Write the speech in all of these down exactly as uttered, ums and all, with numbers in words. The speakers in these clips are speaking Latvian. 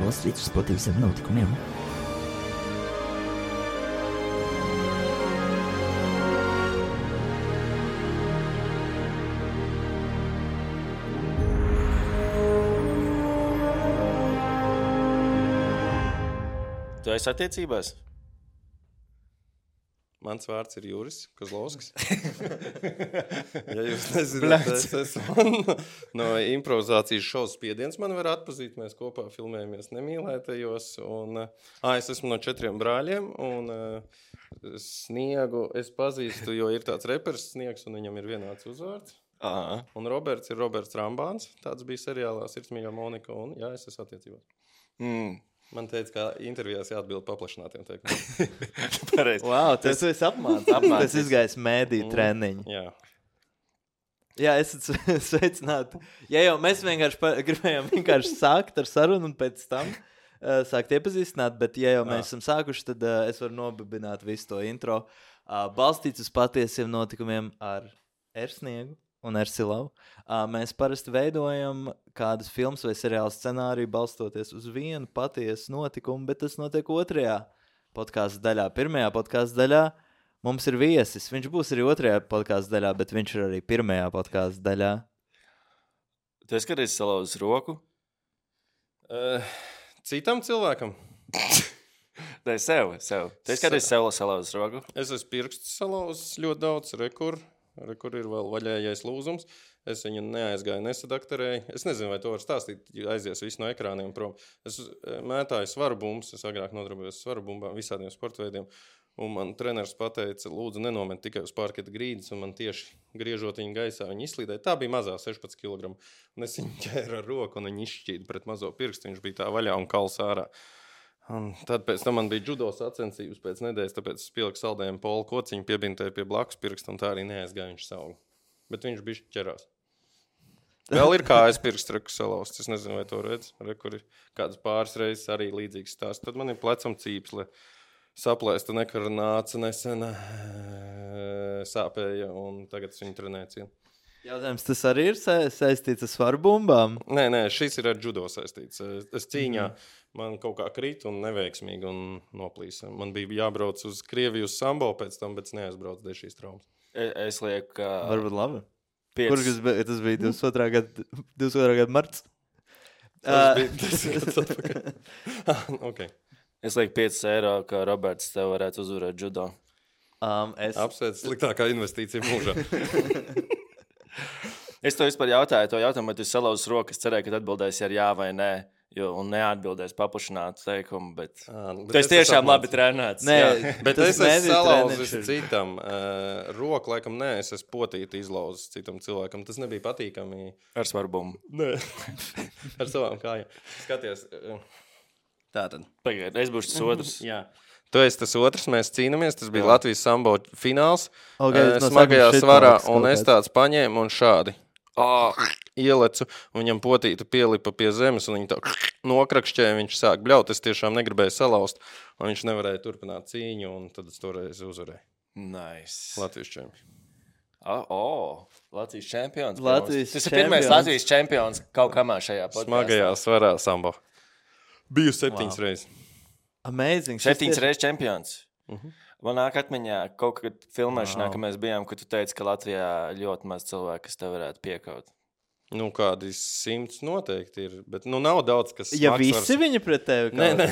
balstīts uz patiesiem notikumiem. Tu esi attiecībās? Mans vārds ir Juris Kozlovskis. Ja jūs nezināt, es esmu no improvizācijas šovs Spiediens. Man var atpazīt, mēs kopā filmējamies Nemīlētajos. Un, ā, es esmu no četriem brāļiem un Sniegu es pazīstu, jo ir tāds reperis Sniegs un viņam ir vienāds uzvārds. Aha. Un Roberts ir Roberts Rambāns. Tāds bija seriālā Sirdsmīļā Monika un jā, es esmu attiecībās. Mm. Man teica, ka intervijās jāatbild paplašinātiem teikumiem. Pareizi. Wow, tas tu esi apmācīts. Tas izgājis mēdī treniņu. Jā. Jā, esat sveicināti. Ja jau mēs vienkārši pa, gribējām vienkārši sākt ar sarunu un pēc tam uh, sākt iepazīstināt, bet ja jau mēs esam sākuši, tad uh, es varu nobibināt visu to intro. Uh, balstīts uz patiesiem notikumiem ar Ersniegu un Ersilavu. Uh, mēs parasti veidojam kādas filmas vai seriāla scenāriju balstoties uz vienu patiesu notikumu, bet tas notiek otrajā podkāstu daļā. Pirmajā podkāstu daļā mums ir viesis. Viņš būs arī otrajā podkāstu daļā, bet viņš ir arī pirmajā podkāstu daļā. Tu esi kādreiz salauzis roku? Uh, citam cilvēkam? Nē, sev, sev. Tu esi kādreiz sev salauzis roku? Es esmu pirksts salauzis ļoti daudz, rekur. Rekur ir vēl vaļējais lūzums. Es viņu neaizgāju, nesadakterēju. Es nezinu, vai to var stāstīt, aizies visu no ekrāniem prom. Es mētāju svaru bumbas, es agrāk nodarbojos svaru bumbām, visādiem sportveidiem. Un man treneris pateica, lūdzu, nenomet tikai uz parketa grīdas, un man tieši griežot viņu gaisā, viņa izslīdēja. Tā bija mazā sešpadsmit kilogramu. Un es viņu ķēru ar roku, un viņa izšķīda pret mazo pirkstu. Viņš bija tā vaļā un kals ārā. Un tad pēc tam man bija judo sacensības pēc nedēļas, tāpēc es pieliku saldējumu polu kociņu, piebintēju pie blakus pirksta, un tā arī neaizgāja viņš saugu. Bet viņš bišķi ķerās. Vēl ir kājas pirksts reku salauzts, es nezinu, vai to redz. Rekur ir kādas pāris reizes arī līdzīgs stāsts. Tad man ir plecam cīpsle, saplēsta nekarnāca nesen, sāpēja, un tagad es viņu trenēju cienu. Jautājums, tas arī ir sa- saistīts ar svaru bumbām? Nē, nē, šis ir ar judo saistīts. Es cīņā man kaut kā krīt un neveiksmīgi un noplīsa. Man bija jābrauc uz Krieviju uz sambo pēc tam, bet es neaizbraucu dēļ šīs traumas. Es, es lieku, ka... Varbūt labi. Piec... Kurš tas bija? Tas bija divdesmit otrā gada, divdesmit otrā gada marts. Tas bija desmit gads atpakaļ. Okay. Es lieku piecus eiro, ka Roberts tev varētu uzvarēt judo. Um, es... Apsveic sliktākā investīcija mūžā. Es to vispār jautāju, to jautājumu, vai tu salauzis roku. Es cerēju, ka atbildēsi ar jā vai nē, jo, un neatbildēs paplašinātu teikumu, bet... À, bet tu esi tiešām labi trenēts. Nē, jā, bet tas es esmu salauzis ir. citam. Uh, roku, laikam, nē, es esmu potīti izlauzis citam cilvēkam. Tas nebija patīkami. Ar svarbumu. Nē. Ar savām kājām. Skaties. Uh, tātad. Pagaid, es būšu tas otrs. Jā. Tu esi tas otrs, mēs cīnāmies. Tas bija Jā. Latvijas sambo fināls. Okay, uh, no smagajā sākuma svarā, shitbox un kaut es kāds. tāds paņēmu un šādi. Oh, ielecu, un viņam potīta pielipa pie zemes, un viņa tā nokrakšķēja, viņš sāk bļaut. Es tiešām negribēju salauzt, un viņš nevarēja turpināt cīņu, un tad es toreiz uzvarēju. Nice. Latvijas čempions. Oh, oh, Latvijas čempions. Latvijas Tas ir pirmais čempions. Latvijas čempions kaut kamā šajā podkāstā. Smagajā svarā sambo. Biju septiņas Wow. reizes. Amazing. Šis Septiņas tieši- reizes čempions. Mhm. Man nāk atmiņā kaut kad filmēšanā, Wow. ka mēs bijām, ka tu teici, ka Latvijā ļoti maz cilvēku, kas tev varētu piekaut. Nu, kādi simts noteikti ir, bet nu nav daudz, kas Ja smags visi var- viņi pret tevi Nē, kaut nē.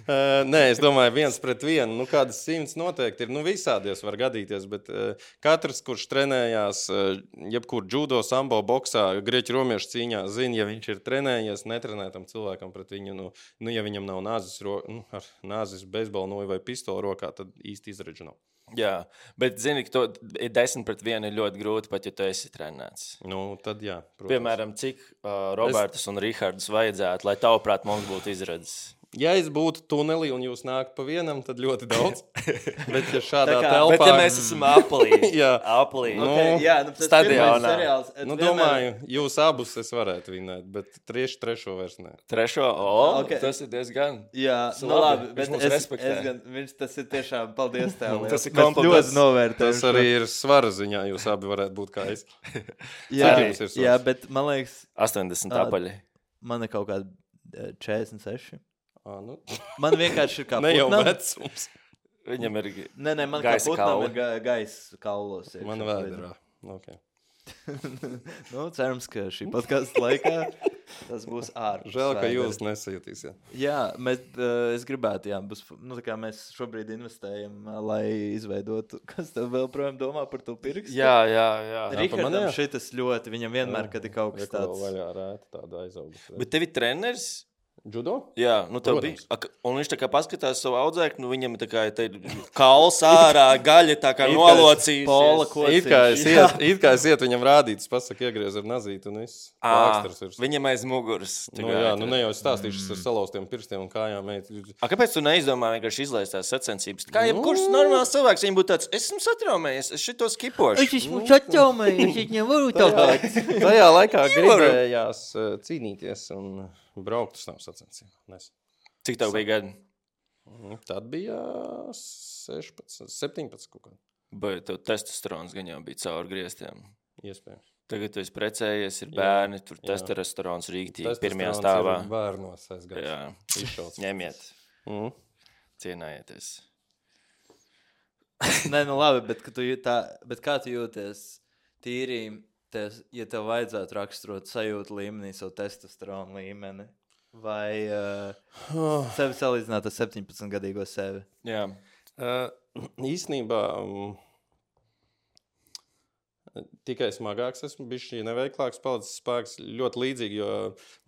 Uh, nē, es domāju, viens pret vienu. Nu, kādas simts noteikti ir. Nu, visādies var gadīties, bet uh, katrs, kurš trenējās, uh, jebkur judo, sambo, boksā, grieķu romiešu cīņā, zina, ja viņš ir trenējies, netrenētam cilvēkam pret viņu, nu, nu ja viņam nav nāzes, ro, nu, ar nāzes beisbola noju vai pistolu rokā, tad īsti izredzu nav. Jā, bet zini, ka to ir desmit pret vienu ir ļoti grūti, pat ja tu esi trenēts. Nu, tad jā, protams. Piemēram, cik uh, Robertus es... un Rihardus vajadzētu, lai tavuprāt mums būtu izredzes? Ja es būtu tunelī un jūs nākat pa vienam, tad ļoti daudz. Bet ja šādā Tā kā- telpā... Bet ja mēs esam aplī, Jā. aplī. Nu, Okay, jā, nu, tas stadionā. pirmais seriāls, et Nu, vienmēr- domāju, jūs abus es varētu vinēt, bet tieši trešo vairs nē. Trešo, o, Okay. tas ir diezgan. Jā, Tas nu labi, labi, viņš bet mūs es, respektē. es gan, viņš tas ir tiešām, paldies tev. Tas ir Mēs kompliments. ļoti novērtējam. Tas arī ir svara ziņā, jūs abi varētu būt kā es. Jā, Cik jums ir svars? jā, bet man liekas, astoņdesmit Ā, apaļi. man ir kaut kādi četrdesmit seši. À, nu. Man vienkārši ir kā Ne jau putnam. vecums. Viņam ir Nē, nē, man kā gaisa putnam kauli. ir ga gaisa kaulos. iekšā. Man vēderā. Okay. Nu, cerams, ka šī podkāsta laikā tas būs ārpus. Žēl, ka vēdera. jūs nesajutīsiet. Jā, mēs, uh, es gribētu, jā, būs, nu, tā kā mēs šobrīd investējam, uh, lai izveidotu, kas tev vēl projām domā par to pirkstu. Jā, jā, jā. pa Rihardam manējā? šitas ļoti, viņam vienmēr, kad ir kaut kas Reku vēl tāds. vaļā rēta tāda aizaugus. Bet tev ir treneris? Judo? Jā, nu tev Protams. bija. Ak, un viņš tā kā paskatās savu audzēkni, nu viņam ir tā kā te ir kauls ārā, gaļa tā kā It kā nolocījusies. Pola kociņš. It kā es Jā. iet, it kā es iet viņam rādīt, es pasaku iegriez ar nazīti un viss. Ā, Plāksters virs. Viņam aiz muguras. Nu jā, nu ne jau es stāstīšu mm. ar salauztiem pirkstiem un kājām. Eit. A, kāpēc tu neizdomā vienkārši izlaist tās sacensības? Kā Nu. jebkurš normāls cilvēks, viņam būtu tāds, esmu satraumējies, es šito skipošu. esmu satraumējies, es nevaru tagad. Tajā laikā gribējās uh, cīnīties un braukt uz tām sacensībām. Cik tev bija gadi? Tad bija sešpadsmit, septiņpadsmit kaut kā. Bet tev testosterons gan jau bija caur griestiem. Iespējams. Tagad tu esi precējies, ir Jā, bērni, tur jā. testosterons rīktīgi, Tas pirmajā tas stāvā. ir Bērnos aizgājis. Jā, Izšauts. ņemiet, Mm. cienājieties. Nē, nu labi, bet, ka tu jūt tā, bet kā tu jūties tīri, tes, ja tev vajadzētu raksturot sajūtu līmenī, savu testosteronu līmeni? Vai uh, sevi salīdzināt ar septiņpadsmitgadīgo sevi? Jā. Uh, īstenībā um, tikai smagāks esmu, bijis šī neveiklāks, palicis spēks ļoti līdzīgi, jo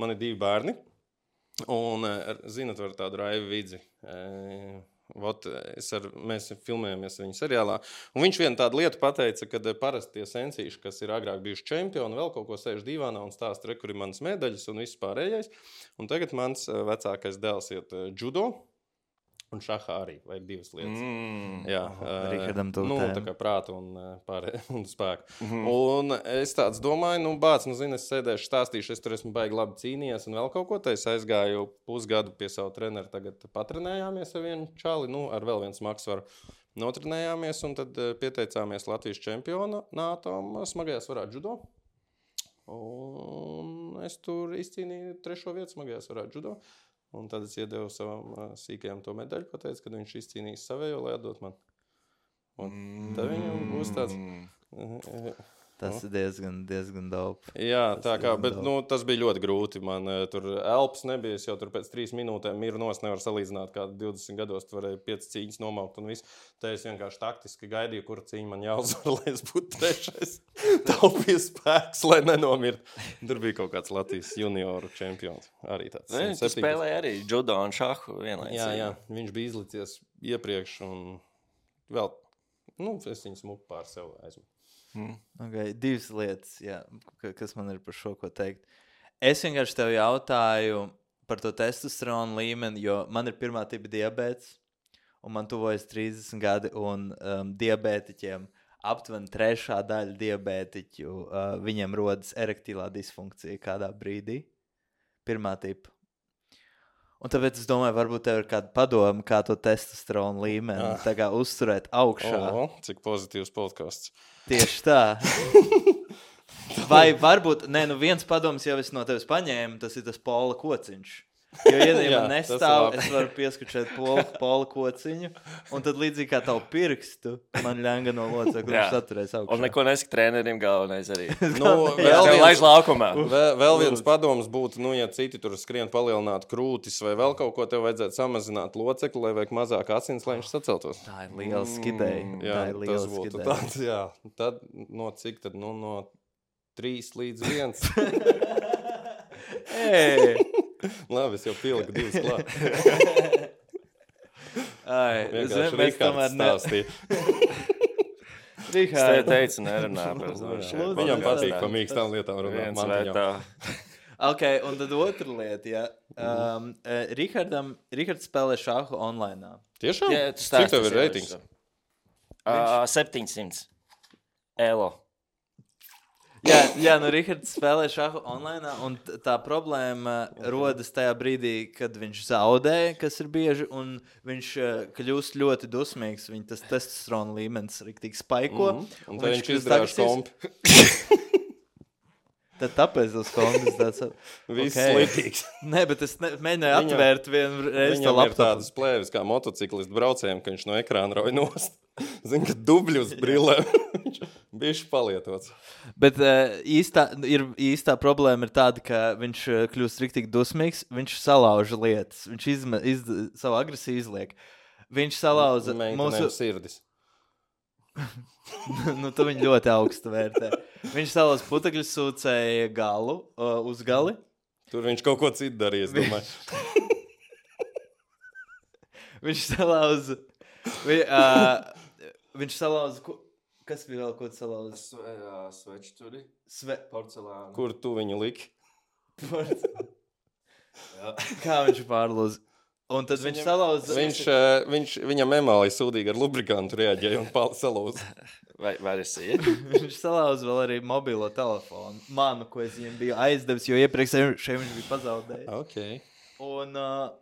man ir divi bērni. Un, uh, zinat, var tādu Raivu Vidzi. Uh, Vot, es ar, mēs filmējamies viņa seriālā. Un viņš vienu tādu lietu pateica, ka parasti tie sensīši, kas ir agrāk bijuši čempioni, vēl kaut ko sēž divānā un stāsta, re, kur ir manas medaļas un viss pārējais. Un tagad mans uh, vecākais dēls iet uh, judo. Un šahā arī vajag divas lietas. Mm. Jā, Rihardam to nu, tēmu. tā kā prātu un, pārē, un spēku. Mhm. Un es tāds domāju, nu, bāc, nu, zini, es sēdēšu, stāstīšu, es tur esmu baigi labi cīnījies un vēl kaut ko. Tā es aizgāju pusgadu pie savu treneru, tagad patrenējāmies ar vienu čali, nu, ar vēl viens maksvaru. Notrenējāmies un tad pieteicāmies Latvijas čempionātam smagajā svarā judo. Un es tur izcīnīju trešo vietu smagajā svarā judo. Un tad es iedevu savam uh, sīkajam to medaļu, pateicu, kad viņš izcīnīs savējo, lai atdot man. Un tad viņam būs tāds... Mm. Tas ir diezgan, diezgan daudz. Jā, Tas tā kā, diezgan bet daudz. nu, tas bija ļoti grūti. Man uh, tur elpas nebija, es jau tur pēc trīs minūtēm miru nos, nevar salīdzināt, kā divdesmit gados tu varēji piecas cīņas nomaukt un viss. Tā es vienkārši taktiski gaidīju, kura cīņa man jāuzvar, lai es būtu trešais. Taupīju spēks, lai nenomirt. Tur bija kaut kāds Latvijas junioru čempions. Arī tāds. Ne, tu spēlēji arī judo un šahu vienlaicīgi. Jā, jā, viņš bija izlicies iepriekš un vēl, nu, es viņu smuku pār sev aizmu. Mm. Okay, divas lietas, jā, ka- kas man ir par šo ko teikt. Es vienkārši tev jautāju par to testosteronu līmeni, jo man ir pirmā tipa diabēts, un man tuvojas trīsdesmit gadi, un um, diabētiķiem aptuveni trešā daļa diabētiķu, uh, viņiem rodas erektīlā disfunkcija kādā brīdī. Pirmā tipa. Un tāpēc es domāju, varbūt tev ir kāda padoma, kā to testosteronu līmeni Ah. tā kā uzturēt augšā. O, cik pozitīvs podcasts. Tieši tā. Vai varbūt, nē, nu viens padoms jau es no tevis paņēmu, tas ir tas Pola kociņš. Jo, ja Jā, man tas nestāv, labi. es varu pieskačēt Pola, Pola kociņu, un tad līdzīgi kā tavu pirkstu, man ļanga no locekļa, Jā. viņš saturēs augšā. Un neko nesaka trenerim galvenais arī. Nu, Vēl vēl viens laiž viens, laukumā. vēl, vēl viens padoms būtu, nu, ja citi tur skrien palielināt krūtis vai vēl kaut ko, tev vajadzētu samazināt locekli, lai vajag mazāk asins, lai viņš saceltos. Tā ir liela skidēja. Jā, Tā ir liela tas būtu skidēja. tāds, jā. Tad no cik tad, nu, no trīs līdz viens. Ei! Labi, es jau pieliku divas klāt. Ai, Vienkārši zini, mēs Rihards tomēr ne... stāstīja. Es te Rihards. teicu, nerunā par to. Lūdzu, šeit. Viņam jā, patīk jā. pa mīkstām lietām runāt. Viens Man vai viņam. tā. Ok, un tad otra lieta, jā. Um, uh, Rihardam, Rihards spēlē šāhu online. Tiešām? Jā, tu Cik stāsti, tev ir jā, reitings? Ā, septiņsimt. Elo. Jā, jā, nu Rihards spēlē šāhu online, un t- tā problēma rodas tajā brīdī, kad viņš zaudē, kas ir bieži, un viņš uh, kļūst ļoti dusmīgs. Viņa tas testosterona līmenis riktīgi spaiko. Mhm. Un tad viņš kļūst izdarāš agresīvs. kompi. Tad tāpēc tas Hondas tāds... Viss Okay. slitīgs. Nē, bet es ne, mēģināju Viņam- atvērt vienu reizi to Viņam ir laptopu. tādas plēves kā motociklistu braucējiem, ka viņš no ekrāna rauj nost. Zini, ka dubļus brillē viņš bišķi palietots. Bet uh, īstā, ir, īstā problēma ir tāda, ka viņš uh, kļūst riktīgi dusmīgs, viņš salauž lietas, viņš izme, iz, savu agresiju izliek. Viņš salauza Meitenēm mūsu... sirdis. nu, tu viņu ļoti augstu vērtē. Viņš salauza putekļu sūcēja galu uh, uz gali. Tur viņš kaut ko citu darīja, es domāju. Viņš salauza... Vi, uh, viņš salauza... Ko, kas bija vēl, ko tu salauza? Sveču turi, Sve... porcelānu. Kur tu viņu liki? Kā viņš pārlūza? Un tad viņš salauza... Viņš, eh, viņš, viņam emālija sūdīgi ar lubrikantu reaģēja un pal- salūza. Vai, vai esi iet? Viņš salauza vēl arī mobilo telefonu. Manu, ko es viņam biju aizdevis, jo iepriekš šeit viņš bija pazaudējis. Okay. Un uh,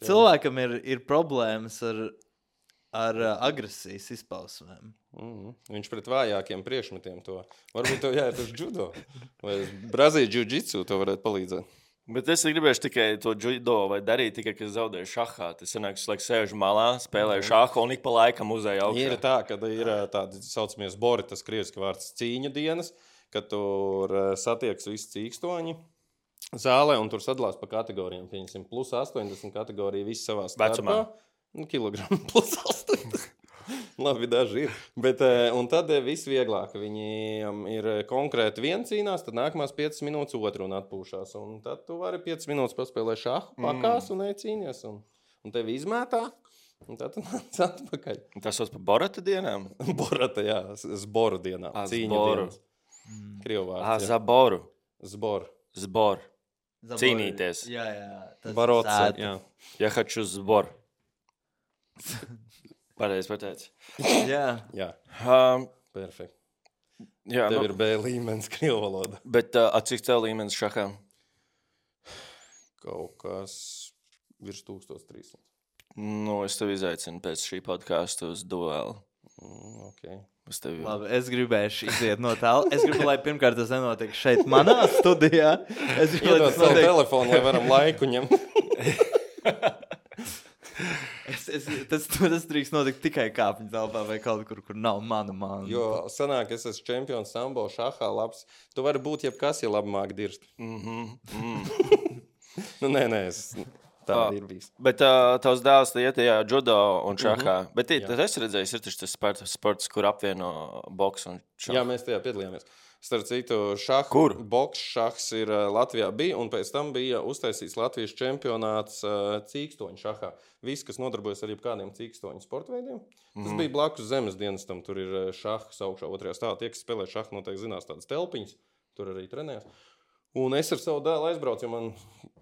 cilvēkam ir, ir problēmas ar, ar uh, agresijas izpausmēm. Mm-hmm. Viņš pret vājākiem priekšmetiem to. Varbūt tev jāiet uz judo. Vai uz Brazīļu jiu-jitsu to varētu palīdzēt. Bet es gribēju tikai to judo vai darīt, tikai, ka zaudēju šahā. Tas sanāk, ka es sēžu malā, spēlēju šahu un ik pa laikam uzēju augšā. Ir tā, ka ir ā, tādi saucamie zbori, tas krieviski vārds cīņu dienas, kad tur ā, satiekas visi cīkstoņi zālē un tur sadalās pa kategorijām. Pieņemsim, plus astoņdesmit kategorija visi savā starpā. Vecumā? Nu, kilogramu plus astoņdesmit. Labi, daži ir. Bet, un tad viss vieglāk. Viņiem ir konkrēti viens cīnās, tad nākamās piecas minūtes otru un atpūšās. Un tad tu vari piecas minūtes paspēlēt šahu, pakās un ej cīnies. Un, un tevi izmētā, un tad tu nāc atpakaļ. Tas sauc par Borata dienām? Borata, jā, zboru dienā. A, Cīņu zboru. dienas. Krievu Ah, vārds, jā. zaboru. Zbor. Zbor. Zabori. Cīnīties. Jā, jā. Tas Barots, sēta. jā. Ja haču zbor. Pareizi pateici. Jā. Jā, Um, perfekt. jā, Tev nu, ir B līmenis krievu valoda. bet uh, cik tev līmenis šahā? Kaut kas virs tūkstoš trīssimti. Nu, es tev izaicinu pēc šī podkāstu uz duelu. Mm, okay. Es tev Labi, es gribēšu iziet no tālu. Es gribu, lai pirmkārt tas nenotiek šeit, manā studijā. Es gribu, lai Iedod tas savu notiek... telefonu, lai varam laiku ņemt. Es, es, tas, tas drīkst notikt tikai kāpņu telpā vai kaut kur, kur nav mana māna. Jo sanāk, es esmu čempions sambo, šahā, labs. Tu vari būt jebkas, ja labi māk dirst. Mhm, mm. Nu, nē, nē, es... tā Ah. ir bijis. Bet uh, tavs dēls te iet tajā judo un šahā. Mhm. Mm -hmm. Bet Jā. tas es redzēju, ir taču tas sports, sports, kur apvieno boksu un šahu. Jā, mēs tajā piedalījāmies. Starp citu, šahu, Kur? boks šahs ir uh, Latvijā bija, un pēc tam bija uztaisīts Latvijas čempionāts uh, cīkstoņu šahā. Visi, kas nodarbojas ar jebkādiem cīkstoņu sportveidiem. Tas Mhm. bija blakus zemes dienestam, tur ir uh, šahs augšā otrajā stāvā. Tie, kas spēlē šahu, noteikti zinās tādas telpiņas, tur arī trenējas. Un es ar savu dēlu aizbraucu, jo man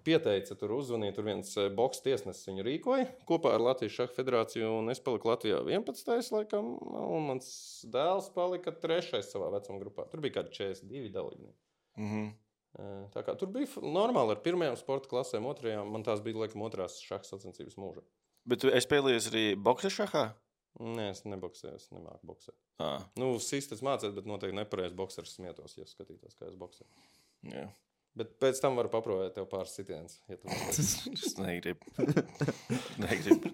pieteica, tur uzzvanīja, tur viens uh, boks tiesnesis viņu rīkoja kopā ar Latvijas šahu federāciju, un es paliku Latvijā vienpadsmitais laikam, un mans dēls palika trešais savā vecuma grupā. Tur bija kādi četrdesmit divi dalībnieki. Mm -hmm. Uh, Tā kā tur bija f- normāli ar pirmajām sporta klasēm, otrajām, man tās bija, laikam, otrās šaha sacensības mūža. Bet tu esi piedalījies arī boksa šahā? Nē, es neboksēju, es nemāku boksēt. Ah, Nu, sisters mācēt, bet noteikti nepareiz boksers smietos, ja skatītos, kā es boksēju. jā. Bet pēc tam varu paprovēt tev pāris sitienus, ja tu nepareiz. Es negribu. negribu.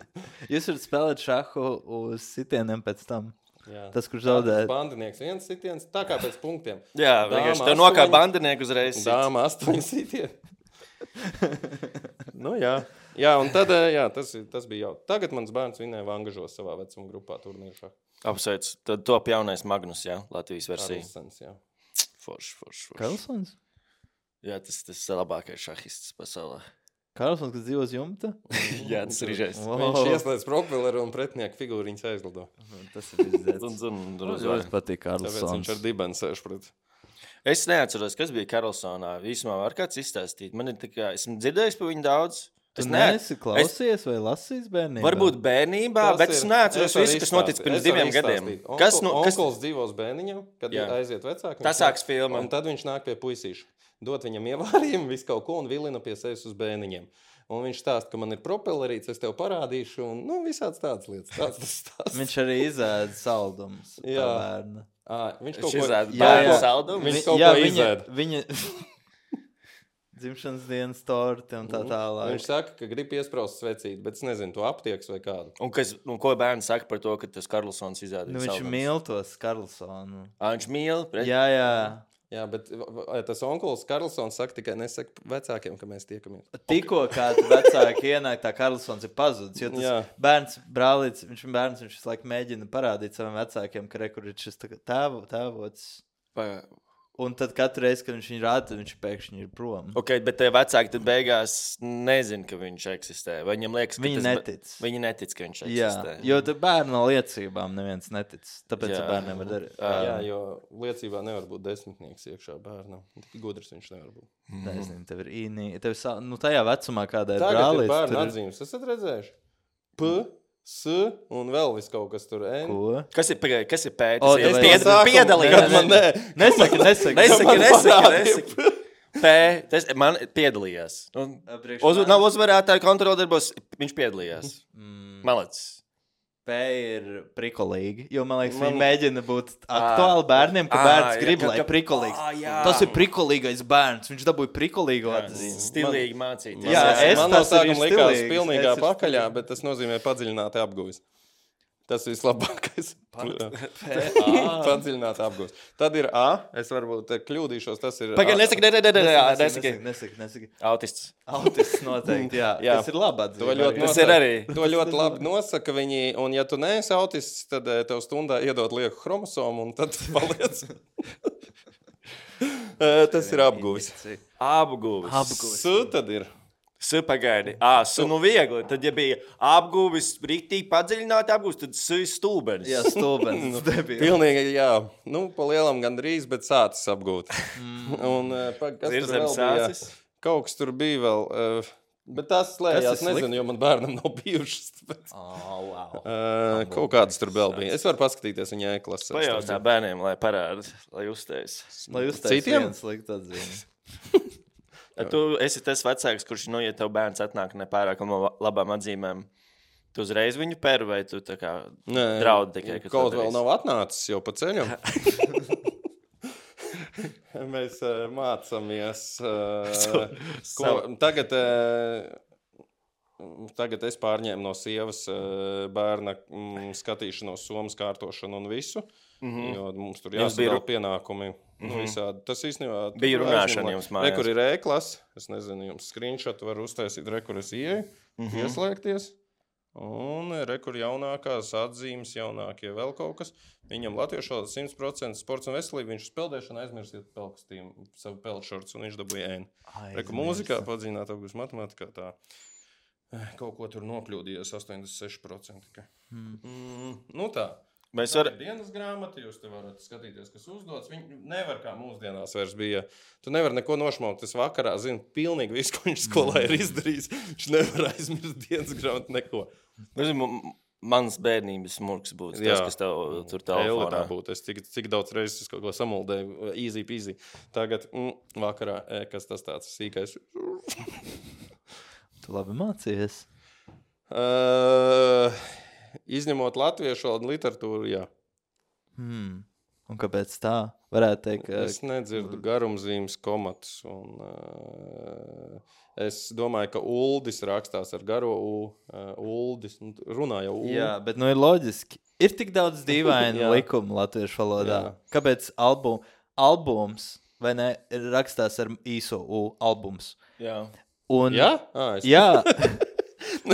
Jūs varat spēlēt šahu uz sitieniem pēc tam. Jā. Tas, kurš zaudē. Bandinieks viens sitiens, tā kā pēc punktiem. Jā, Dāma vienkārši tev nokāp astoņi. bandinieku uzreiz. sit. Dāma astoņi sitieni. Nu jā. Jā, un tad, eh, jā, tas, ir- tas bija jau. Tagad mans bērns vinēja Vangažos savā vecuma grupā turnīru šahā. Apsveic. Tad top jaunais Magnus, jā, Latvijas versija. Karlsens, jā. Forši, forši, forši. Karlsons? Jā, tas tas labākais šahists pasaulē. Karlsons, kas dzīvo uz jumta? Jā, tas ir žēs. Wow. Viņš ieslēdz propeleru un pretinieku figūriņas aizlido. Tas ir izdzēts. Un, un, un, Man un, ļoti patīk Tāpēc viņš Karlsons. ar dibenu sēž pret. Es neatceros, kas bija Karlsonā. Vismā var kāds izstāstīt. Man ir tikai, esmu dzirdējis par viņu daudz. Tu Es neesi klausies vai lasījis bērnībā? Varbūt bērnībā, Tas bet es ir- neatceros varu visu, kas notic izstāstīt. pirms Es varu diviem gadiem. izstāstīt. Kas, Onku- nu, kas, Onkuls dzīvos bērniņam, kad Jā. aiziet vecāki. Tas sāks filma. Un tad viņš nāk pie puisīša. Dot viņam ievārījumu, visu kaut ko un vilina pie sevis uz bērniņiem. Un viņš stāsta, ka man ir propellerīts, es tev parādīšu. Un, nu, visāds tādas lietas. Tāds tas stāsts. Viņš arī izēda saldumus. Jā. Bērna. À, viņš kaut Šis ko ēd jā, bērnu jā. saldumu. Viņš Vi- kaut jā, ko viņa, izēd. viņa dzimšanas dienas torti un tā tālāk. Viņš saka, ka grib iespraust svecīt, bet es nezinu, to aptieks vai kādu. Un, kas, un ko bērns saka par to, ka tas Karlsons izrādīja? Nu, viņš mīl tos Karlsonu. Ā, viņš mīl? Pret... Jā, jā. Jā, bet vai tas onkulis Karlsons saka tikai nesaka vecākiem, ka mēs tiekamies. Tikko kā tu vecāki ienāk, tā Karlsons ir pazudis. Jo tas Jā. bērns, brālīts, viņš ir bērns, viņš visu laiku mēģina parādīt saviem vecākiem, ka re, kur ir šis tā kā tēvo, tēvots. Pa... Un tad katru reizi, kad viņš viņu rāda, tad viņš pēkšņi ir prom. Ok, bet tie vecāki tad beigās nezina, ka viņš eksistē. Vai viņam liekas, ka Viņi tas... netic. Viņi netic, ka viņš Jā, eksistē. jo tad bērnu no liecībām neviens netic. Tāpēc Jā. ar bērniem var darīt. Ā. Jā, jo liecībā nevar būt desmitnieks iekšā bērnam. Tik gudrs viņš nevar būt. Taisnība, tev ir īnī. Tev sa... nu, tajā vecumā, kādā ir Tagad ir brālīts. bērnu tur- atzīmes. Esat redzējuši? P, S un vēl viss kaut kas tur. N. Ko? Kas ir, pagaid, kas ir pēc? O, Tas tas ir pied... sākuma- piedalījies. Man nē. Nesaki, nesaki. Nesaki, Man nesaki, parādīja. nesaki. P, tas man piedalījās. Un, Priekš uz, manis. nav uzvarētāju kontroldarbos, viņš piedalījās. Mm. Malacis. P ir prikolīgi, jo man liekas, Man- viņi mēģina būt aktuāli bērniem, ka Ā, bērns jā, grib, ka- lai ka- prikolīgs. Ā, jā. Tas ir prikolīgais bērns, viņš dabūja prikolīgu atzīmi. Stilīgi mācīties. Jā, es man no tas arī sākuma likās stilīgs, pilnīgā es ir pakaļā, stilīgs. bet tas nozīmē padziļināti apguvis. Tas ir vislabākais. Padziļināti apguvis. Tad ir A. Es varbūt eh, kļūdīšos. Tas ir Pagaid, A. nesaki, ne, ne, ne, ne, ne, Nesaki, nesaki. nesaki, nesaki, nesaki. Autists. Autists noteikti, jā. Jā. Tas ir labi atzīme. To ļoti, arī. Tas ir arī. nosaka, to ļoti labi nosaka viņi. Un, ja tu neesi autists, tad eh, tev stundā iedod lieku chromosomu, un tad paliec. Eh, tas ir apguvis. Apguvis. Apguvis. S tad ir. S pagaidi. Ā, S nu viegli. Tad, ja bija apguvis, rīktīgi padziļināti apguvis, tad S ir stulbenis. Jā, stulbens. debils. Pilnīgi, jā. Nu, pa lielam gandrīz, bet sācis apgūt. Un, eh, pa, kas tur Zirzem vēl bija? sācis. Kaut kas tur bija vēl. Uh, bet tas slēdzās, Kas ir nezinu, jo man bērnam nav bijušas. Bet, Oh, wow. uh, kaut kāds tur vēl bija. Es varu paskatīties viņa e-klasē. Pajautā bērniem, lai parāda, lai uztais. Lai uztais Citiem? viens likt atzīmi. Tu esi tas vecāks, kurš, nu, ja tev bērns atnāk nepārāk no labām atzīmēm, tu uzreiz viņu per vai tu tā kā Nē, draudi tikai, ka kaut to vēl darīsi? nav atnācis jau pa ceļam. Mēs uh, mācāmies. Uh, ko, tagad, uh, tagad es pārņēmu no sievas uh, bērna mm, skatīšanos, somas kārtošanu un visu. Mm -hmm. Jo mums tur Jums bija jāsadala ru- pienākumi. Mm -hmm. Nu, visādi. Tas īstenībā Bija tur runāšana aizņem, jums lai- mājās. Re, kur ir e-klase. Es nezinu, jums screenshot var uztaisīt, re, kur es ieeju, mm -hmm. ieslēgties. Un re, kur jaunākās atzīmes, jaunākie vēl kaut kas. Viņam latviešu valoda simt procenti sports un veselība. Viņš uz peldēšanu aizmirsiet pelkstīm savu peldšorts un viņš dabūja ēnu. Re, kur mūzikā padziļināt augus matemātikā tā. eh, Kaut ko tur nokļūdījies astoņdesmit seši procenti. Hmm. Mm, nu tā. Mēs Tā varam. ir dienas grāmata, jūs te varat skatīties, kas uzdots. Viņi nevar kā mūsdienās vairs bija. Tu nevari neko nošmaukt. Es vakarā zinu pilnīgi visu, ko viņš skolā ir izdarījis. Viņš nevar aizmirst dienas grāmatu neko. Mans bērnības murgs būtu tas, Jā. kas tev tur Telefonā telefonā. būtu. Es cik, cik daudz reizes es kaut ko samuldēju. Easy peasy. Tagad mm, vakarā, e, kas tas tāds sīkais. Tu labi mācījies. Uh, izņemot latviešu valodu un literatūru, jā. Hmm. Un kāpēc tā? Varētu teikt, ka... Es nedzirdu garumzīmes komatus. Un, uh, es domāju, ka Uldis rakstās ar garo U. Uh, Uldis nu, runā jau U. Jā, bet nu ir loģiski. Ir tik daudz dīvainu Jā. likumu latviešu valodā. Jā. Kāpēc album, albums, vai ne, ir rakstās ar īso U albums? Jā. Un, Jā? À, es, Jā,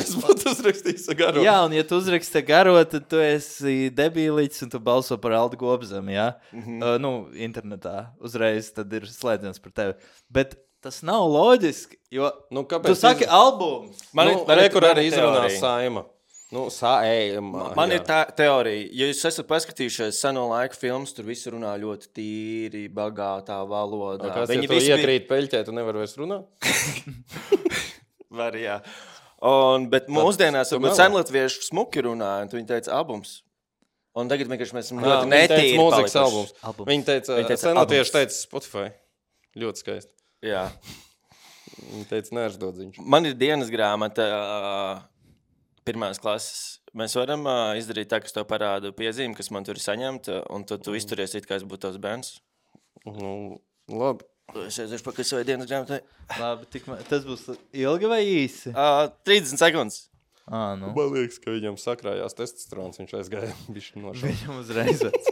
es būtu uzrakstījis ar garo. jā, un ja tu uzraksti garo, tad tu esi debīlīts un tu balso par Aldu Gobzemu, jā? Mm -hmm. uh, nu, internetā. Uzreiz tad ir slēdziens par tevi. Bet tas nav loģiski, jo Nu, kāpēc? tu saki albums. Man nu, ir- man ir- re, kur man arī ir izrunās teorija. saima. Nu, sa, ej, ma, Man jā. ir tā teorija, ja jūs esat paskatījušies seno laiku filmas, tur visi runā ļoti tīri, bagātā valodā. Kas, Viņi ja tu visi bija- iekrīt peļķē, tu nevari vairs runāt? Var, jā. Un, bet mūsdienās tu varbūt melo. senlatviešu smuki runāja, un viņi teica albums. Un tagad vienkārši mēs esam Jā, ļoti viņi teica netīri mūzikas palikuši. albums. Albums. Viņi teica, Viņi teica senlatvieši albums. teica Spotify. Ļoti skaisti. Jā. Viņi teica nēršdodziņš. Man ir dienas grāmata uh, pirmās klases. Mēs varam uh, izdarīt tā, kas tev parāda piezīmi, kas man tur ir saņemta, un tad tu izturies it, kā es būtu tavs bērns. Nu, labi. Es aiziešu pakaļ savai dienas grāmatai. Labi, tik, ma- tas būs ilgi vai īsi? Uh, trīsdesmit sekundes. Ā, nu. Man liekas, ka viņam sakrājās testosterons, viņš aizgāja bišķi no šā. Viņam uzreiz vec.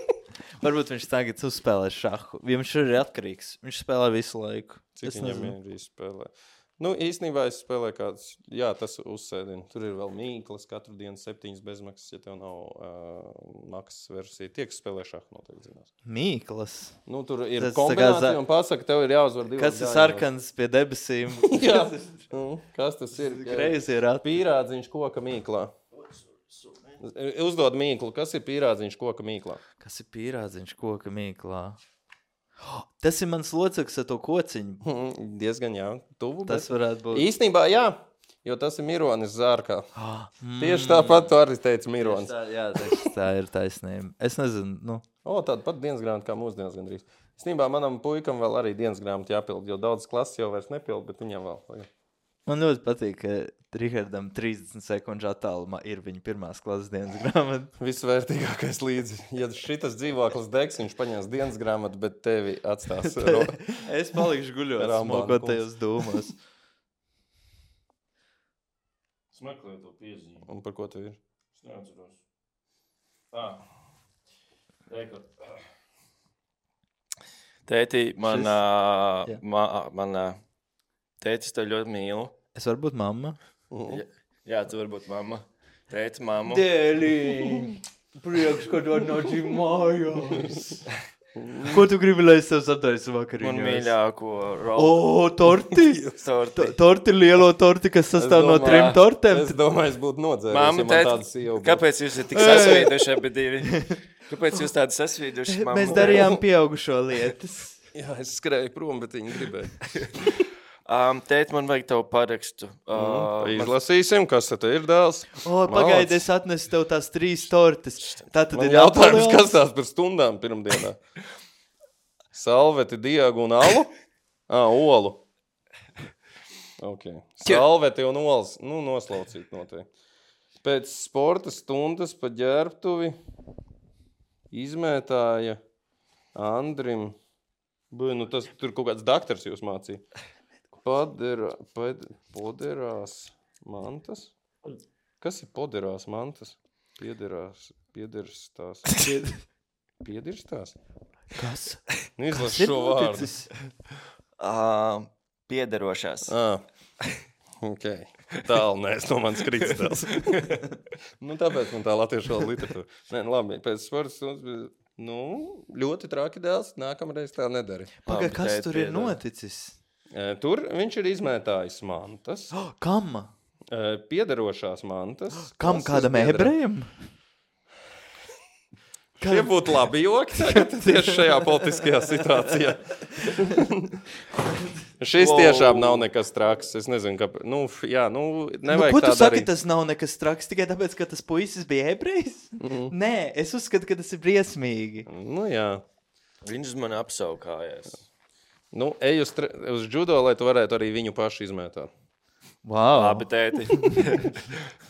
Varbūt viņš tagad uzspēlē šahu. Viņš ir atkarīgs. Viņš spēlē visu laiku. Cik Es viņam nezinu. ir izspēlē? Nu, īstenībā es spēlēju kāds, jā, tas uzsēdina. Tur ir vēl mīklas, katru dienu septiņas bezmaksas, ja tev nav uh, maksas versija. Tie, kas spēlē šahu, noteikti zinās. Mīklas. Nu, tur ir Tas kombinācija tā kā za- un pasaka, tev ir jāuzvar divas Kas ir gājienos. sarkans pie debesīm? Jā, nu, kas tas ir? Greizi ir at. Pīrādziņš koka mīklā. Uzdod mīklu, kas ir pīrādziņš koka mīklā? Kas ir pīrādziņš koka mīklā? Oh, tas ir mans loceklis ar to kociņu. Mm, diezgan jā, tuvu. Tas bet... varētu būt. Īstenībā jā, jo tas ir Mironis Zārkā. Ah, mm. Tieši tāpat tu arī teici Mironis. Tā, jā, tieši tā ir taisnība. Es nezinu, nu. O, tāda pat dienas grāmata kā mūsdienas gandrīz. Īstenībā manam puikam vēl arī dienas grāmata jāpild, jo daudz klases jau vairs nepild, bet viņam vēl. Man ļoti patīk, ka Rihardam trīsdesmit sekundžu attālumā ir viņa pirmās klases dienas grāmata. Visvērtīgākais līdzi. Ja šitas dzīvoklis degs, viņš paņēs dienas grāmatu, bet tevi atstās. ro- Es palikšu guļot, Rambāna smokotajos dūmos. Smeklēju to piezīmi. Un par ko tev ir? Es neatceros. Tā. Reikot. Tēti, man, Šis- ā, Jā. ma, man ā, tētis tev ļoti mīlu. Es varu būt mamma. Mm. Jā, jā, tu vari būt mamma. Tēti, mamma. Dēlī, priekš, kad atnāci mājās. Ko tu gribi, lai es tev sataisu vakarīņos? Man mīļāko O, rolu. torti! Torti. To- Torti, lielo torti, kas sastāv no domāju- trim tortēm. Es domāju, es būtu nodzēries, Mamma, ja man tēt, tādas sieva būtu. kāpēc jūs esat tik sasvīduši abi divi? Kāpēc jūs tādi sasvīduši, mamma? Mēs darījām pieaugušo lietas. Jā, es skrēju prom, bet viņi gribēja. Um, tēt, man vajag tavu parakstu. Uh, Mm. man- Izlasīsim, kas tad ir dēls. O, pagaidi, es atnesu tev tās trīs tortes. Tā tad Man ir jautājums, Napoleons. kas tās par stundām pirmdienā? Salveti, diegu un alu? Ā, olu. Ok. Salveti un olas. Nu, noslaucīt noteikti. Pēc sporta stundas pa ģērbtuvi izmētāja Andrim. Buj, nu tas tur kaut kāds daktars jūs mācīja. Padera, pad, poderās mantas? Kas ir poderās mantas? Piederās, piederas tās. Piederas tās? Kas? Nu, izlas Kas ir šo vārdu. noticis? Uh, piederošās. Ah, ok. Tālu, nē, es no manis krītas tēls. Nu, tāpēc man tā latviešu valoda literatūra. Nē, nu, labi, pēc sporta stundas, bija, nu, ļoti traki dēls, nākamreiz tā nedari. Pagai, Labi, kas tēt, tur ir piedod. noticis? E, Tur viņš ir izmētājis mantas, Oh, kam? e, piederošās mantas. Kam klases kādam biedram. ebrejam? Šie būtu labi joki tagad tieši šajā politiskajā situācijā. Šis Wow. tiešām nav nekas traks. Es nezinu, kāpēc. Nu, f- jā, nu, Nu, nevajag ko tu tā saki, darīt. tas nav nekas traks tikai tāpēc, ka tas puisis bija ebrejs? Mhm. Nē, es uzskatu, ka tas ir briesmīgi. Nu, jā. Viņš uz mani apsaukājās. Nu, ej uz, tre- uz judo, lai tu varētu arī viņu pašu izmētāt. Wow. Labi, tēti.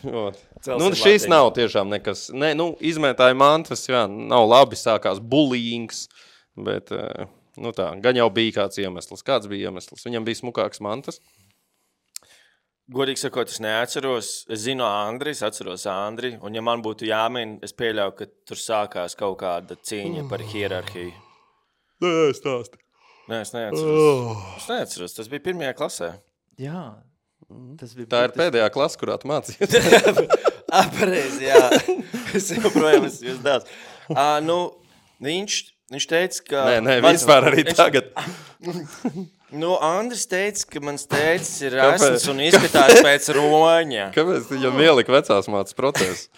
Ot. Celsim Nu, šis latiņu. nav tiešām nekas. Nē, nu, izmētāja mantas, jā, nav labi, sākās bullyings, bet, eh, nu tā, gan jau bija kāds iemesls. Kāds bija iemesls? Viņam bija smukāks mantas. Godīgi sakot, es neatceros. Es zinu Andri, es atceros Andri. Un ja man būtu jāmin, es pieļauju, ka tur sākās kaut kāda cīņa par hierarhiju. Nē, stāsti. Nē, es neatceros. Es neatceros, tas bija pirmajā klasē. Jā, tas bija Tā ir burtiski- pēdējā klasa, kurā tu mācījies. Pareizi, jā. Es joprojām esmu jūs dēls. Uh, nu, viņš, viņš teica, ka... Nē, nē, mans- vispār arī viņš- tagad. Nu, Andris teica, ka mans tēcis ir Kāpēc? esns un izskatās pēc roņa. Kāpēc tu viņam ielika vecās mācas procesu?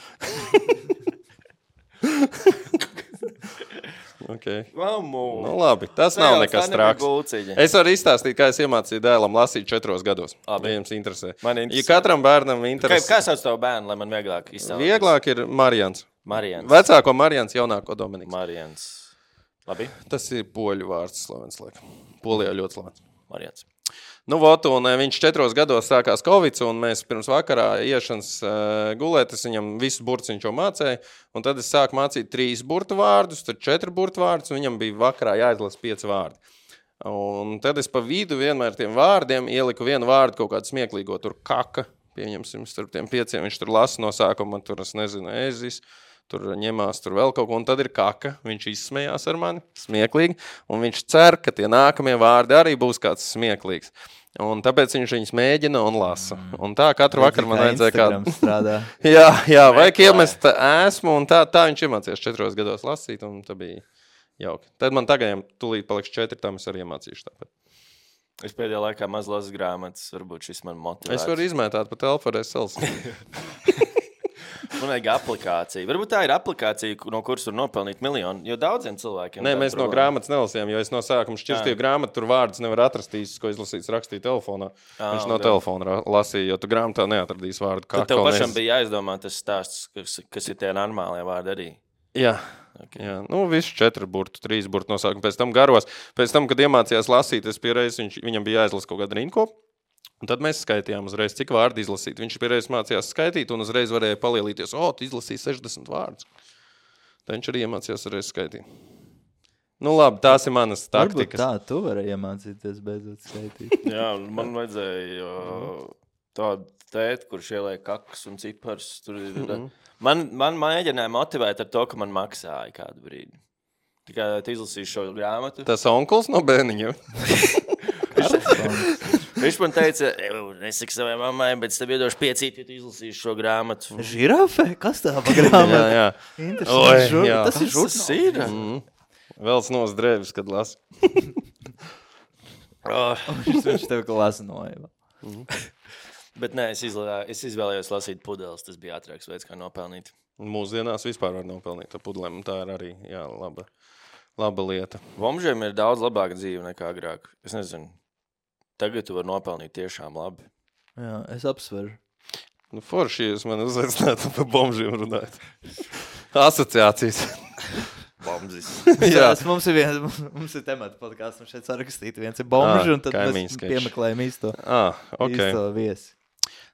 Okay. Mamu. Nu, labi, tas nav nekas traks. Gulciņa. Es varu izstāstīt, kā es iemācīju dēlam lasīt četros gados. Labi. Ja jums interesē. Man interesē. Ja katram bērnam Kā, interesē, kā sauc tavu bērnu, lai man vieglāk izstāstīt? vieglāk ir Marijans. Marijans. Vecāko Marijans, jaunāko Dominiks. Marijans. Labi. Tas ir poļu vārds slavens, laikam. Polijā ļoti slavens. Marijans. Nu, vot, un viņš četros gados sākās Covid, un mēs pirms vakarā iešanas uh, gulēt, es viņam visus burtus viņš jau mācēja, un tad es sāku mācīt trīs burtu vārdus, tad četri burtu vārdus, un viņam bija vakarā jāizlas pieci vārdi. Un tad es pa vidu vienmēr tiem vārdiem ieliku vienu vārdu kaut kādu smieklīgo, tur kaka, pieņemsim, starp tiem pieciem, viņš tur lasa no sākuma, tur, es nezinu, ezis, tur ņemās, tur vēl kaut ko, un tad ir kaka, viņš izsmējās ar mani, smieklīgi, un viņš cer, ka tie nākamie vārdi arī būs kāds smieklīgs. Un tāpēc viņš viņus mēģina un lasa. Un tā katru vakaru man vajadzēja kādu... strādā. jā, jā, vajag iemest esmu, un tā, tā viņš iemācījās četros gados lasīt, un tā bija jauki. Tad man tagad tūlīt paliks četri, tam es arī iemācīšu tāpēc. Es pēdējā laikā maz lasu grāmatas, varbūt šis man motivē. Es varu izmētāt pa telpu ar es elsu. Man vajag aplikāciju. Varbūt tā ir aplikācija, no kuras var nopelnīt miljonu, jo daudziem cilvēkiem... Nē, mēs no grāmatas nelasījām, jo es no sākuma šķirstīju grāmatu, tur vārdus nevar atrast īstis, ko izlasīts rakstīja telefonā. À, Viņš no jā. telefona lasīja, jo tu grāmatā neatradīs vārdu. Tad tev pašam bija jāizdomā tas stāsts, kas, kas ir tie normālie vārdi arī. Jā. Okay. Jā, nu visu četri burtu, trīs burtu nosākumu, pēc tam garos. Pēc tam, kad iemācījās lasīt, es pierreiz, viņš, viņam bija jāizlas kaut kāda rindkopa. Un tad mēs skaitījām uzreiz, cik vārdi izlasīt. Viņš pierreiz mācījās skaitīt un uzreiz varēja palielīties. O, tu izlasīji sešdesmit vārdus. Tad viņš arī iemācījās uzreiz skaitīt. Nu labi, tās ir manas taktikas. Varbūt tā, tu vari iemācīties beidzot skaitīt. Jā, man vajadzēja tādu tēt, kurš ieliek kakas un cipars. Tur ir, mm-hmm. Man, man mēģināja motivēt ar to, ka man maksāja kādu brīdi. Tikai tu izlasīji šo grāmatu. Tas onkuls no bērniņa. Viņš man teica, nesaki savai mammai, bet es tev iedošu piecīt, ja tu izlasīsi šo grāmatu. Žirafe? Kas tā pa grāmatu? jā, jā. Interesanti. Žur... jā. Tas ir žurnāls. Mm. Vēls nos drēvis, kad lasa. oh. Viņš tev ka lasa noiva. Mm. Bet nē, es, izlā, es izvēlējos lasīt pudeles, tas bija ātrāks veids, kā nopelnīt. Mūsdienās vispār var nopelnīt ar pudelēm, tā ir arī jā, laba, laba lieta. Bomžiem ir daudz labāka dzīve nekā agrāk. Es nezinu. Tagad tu vari nopelnīt tiešām labi. Jā, es apsveru. Nu, forši, jūs mani uzaicinātu par bomžiem runāt. Asociācijas. Bomzis. Jā, mums ir viens, mums ir temata podkāsts, un šeit sarakstīti viens ir bomži, ah, un tad mēs skaič. Piemeklējam īsto, ah, okay. īsto viesi.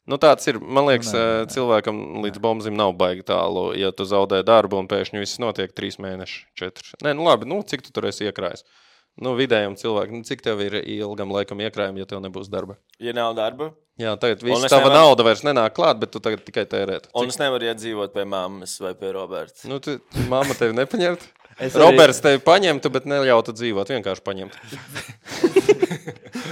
Nu tāds ir, man liekas, nē, nē. cilvēkam līdz bombzim nav baigi tālu, ja tu zaudē darbu un pēkšņi viss notiek trīs mēneši, četri. Nē, nu labi, nu cik tu tur esi iekrājis? Nu, vidējam cilvēkam, cik tev ir ilgam laikam iekrājumi, ja tev nebūs darba? Ja nav darba? Jā, tagad viss tava nevar... nauda vairs nenāk klāt, bet tu tagad tikai tērēt. Un cik... es nevaru iet dzīvot pie mammas vai pie Roberta. Nu, tu, mamma tevi nepaņemt? Roberts arī... tevi paņemtu, bet neļautu dzīvot, vienkārši paņemt.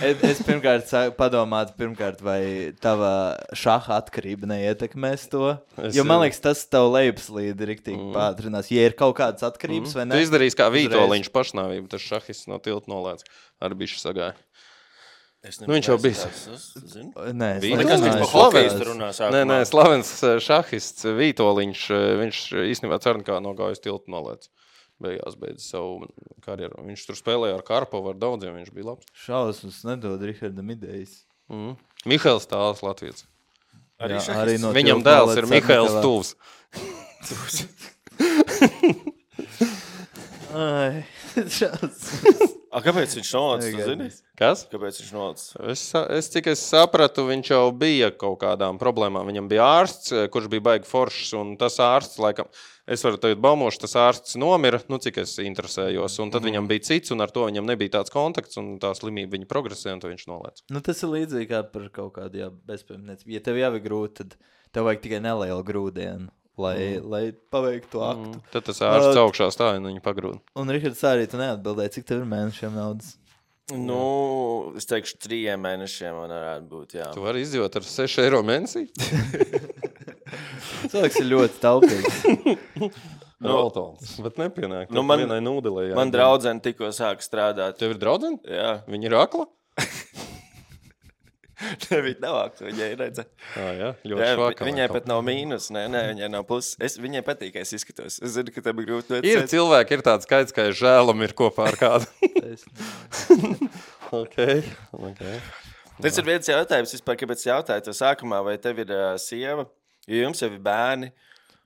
es, es pirmkārt padomātu, pirmkārt, vai tava šaha atkarība neietekmēs to. Es, jo man liekas, tas tavu lejupslīdi riktīgi mm. pātrinās. Ja ir kaut kādas atkarības mm. vai ne. Tu izdarīsi kā Vītoliņš pašnāvību, tas šahists no tilta nolēdz. Ar bišķi sagāja. Nu, viņš jau bijis. Nē, nē, nē, slavens šahists Vītoliņš, viņš īstenībā Cernkā no gājas tiltu nolēdz. Beigās beidz savu karjeru. Viņš tur spēlēja ar Karpovu, ar daudziem, viņš bija labs. Šausmas nedod Rihardam idejas. Mm. Mihails Tāls, Latvijas. Arī, Jā, arī no Viņam dēls ir Mihails Tuvs. Ai, šausmas. A, kāpēc viņš nolaicis, tu zini? Kas? Kāpēc viņš nolaicis? Es, es, cik es sapratu, viņš jau bija kaut kādām problēmām. Viņam bija ārsts, kurš bija baigi foršs, un tas ārsts, laikam, es varu tagad baumošu, tas ārsts nomira, nu, cik es interesējos, un tad mm. viņam bija cits, un ar to viņam nebija tāds kontakts, un tā slimība viņa progresē, un to viņš nolaicis. Nu, tas ir līdzīgi kā par kaut kādu, jā, bezpajumniecību. Ja tev jau ir grūti, tad tev vajag tikai nelielu grūdienu. Lai, mm. lai paveiktu aktu. Mm. Tad tas ārsts uh, augšā stāja un viņu pagrūda. Un, Rihards, arī tu neatbildēji, cik tev ir mēnešiem naudas? Nu, es teikšu, trījiem mēnešiem man varētu būt, jā. Tu vari izdzīvot ar seši eiro mēnesī? Cilvēks ir ļoti taupīgs. Roltons, bet nepienāk. Nu, man, vienai nūdelē. Jā, man draudzene tikko sāk strādāt. Tev ir draudzene? Jā. Viņa ir akla? Ne, viņa nav aktu, viņai redze. Ah, jā, ļoti jā, švakā. Viņai pat nav mīnus, nē, nē, viņai nav plus. Es, viņai patīk, ka es izskatos. Es zinu, ka tev ir grūti noticēt. Ir cilvēki, ir tāds skaits, ka žēlam ir kopā ar kādu. okay, okay. Tas ir viens jautājums, vispār, kāpēc jautāju to sākumā, vai tev ir uh, sieva, jo jums jau ir bērni,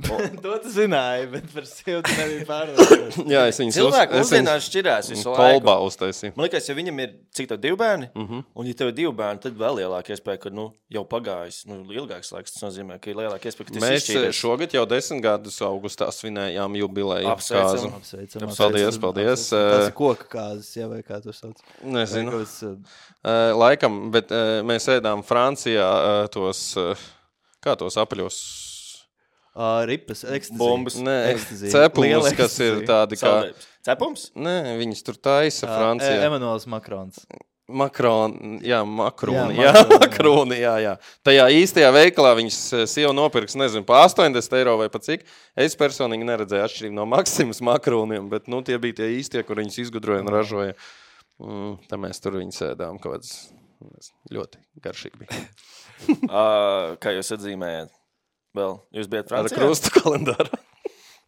To tu zināji, bet par sevi tu nebija pārliecināts. Jā, es viņus Cilvēki mūsdienās šķirās visu laiku. kolbā uztaisīju. Man liekas, ja viņam ir cik tev divi bērni, Mm -hmm. un ja tev ir divi bērni, tad vēl lielāka iespēja, ka nu, jau pagājis nu, ilgāks laiks. Tas nozīmē, ka ir lielāka iespēja, ka tas Mēs izšķīries. šogad jau desmit gadus augustā svinējām jubileju Apsveicam. kāzu. Apsveicam. Paldies, paldies. Tas ir koka kāzas, jā, vai kā tu sauc. Nezinu. Vai kāds, uh, Uh, laikam, bet uh, mēs ēdām Francijā uh, tos, uh, kā tos apaļos uh, ripas, ekstazī. Bombas. Nē, Ekstazī. cepumus, Liela kas ir ekstazī. tādi kā... Saldējums. Cepums? Nē, viņas tur taisa Uh, Francijā. Emanuels Makrons. Makroni, jā, makroni, Jā, jā, makroni, jā. makroni, jā, jā. Tajā īstajā veikalā viņas sieva nopirks, nezinu, pa astoņdesmit eiro vai pa cik. Es personīgi neredzēju atšķirību no Maksimas makroniem, bet, nu, tie bija tie īstie, kur viņas izgudroja un ražoja. Mm, tā mēs tur viņus ēdām kaut kāds ļoti garšīgi bija. uh, kā jūs atzīmējat? Vēl, jūs bijat Ar Francijā? krustu kalendāru.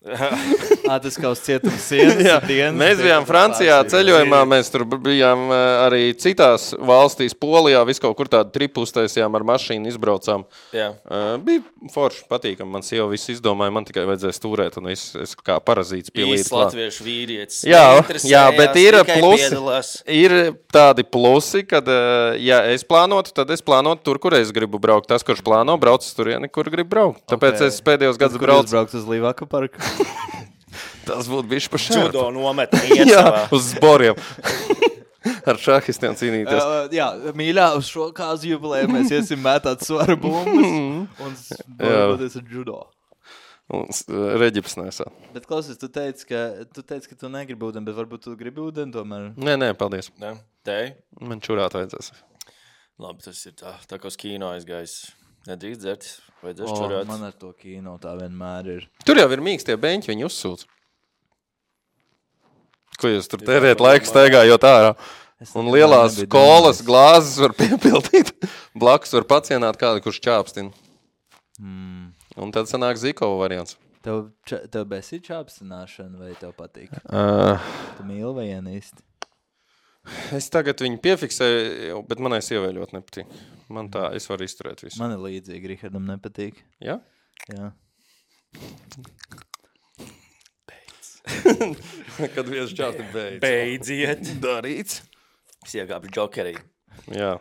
Ā, tas kā uz cietuma sienas. Jā, dienas, mēs bijām Francijā ceļojumā, mēs tur bijām uh, arī citās valstīs, Polijā, visu kaut kur tādu tripu uztaisījām ar mašīnu, izbraucām. Jā. Uh, bija forši, patīkami, man sieva visu izdomāja, man tikai vajadzēja stūrēt, un es, es kā parazīts pielīdzu Īsts klāt. latviešu vīrietis. Jā, Neinteresējās, jā, bet ir tikai plusi. piedalās. Ir tādi plusi, kad, uh, ja es plānotu, tad es plānotu tur, kur es gribu braukt. Tas, kurš plāno, brauc uz turieni, kur grib braukt. Tāpēc Ok. es pēdējos gados Kur jūs braucu. braukt uz Līvāku parku? Tas būtu bišķi pa šādu. Judo nometni iet Jā, savā. uz zboriem. Ar šahistiem cīnīties. Uh, jā, mīļā, uz šo kāzu jubilēju mēs iesim mētāt svaru bumbas un bojoties ar judo. Un s- reģips nesā. Bet, klausies, tu teici, ka tu, teici, ka tu negribi ūdeni, bet varbūt tu gribi ūdeni tomēr. Nē, nē, paldies. Ne? Tei? Man čurāt vajadzēs. Labi, tas ir tā, tā kā uz kino aizgājis. Nedrīkst dzert, vajadzēs O, čurāt. man ar to kino tā vienmēr ir. Tur jau ir mīkstie beņķi, viņi uzsūc. Ko jūs tur tērēt laiku staigājot ārā? Es Un nekad lielās nebiju kolas domājis. glāzes var piepildīt. Blakus var pacienāt kādu, kurš čāpstina. Mm. Un tad sanāk Zikova variants. Tev, ča, tev besī čāpstināšana vai tev patīk? Uh, Tu mīli vai ienīsti? es tagad viņu piefiksēju, bet manai sievai ļoti nepatīk. Man tā, es varu izturēt visu. Man ir līdzīgi, Rihardam nepatīk. Ja? Jā. Kad viens čāpti beidz. Beidziet. Darīts. Es iegābu džokerī. Jā.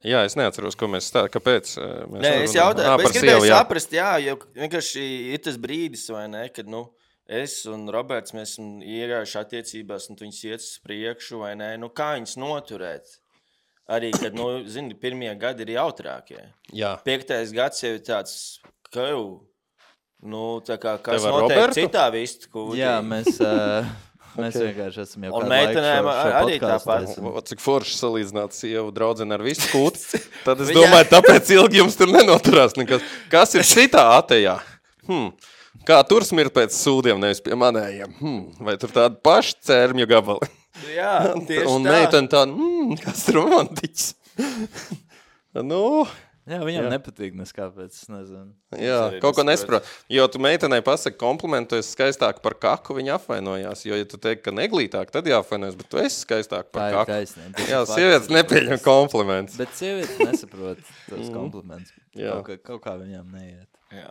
Jā, es neatceros, ko mēs stāstām. Kāpēc? eh, Mēs Nē, es jautāju, Ā, bet par es gribēju sievu, jā. saprast, jā, jo vienkārši ir tas brīdis, vai ne, kad, nu, es un Roberts, mēs esam iegājuši attiecībās, un tu viņas iet uz priekšu, vai ne, nu, kā viņas noturēt? Arī, kad, nu, zini, pirmie gadi ir jautrākie. Jā. Piektais gads jau ir tāds, ka jau, nu, tā kā, kas Tev ar notiek Robertu? citā vistu kūtī. Jā, mēs, uh, mēs vienkārši esam jau Un kādu laiku meitenēm šo- šo arī podcastu tāpat. taisam. O, cik forši salīdzināt sievu draudzeni ar visu kūtu. Tad es Jā. domāju, tāpēc ilgi jums tur nenoturās nekas. Kas ir šitā atejā? Hmm. Kā tur smirt pēc sūdiem, nevis pie manējiem? Hmm. Vai tur tādi paši cērmju gabali? Jā, tieši Un tā. meitene tāda, hmm, kas ir romantiķis? nu, Jā, viņam Jā. nepatīk nes kāpēc, es nezinu. jā, arī kaut ko nesaprot. nesaprot. Jo tu meitenei pasaki komplimentu, tu esi skaistāk par kaku, viņa apvainojās. Jo, ja tu teiksi, ka neglītāk, tad jāapvainojas, bet tu esi skaistāk Tā par ir kaku. taisnība. Tas Jā, ir fakts. sievietes nepieņem komplimentus. Bet sievietes nesaprot tos Mhm. komplimentus. Jā. Kaut, kā- kaut kā viņām neiet. Jā.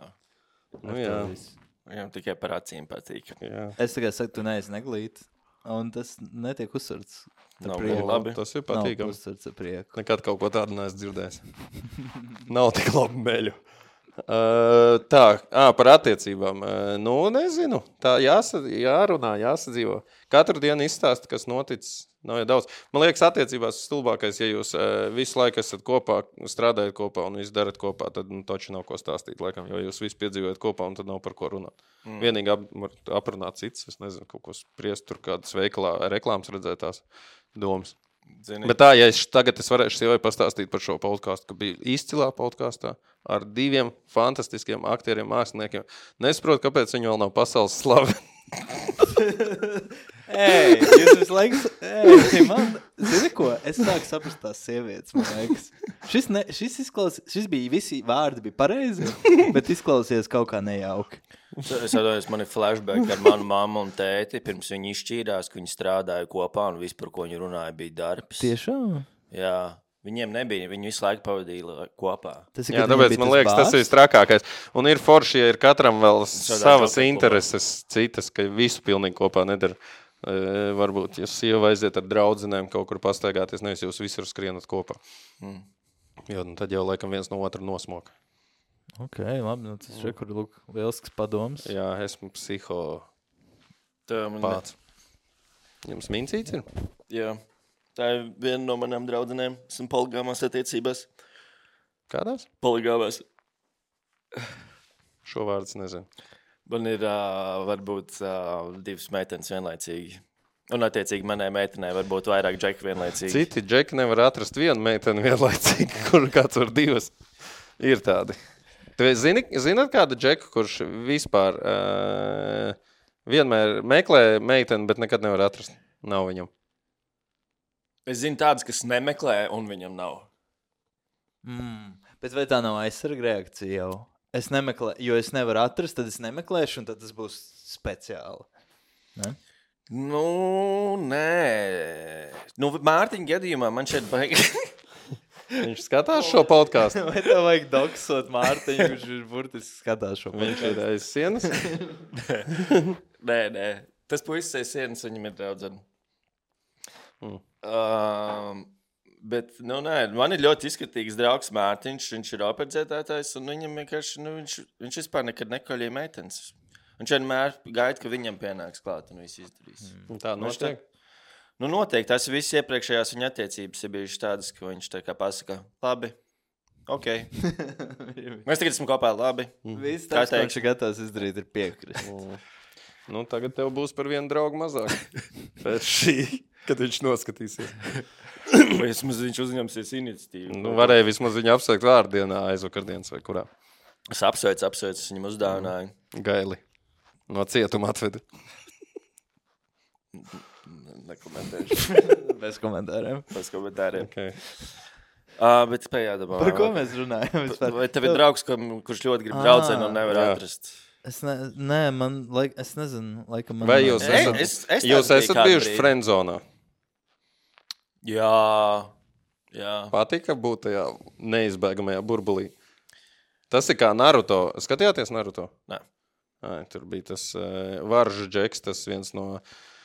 Nu, Ar to jā. visu. Viņam tikai par acīm patīk. Jā. Es tikai saku, tu neesi neglīt, un tas netiek uzsverts. Nav prieku. labi. Tas ir Nav patīkami. uzsverts ar prieku. Nekad kaut ko tādu neesmu dzirdējis. Nav tik labi meļu. Uh, tā, ā, par attiecībām. Uh, nu, nezinu. Tā jāsa, jārunā, jāsadzīvo. Katru dienu izstāst, kas noticis. Nav jau daudz. Man liekas, attiecībās stulbākais, ja jūs uh, visu laiku esat kopā, strādājat kopā un visu darat kopā, tad nu, taču nav ko stāstīt, laikam, jo jūs visi piedzīvojat kopā un tad nav par ko runāt. Mm. Vienīgi ap, var aprunāt cits, es nezinu, kaut ko spriest, tur kādas veikalā reklāmas redzētās domas. Zini, Bet tā, ja es tagad es varēšu sievai pastāstīt par šo podcastu, ka bija izcilā podkastā ar diviem fantastiskiem aktieriem, māksliniekiem. Nesaprotu, kāpēc viņi vēl nav pasaules slavi. Ei, jūs visu laiku, ei, man, zini ko, es sāku saprast tās sievietes, man liekas. Šis, ne, šis, izklaus, šis bija, visi vārdi bija pareizi, bet izklausījās kaut kā nejauki. es atceros, man ir flashback ar manu mammu un tēti, pirms viņi izšķīrās, ka viņi strādāja kopā un viss, par ko viņi runāja, bija darbs. Tiešām? Jā, Viņiem nebija, viņi visu laiku pavadīja kopā. Tas ir, Jā, kad tāpēc viņiem man bija liekas, tas bārs. ir trakākais. Un ir forši, ja ir katram vēl Šādā savas džokā intereses, citas, ka visu pilnīgi kopā nedara. E, varbūt, ja sieva aiziet ar draudzenēm kaut kur pastaigāties, nevis jūs visur skrienat kopā. Mm. Jo, nu, tad jau laikam viens no otra nosmoka. Ok, labi, nu tas ir, kur lūk, lielisks padoms. Jā, esmu psiho Tā man pāts. Jums mincīts ir? Jā. Tā ir viena no manām draudzenēm. Esmu poligāmās attiecībās. Kādās? Poligāmās. Šo vārdus nezinu. Man ir uh, varbūt uh, divas meitenes vienlaicīgi. Un attiecīgi manai meitenei varbūt vairāk džeku vienlaicīgi. Citi džeki nevar atrast vienu meiteni vienlaicīgi, kur kāds var divas. Ir tādi. Tu zini, zināt kādu džeku, kurš vispār uh, vienmēr meklē meiteni, bet nekad nevar atrast? Nav viņam. Es zinu tādas, kas nemeklē un viņam nav. Mm. Bet vai tā nav aizsarga reakcija jau? Es nemeklēju, jo es nevaru atrast, tad es nemeklēšu, un tad tas būs speciāli. Ne? Nu, nē. Nu, Mārtiņa gadījumā man šeit baigi. Viņš skatās šo podcastu. Vai tev vajag doksot Mārtiņu, kurš ir burtiski skatās šo Viņš ir aiz sienas. Nē, nē. Tas puisis aiz sienas, viņam ir draudzene. Mm. Um, bet, nu, nē, man ir ļoti izskatīgs draugs Mārtiņš, viņš ir operdzētātājs, un viņam vienkārši, nu, viņš, viņš vispār nekad nekoļīja meitenes. Viņš vienmēr gaida, ka viņam pienāks klāt un viss izdarīs. Mm. Tā notiek. Nu, noteikti, tās visas iepriekšējās viņa attiecības ir bijušas tādas, ka viņš tā kā pasaka, labi, ok. Mēs tagad esam kopā, labi. Viss Kā tas, ko teikt? viņš ir gatavs izdarīt, ir piekrist. Mm. Nu, tagad tev būs par vienu draugu mazāk. Pēc šī, kad viņš noskatīsies. Vai vismaz viņš uzņemsies iniciatīvu? Nu, varēja vismaz viņu apsveikt vārdienā, aizvakardienas vai kurā. Es apsveicu, apsveicu, es viņam uzdāvināju. Gaili. No cietuma atveda. Nekomentēšu. Bez komentāriem. Pēc komentāriem. Okay. Uh, bet pējādā. Par ko mēs runājam? Vispār? Vai tev ir draugs, kam, kurš ļoti grib draudzeni un nevar jā. atrast? Es ne, nē, man, laik, es nezinu, laikam man... Vai jūs Ei, esat, es- es jūs tāds biju esat kādu bijuši brīdi. friendzonā? Jā, jā. Patika būt tajā neizbēgamajā burbulī. Tas ir kā Naruto. Skatījāties Naruto? Nē. Ai, tur bija tas uh, varžu džeks, tas viens no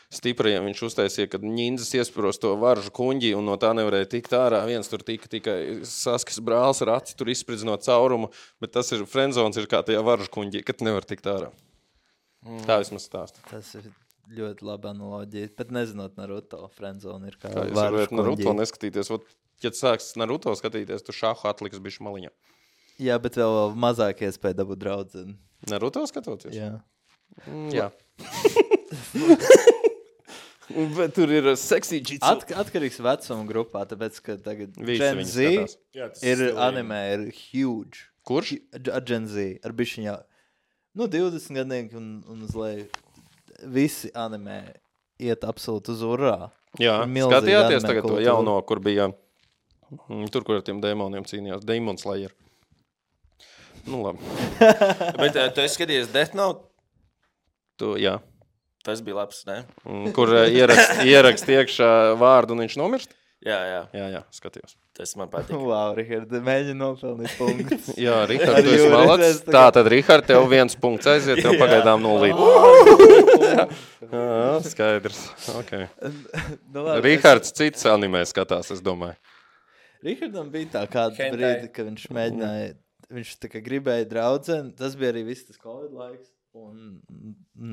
stiprajiem. Viņš uztaisīja, kad ņindzes iespros to varžu kuņģi un no tā nevarēja tikt ārā. Viens tur tika tikai Saskis brālis ar aci, tur izspridzinot caurumu, bet tas ir friendzons ir kā tajā varžu kuņģī, kad nevar tikt ārā. Mm. Tā vismaz stāsta. Tas ir ļoti laba analoģija, bet nezinot Naruto, friendzone ir kā Kā jūs varžu varat Naruto kuņģī. neskatīties? Ot, ja tu sāks Naruto skatīties, tu šāhu atliks bišķi maliņā. Jā, bet vēl mazāk iespēja dabūt draudzeni. Naruto skatoties? Jā. Mm, jā. Bet tur ir seksī jitsu. At, atkarīgs vecuma grupā, tāpēc, ka tagad Visi Gen viņi Z skatās. Jā, tas ir stilīgi. anime, ir huge. Kurš? Ar Gen Z, ar bišķiņā, nu, divdesmit gadnieki un, un uz leju. Visi anime iet absolūti uz urā. Jā, Ir milzīga skatījāties anime tagad to kultūra. jauno, kur bija mm, tur, kur ar tiem dēmoniem cīnījās. Demon Slayer. Nu, labi. Bet uh, tu esi skatījies Death Note? Tu, jā. Tas bija labs, ne? Mm, Kur eh, ierakst, ierakst iekšā vārdu un viņš nomirst? Jā, jā. Jā, jā, skatījos. Tas man patīk. Wow, Richard, mēģina nopelnīt punktus. Jā, Rihard, tu Arī esi jūras malacis. redzes tagad. Tā tad, Rihard, tev viens punkts aiziet, tev pagaidām nulīt. Jā, skaidrs. Okay. Nu, labi, Rihards cits animē skatās, es domāju. Richardam bija tā kāda Hentai. brīdi, ka viņš mēģināja, viņš tā kā gribēja draudzeni, tas bija arī viss tas Covid laiks, un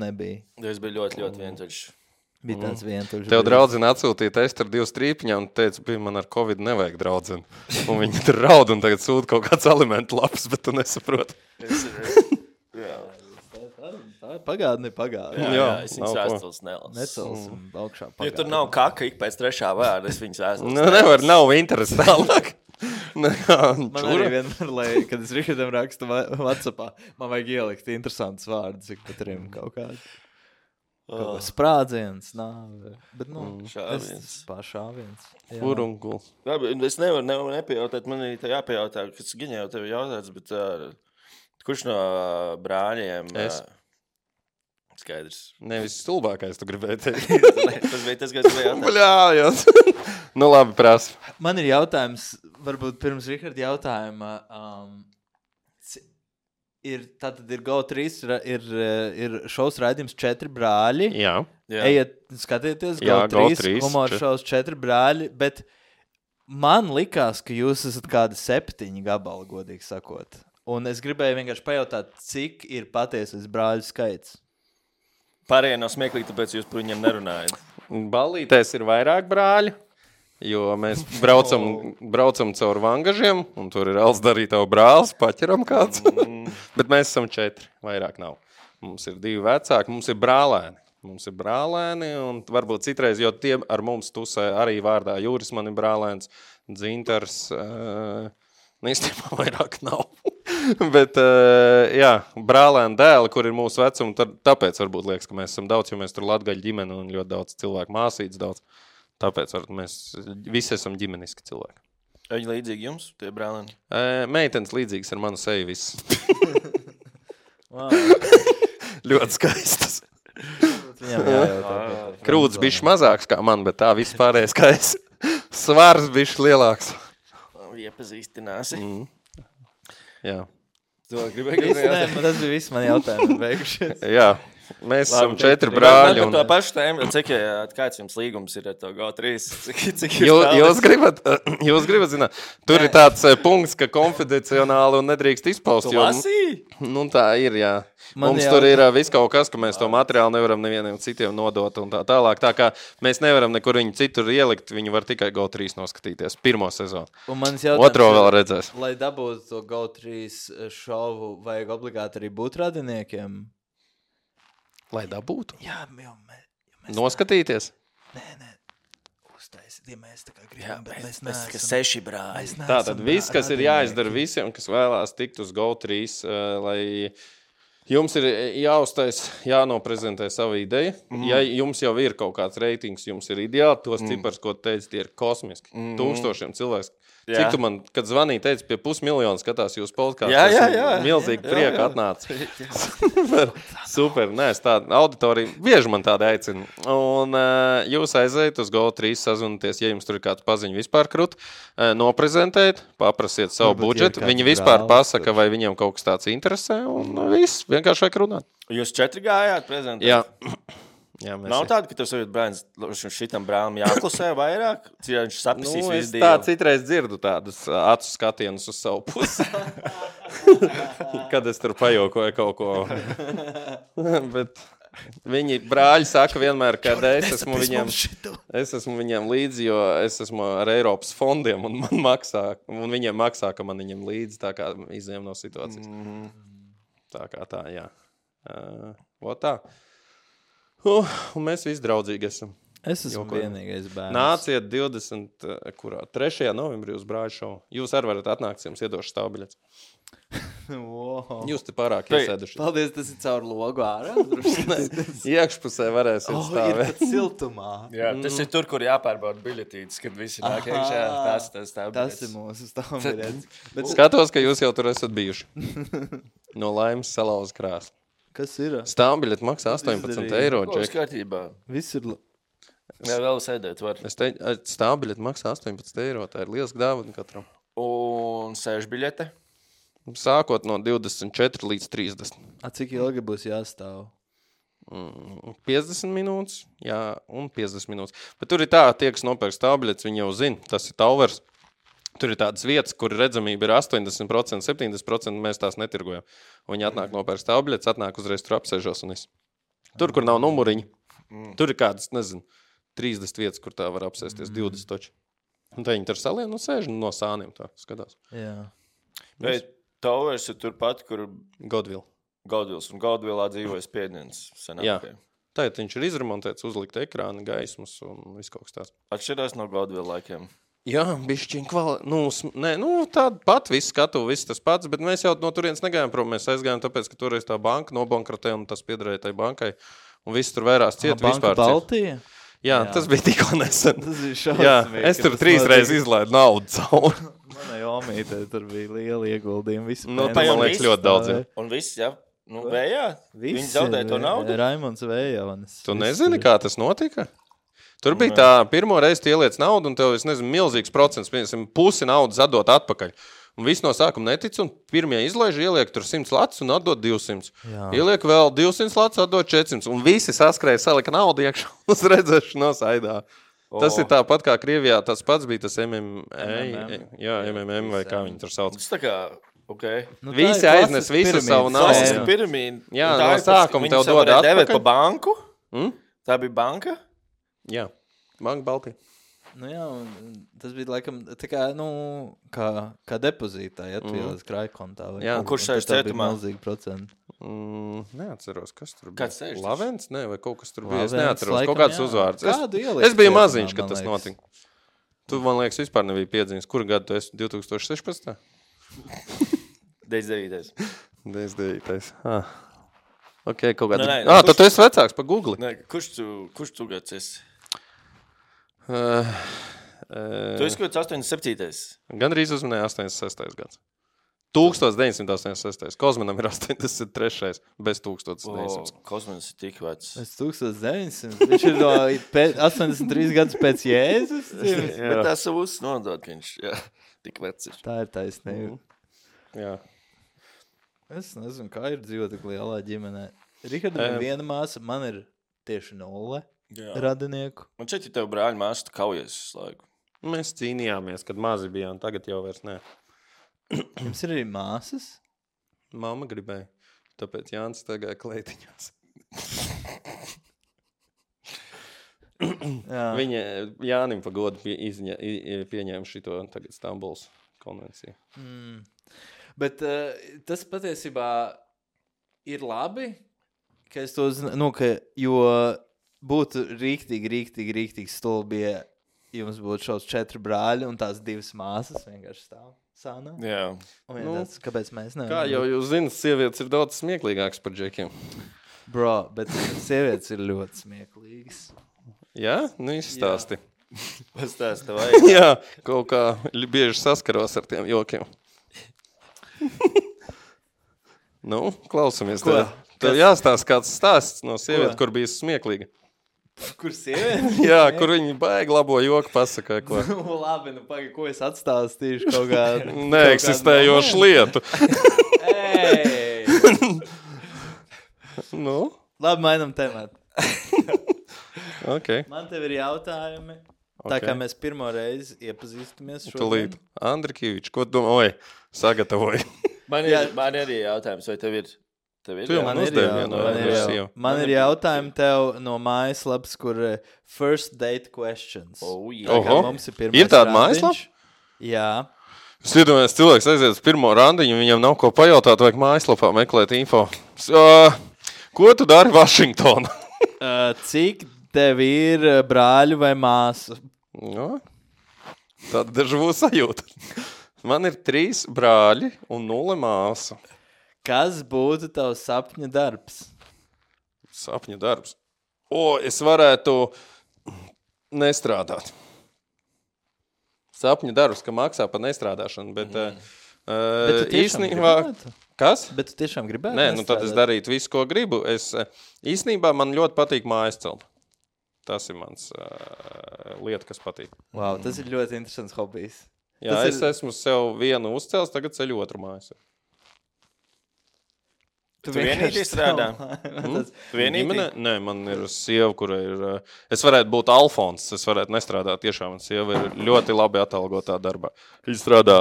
nebija. Tas bija ļoti, ļoti vientuļš. Bija tāds vientuļš. Tev brīdis. draudzene atsūtīja testu ar divu strīpiņā un teica, bija man ar Covid nevajag draudzeni. Un viņi tur raud un tagad sūta kaut kāds alimentu laps, bet tu nesaproti. Es, jā, Tā, tā pagātne ir pagātne. jā, Jā, jā, es nav viņas ko. vēstules nelasu. Necelsim augšā Ja pagātne. tur nav kaka ik pēc trešā vārda, es viņas vēstules Nu, nevar, nav interesi tālāk. Man arī Čura. vienmēr, lai, kad es Richardam rakstu va- WhatsAppā, man vajag ielikt interesantus vārdus, cik pat trim kaut kādi. Kaut kā sprādziens, nāve. Bet, nu, Šāviens. es pašāviens. Jā. Furunguls. Labi, es nevaru, nevaru nepajautāt, man ir tā jāpajautā, kas gan jau tev jautāts, bet uh, kurš no uh, brāļiem, Es. uh, Skaidrs. Nevis stulbākais, tu gribēji teikt. Tas bija tas, kas bija jautājums. Bļājot. Nu labi, prasa. Man ir jautājums, varbūt pirms Riharda jautājuma. Um, ir, tātad ir Go trīs, ir, ir šovs raidījums četri brāļi. Jā. Jā. Ejiet, skatieties, Go Jā, Go trīs, trīs, humora čet- šovs četri brāļi, bet man likās, ka jūs esat kādi septiņi gabali, godīgi sakot. Un es gribēju vienkārši pajautāt, cik ir patiesais brāļu skaits. Pārējie nav smieklīgi, tāpēc jūs par viņiem nerunājat. Ballītēs ir vairāk brāļi, jo mēs braucam, braucam caur vangažiem, un tur ir Alts darītavu brālis, paķeram kāds. Bet mēs esam četri, vairāk nav. Mums ir divi vecāki, mums ir brālēni. Mums ir brālēni, un varbūt citreiz, jo tie ar mums tusē arī vārdā Jūris man ir brālēns, Dzintars, uh, īstenībā vairāk nav. Bet, uh, jā, brālēni dēli, kur ir mūsu vecumi, tad, tāpēc varbūt liekas, ka mēs esam daudz, jo mēs tur latgaļu ģimeni un ļoti daudz cilvēku māsīts daudz. Tāpēc varbūt mēs visi esam ģimeniski cilvēki. Viņi līdzīgi jums, tie brālēni? Uh, meitenes līdzīgas ar manu seju viss. Wow. Ļoti skaistas. Viņam jājautā. Krūts bišķi mazāks kā man, bet tā viss pārējais skaists. Svars bišķi lielāks. Iepazīstināsi. Mm. Jā. To gribēju Viss, nē, jautāt. man tas bija viss mani jautājumi beigušies. Jā. Mēs esam Labi, četri tad- brāļi. Par Un... to pašu tēmu, cik, kāds jums līgums ir ar to Go trīs? Cik, cik Jū, jūs, gribat, jūs gribat zināt, tur Nē. ir tāds eh, punkts, ka konfidencionāli un nedrīkst izpaust. Tu jo- lasīji? Nu tā ir, jā. Man Mums jau- tur ir uh, viss kaut kas, ka mēs to materiālu nevaram nevienam citiem nodot un tā tālāk. Tā kā mēs nevaram nekur viņu citur ielikt, viņi var tikai Go trīs noskatīties. Pirmo sezonu. Un mans jautājums Otro ir, vēl redzēs. lai dabūtu to Go trīs šovu, vajag obligāti arī būt radiniekiem? Lai dabūtu. Jā, jau mē, mēs Noskatīties. Nē, nē, uztaisiet, ja mēs tā kā Jā, gribam, bet mēs mēs, mēs kā neesam. seši brāļi. Mēs neesam Tātad viss, kas ir radinieki. jāizdara visiem, kas vēlās tikt uz Go trīs, uh, lai jums ir jāuztais, jānoprezentē sava ideja. Mm. Ja jums jau ir kaut kāds reitings, jums ir ideāli, tos mm. cipars, ko teici, tie ir kosmiski. Mm. Tūkstošiem cilvēks. Jā. Cik tu man, kad zvanīji, teici, pie pusmiljonu skatās jūs podkāstu. Jā, jā, jā. Milzīgi Jā, prieka jā. atnāca. Super, super. Nē, es tādu auditoriju bieži man tādu aicinu. Un uh, jūs aizējat uz Go trīs, sazvanīties, ja jums tur ir kāds paziņu vispār krut, uh, noprezentēt, paprasiet savu Varbūt ir budžetu. kāds Viņi vispār brālis, pasaka, vai viņiem kaut kas tāds interesē, un uh, viss, vienkārši vajag runāt. Jūs četri gājāt prezentēt? Jā. Jā, mēs Nav tāda, ka tev saviet brāļs, šitam brālim jāklusē vairāk? Cik viņš sapratīs Nu, es visu tā dīlu? citreiz dzirdu tādus ā, acu skatienus uz savu pusi. Kad es tur pajokoju kaut ko. Bet viņi brāļi saka vienmēr, ka es esmu viņiem, es esmu viņiem līdzi, jo es esmu ar Eiropas fondiem un man maksā, un viņiem maksā, ka man viņiem līdzi, tā kā izņem no situācijas. Mm. Tā kā tā, jā. Uh, o tā. Uh, un mēs visi draudzīgi esam. Es esmu Jokojam. vienīgais bērns. Nāciet divdesmit, kurā, trešajā novembrī uz brāļu šovu. Jūs arī varat atnākt, jums iedošu stāvbiļets. Wow. Jūs te pārāk Pei- iesēduši. Paldies, tas ir caur logu ārā. Iekšpusē varēsiet Oh, ir stāvēt. pat siltumā. Jā, tas ir tur, kur jāpārbauda biļetītes, kad visi nāk Aha. iekšā. Tas, tas, tā Tas ir mūsu stāvbiļets. Bet Skatos, ka jūs jau tur esat bijuši. No laimes salauza krāsla. kas ir? Stāvbiļeti maksā astoņpadsmit izdarīji? eiro, Būs Džek. kārtībā. Viss ir... la- Jā, vēl sēdēt var. Es teicu, stāvbiļeti maksā astoņpadsmit eiro, tā ir liels dāvana katram. Un sēž biļete. Sākot no divdesmit četri līdz trīsdesmit. A, cik ilgi būs jāstāv? Mm, piecdesmit minūtes, jā, un piecdesmit minūtes. Bet tur ir tā, tie, kas nopērk stāvbiļetes, viņi jau zina, tas ir Tauvers. Tur ir tādas vietas, kur redzamība ir astoņdesmit procenti, septiņdesmit procenti, mēs tās netirgojam. Un viņi atnāk nopērk stāvbiļetes, atnāk uzreiz tur apsēžos un viss. Tur, kur nav numuriņi, tur ir kādas, nezinu, trīsdesmit vietas, kur tā var apsēsties, divdesmit toči. Un tā viņi tur salien un sēž no sāniem tā skatās. Jā. Bet Towers ir turpat, kur Godville. Gaudvils. Un Gaudvilā dzīvoja Spiedniens. Jā. Tagad viņš ir izremontēts, uzlikt ekrāni, gaismas un viss kaut kas tāds. Atšķirās no Gaudvila laikiem. Jā, bišķiņ kvali... Nu, sm- nē, nu, tāda pat viss skatu, viss tas pats, bet mēs jau no turienes negājām prom. Mēs aizgājām tāpēc, ka toreiz tā banka nobankrotē un tas piederēja tai bankai. Un viss tur vērās ciet, Banka vispār ciet. Baltija? Jā, Jā. tas bija tikko nesen. Tas ir Jā, šausmīgi. es tur trīs reizes izlaidu naudu cauri. Manai omītei tur bija liela ieguldījuma. Visi Nu, pensijas tā man liekas viss ļoti daudz. Jā. Un viss, jā. Nu, vējā? Viņi zaudēja to naudu? Raimonds Vējaunis. Tu nezini, kā tas notika? Tur bija tā, pirmo reizi tu ieliec naudu, un tev, es nezinu, milzīgs procents, piemēram, pusi naudas atdot atpakaļ. Un viss no sākuma netic, un pirmie izlaiž ieliek tur simts lats un atdot divsimt. Jā. Ieliek vēl divsimt lats, atdot četrsimt. Un visi saskrēja, salika naudu iekšā uz redzēšanos aidā. Oh. Tas ir tāpat kā Krievijā, tas pats bija tas M M A, jā, M M M vai kā viņi tur sauc. Tas tā kā, okay. Nu, visi aiznes visu savu naudu. Tas ir piramīda. Jā, no sākuma tev dod atpakaļ. Viņi devēt pa banku? Hmm? Tā bija banka? Jā, Banka Baltija. Nu jā, un tas bija laikam tā kā, nu, kā, kā depozītā, ja tu mm. ieliec krājkontā. Jā, un kurš sēž cietumā? Milzīgi procenti. Mm, neatceros, kas tur bija. Kāds sēž? Lavens? Nē, vai kaut kas tur bija. Lavens, Es neatceros, laikam, kaut kāds jā. uzvārds. Kādu Es, ieliec es biju cietumā, maziņš, kad man tas liekas. notika. Tu, man liekas, vispār nebija piedziņas. Kuru gadu tu esi? divtūkstoš sešpadsmitā? deviņdesmit devītais. deviņdesmit devītais. Ah. Ok, kaut kāds. Nē, nē, Ah, kurš- tad tu esi vecāks pa Google. Nē, kurš tu, kurš tu gads esi? Uh, Tu esi kaut kāds astoņdesmit septītais. Gan arī uzmanēja astoņdesmit sestais gads. tūkstoš deviņsimt astoņdesmit sestais. Kozmanam ir astoņdesmit trešais bez tūkstoš deviņsimt. O, Kosmins ir tik vecs. Es tūkstoš deviņsimt. Viņš ir no pēc, astoņdesmit trīs gadus pēc Jēzus. Bet tā savus nodod, ka viņš, jā, tik vecs ir. Tā ir taisnība. Jā. Es nezinu, kā ir dzīvot tik lielā ģimenē. Rihardam ir Em. viena māsa, man ir tieši nulle Jā. radinieku. Man šeit ir tev brāļi māsu, tu kaujies visu laiku. Mēs cīnījāmies, kad mazi bijām, tagad jau vairs nē. Jums ir arī māsas? Mama gribēja, tāpēc Jānis tagad kleitiņās. Jā. Viņa Jānim pa godu pie, izņa, i- pieņēma šito tagad Stambuls konvenciju. Mm. Bet uh, tas patiesībā ir labi, ka es to zinu, nu, ka, jo būtu rīktīgi, rīktīgi, rīktīgi stulbi, ja jums būtu šos četri brāļi un tās divas māsas vienkārši stāv sānā. Jā. Un Nu, tāds, kāpēc mēs nevaram? Kā jau jūs zināt, sievietes ir daudz smieklīgākas par džekiem. Bro, bet sievietes ir ļoti smieklīgas. Jā? Nu izstāsti. Pastāsti vai. Jā, kaut kā li- bieži saskaros ar tiem jokiem. Nu, klausamies. Ko? Tev, tev Kas? jāstāsta kāds stāsts no sievietes, Ko? kur bija smieklīga. Kur sievietes? Jā, kur viņi baigi labo joku pasakāja, ko. Nu, labi, nu pagaid, ko es atstāstīšu kaut kādu... Neeksistējošu lietu. Ej! Nu, Labi, mainam tematu. ok. Man tev ir jautājumi. Tā Ok. kā mēs pirmo reizi iepazīstamies Tulīt. šodien. Andrikivičs, ko tu domā? Oi, sagatavoji. Man Jā. ir, man ir arī jautājums, vai tev ir? Tev ir Tu jau jā? man ir uzdevi jau- vienu man ir no jau- sievu. Man ir jautājumi tev no mājaslapas, kur eh, first date questions. Oh, jā. Tā kā Oho. mums ir pirmais Ir tāda randiņš. mājaslapa? Jā. Es iedomājos, cilvēks aiziet uz pirmo randiņu, viņam nav ko pajautāt, vajag mājaslapā meklēt info. S- ā, Ko tu dari Vašingtonā? Uh, cik tev ir eh, brāļu vai māsu? Nu, tāda dažu sajūta. Man ir trīs brāļi un nulle māsa. Kas būtu tavs sapņa darbs? Sapņu darbs. O, es varētu nestrādāt. Sapņu darbs, ka maksā par nestrādāšanu, bet, mm. Bet uh, tu tiešām īstenībā... gribētu? Kas? Bet tu tiešām gribētu Nē, nu tad es nestrādāt? darītu visu, ko gribu. Es, eh, īstenībā man ļoti patīk mājas celt. Tas ir mans uh, lieta, kas patīk. Wow, tas ir ļoti interesants hobijs. Jā, Tas es ir- esmu sev vienu uzcēlis, tagad ceļu otru mājas. Tu vienīgi strādā? Tas, Tu vienīgi? Ģimene? Nē, man ir sieva, kura ir... uh, Es varētu būt Alfons, es varētu nestrādāt. Tiešām man sieva ir ļoti labi atalgotā darbā. Viņa strādā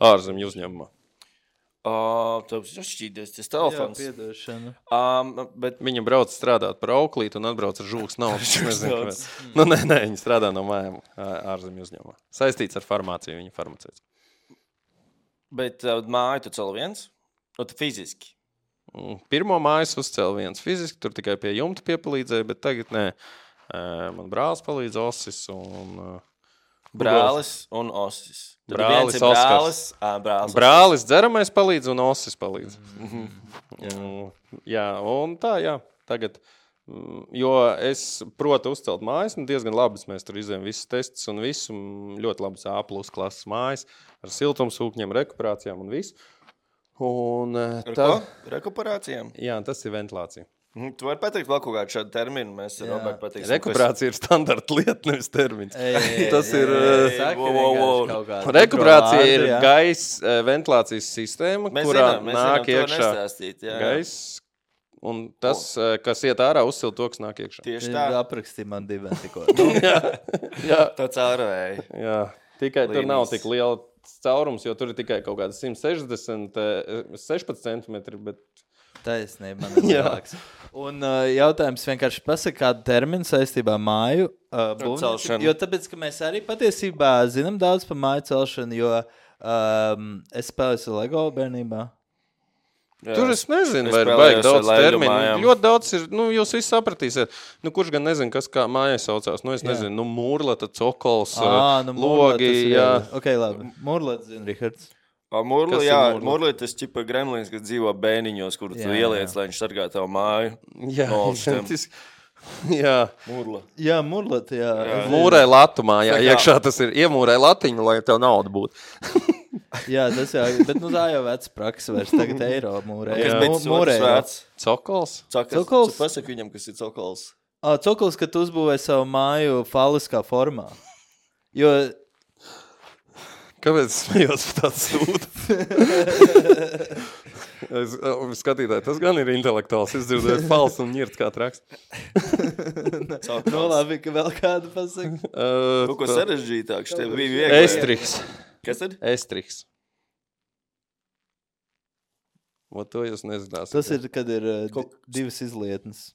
ārzemju uzņēmumā. O, tev šķīdies tas jā, telefons. piedošana. Um, bet Viņa brauc strādāt par auklīti un atbrauc ar žūgas naudu. Es Žūgas nezinu, naudas. kāpēc. Nu, nē, nē, viņa strādā no mājām ā- ārzemju uzņēmumā. Saistīts ar farmāciju, viņa farmaceits. Bet uh, māju tu cel viens? Nu, tu fiziski. Mm, Pirmo mājas uzcēla viens fiziski, tur tikai pie jumta piepalīdzēja, bet tagad nē. Ē, Man brālis palīdz Osis un... ā, Brālis un osis. Tad Brālis viens ir Oskars. brālis. Ā, brālis. Brālis dzeramais palīdz un Osis palīdz. Mhm. Mm, Jā, un tā, jā. Tagad, mm, jo es protu uzcelt mājas, un diezgan labas mēs tur izējām visus testus un visu, mm, ļoti labas A plus klases mājas ar siltumsūkņiem, rekuperācijām un visu. Un uh, Ar tad... ko? Rekuperācijām? Jā, tas ir ventilācija. Mm, Tu vari pateikt vēl kaut kādu šādu terminu, mēs ar Jā. Robertu pateiksim. Rekuperācija ir standarta lieta, nevis termins. Ei, Tas ei, ir, ei, eh, saka wow, wow, wow. vienkārši kaut kādu Rekuperācija vārdu, ir jā. gaisa ventilācijas sistēma, Mēs kurā zinām, mēs nāk zinām, to iekšā nestāstīt, jā. gaiss. Un tas, oh. kas iet ārā, uzsil to, kas nāk iekšā. Tieši Viņš tā. aprakstīja man diviem tikko. Jā, Tāds ārvēji. jā. Tikai tur nav Līnijas. tik liela caurums, jo tur ir tikai kaut kāds simt sešdesmit, sešpadsmit centimetri, bet Taisnība, man ir Jā. lielāks. Un uh, jautājums vienkārši pasaka, kādu terminu saistībā ar māju uh, būvniecību. celšanu. Jo tāpēc, ka mēs arī patiesībā zinām daudz par māju celšanu, jo um, es spēlēju Lego bērnībā. Jā. tur es nezinu, Es vai ir spēlējos baigi daudz ar Lego terminu. mājām. Ļoti daudz ir, nu, jūs visi sapratīsiet. Nu, kurš gan nezinu, kas kā mājai saucās. Nu, es Jā. nezinu, nu, mūrlata, cokols, Ā, nu, Murlēt, logi, tas ir, jā. Ok, labi. Mūrlēt, zina, Rihards. Murli, Kas ir jā, murli? Murli tas čipa gremlins, kas dzīvo bēniņos, kur tu Jā, ieliec, jā. lai viņš sargā tavu māju. Jā, No augstiem. identiski. jā. Murla. Jā, Mūrlēt, jā. Jā. Es- Mūrē latumā, jā, Tā kā- iekšā tas ir iemūrē latiņu, lai tev nauda būtu. Jā, tas jā, bet nu tā jau veca praksa vairs. Tagad eiro mūrē. Kas Jā, bija Mū- tas mūrē otrs eiro. vārds? Cokols? Cokals. Cokols? Tu pasaki viņam, kas ir cokols. Ā, Cokols, ka tu uzbūvēji savu māju faliskā formā. Jo Kāpēc es smējos par tādu sūdu? es, skatītāji, tas gan ir intelektuāls. Es dzirdēju fals un ņirt kā traks. Cokals. nu labi, ka vēl kādu pasaka. Uh, Kaut ko sarežģītāk, šeit bija viegli. Estriks. Kas tad? Estriks. O, to jūs nezināsiet. Tas ir, kad ir uh, Kaut- di- divas izlietnes.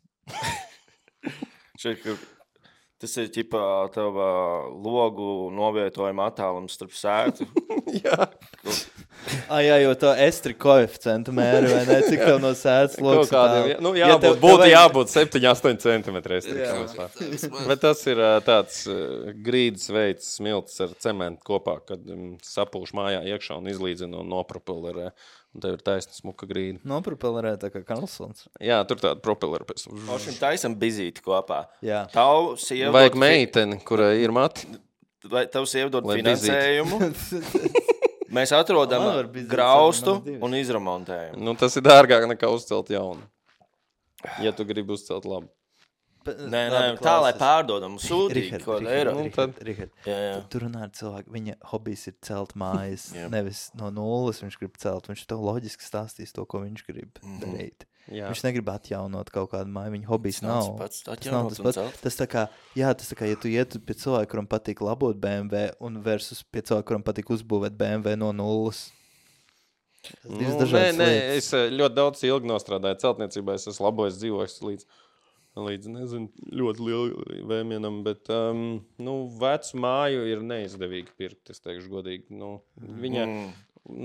Šeit, ka tas ir ķipā tava logu novietojuma attālums starp sētu. Jā. Ah, jā, jo to estri koeficientu mēri, vai ne? Cik tev no sēdes Kaut lokas kādiem, tālu? jā, nu, Ja jābūt, tev- būtu tev vajag- jābūt septiņi astoņi centimetri Jā. estriks. Bet tas ir ā, tāds ā, grīdas veids smilts ar cementu kopā, kad um, sapūš mājā iekšā un izlīdzina un nopropellerē. Un tev ir taisna smuka grīda. Nopropelerē tā kā Karlsons. Jā, tur tāda propellera pēc. Mošim taisam bizīti kopā. Jā. Tavu sievu Vajag dod fi- meiteni, kurai ir mati. Vai tavu sievu dod Lai finansējumu? Mēs Man atrodam var bizīt, graustu man divas. un izremontējam. Nu, tas ir dārgāk nekā uzcelt jaunu. Ja tu gribi uzcelt labu. Nē, nē, tā lai pārdodam sūtīgi, Rihard, ko eiro. Nu, Rihard, tad- Rihard. Jā, jā. Tu runā ar cilvēku, viņa hobijs ir celt mājas, Jā. nevis no nulles viņš grib celt. Viņš tev loģiski stāstīs to, ko viņš grib darīt. Jā. Viņš negrib atjaunot kaut kādu māju, viņa hobijs nav tas nav. pats, Tas nav atjaunot tas un pats. celt. Tas tā kā, jā, tas tā kā, ja tu ietu pie cilvēka, kuram patīk labot B M W, un versus pie cilvēka, kuram patīk uzbūvēt B M W no nulles. Tas divas Nu, nē, dažādas nē, lietas. es ā, ļoti daudz ilgi nostrādāju celtniecībā. Es esmu labojis dzīvojis līdz, līdz nezinu, ļoti lielu vēmienam, bet um, nu, vecu māju ir neizdevīgi pirkt, es teikšu godīgi. Nu, viņa Mm.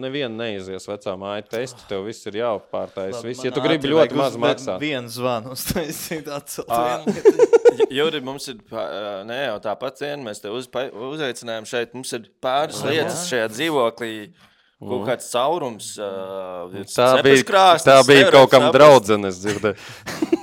neviena neizies vecā māja testu, tev viss ir jāpārtais. Labi, Viss, ja man tu gribi ātri ļoti vajag maz uz- maksāt. Vienu zvanu uztaisīt, atcelt Ā. vienu lietu. Juri, mums ir, pā- nē, jau tāpat vien, mēs te uz, uzaicinājām šeit, mums ir pāris Jā. lietas šajā dzīvoklī, kaut kāds caurums. Uh, Tā bija, tā bija kaut kam draudzenes dzirdēt.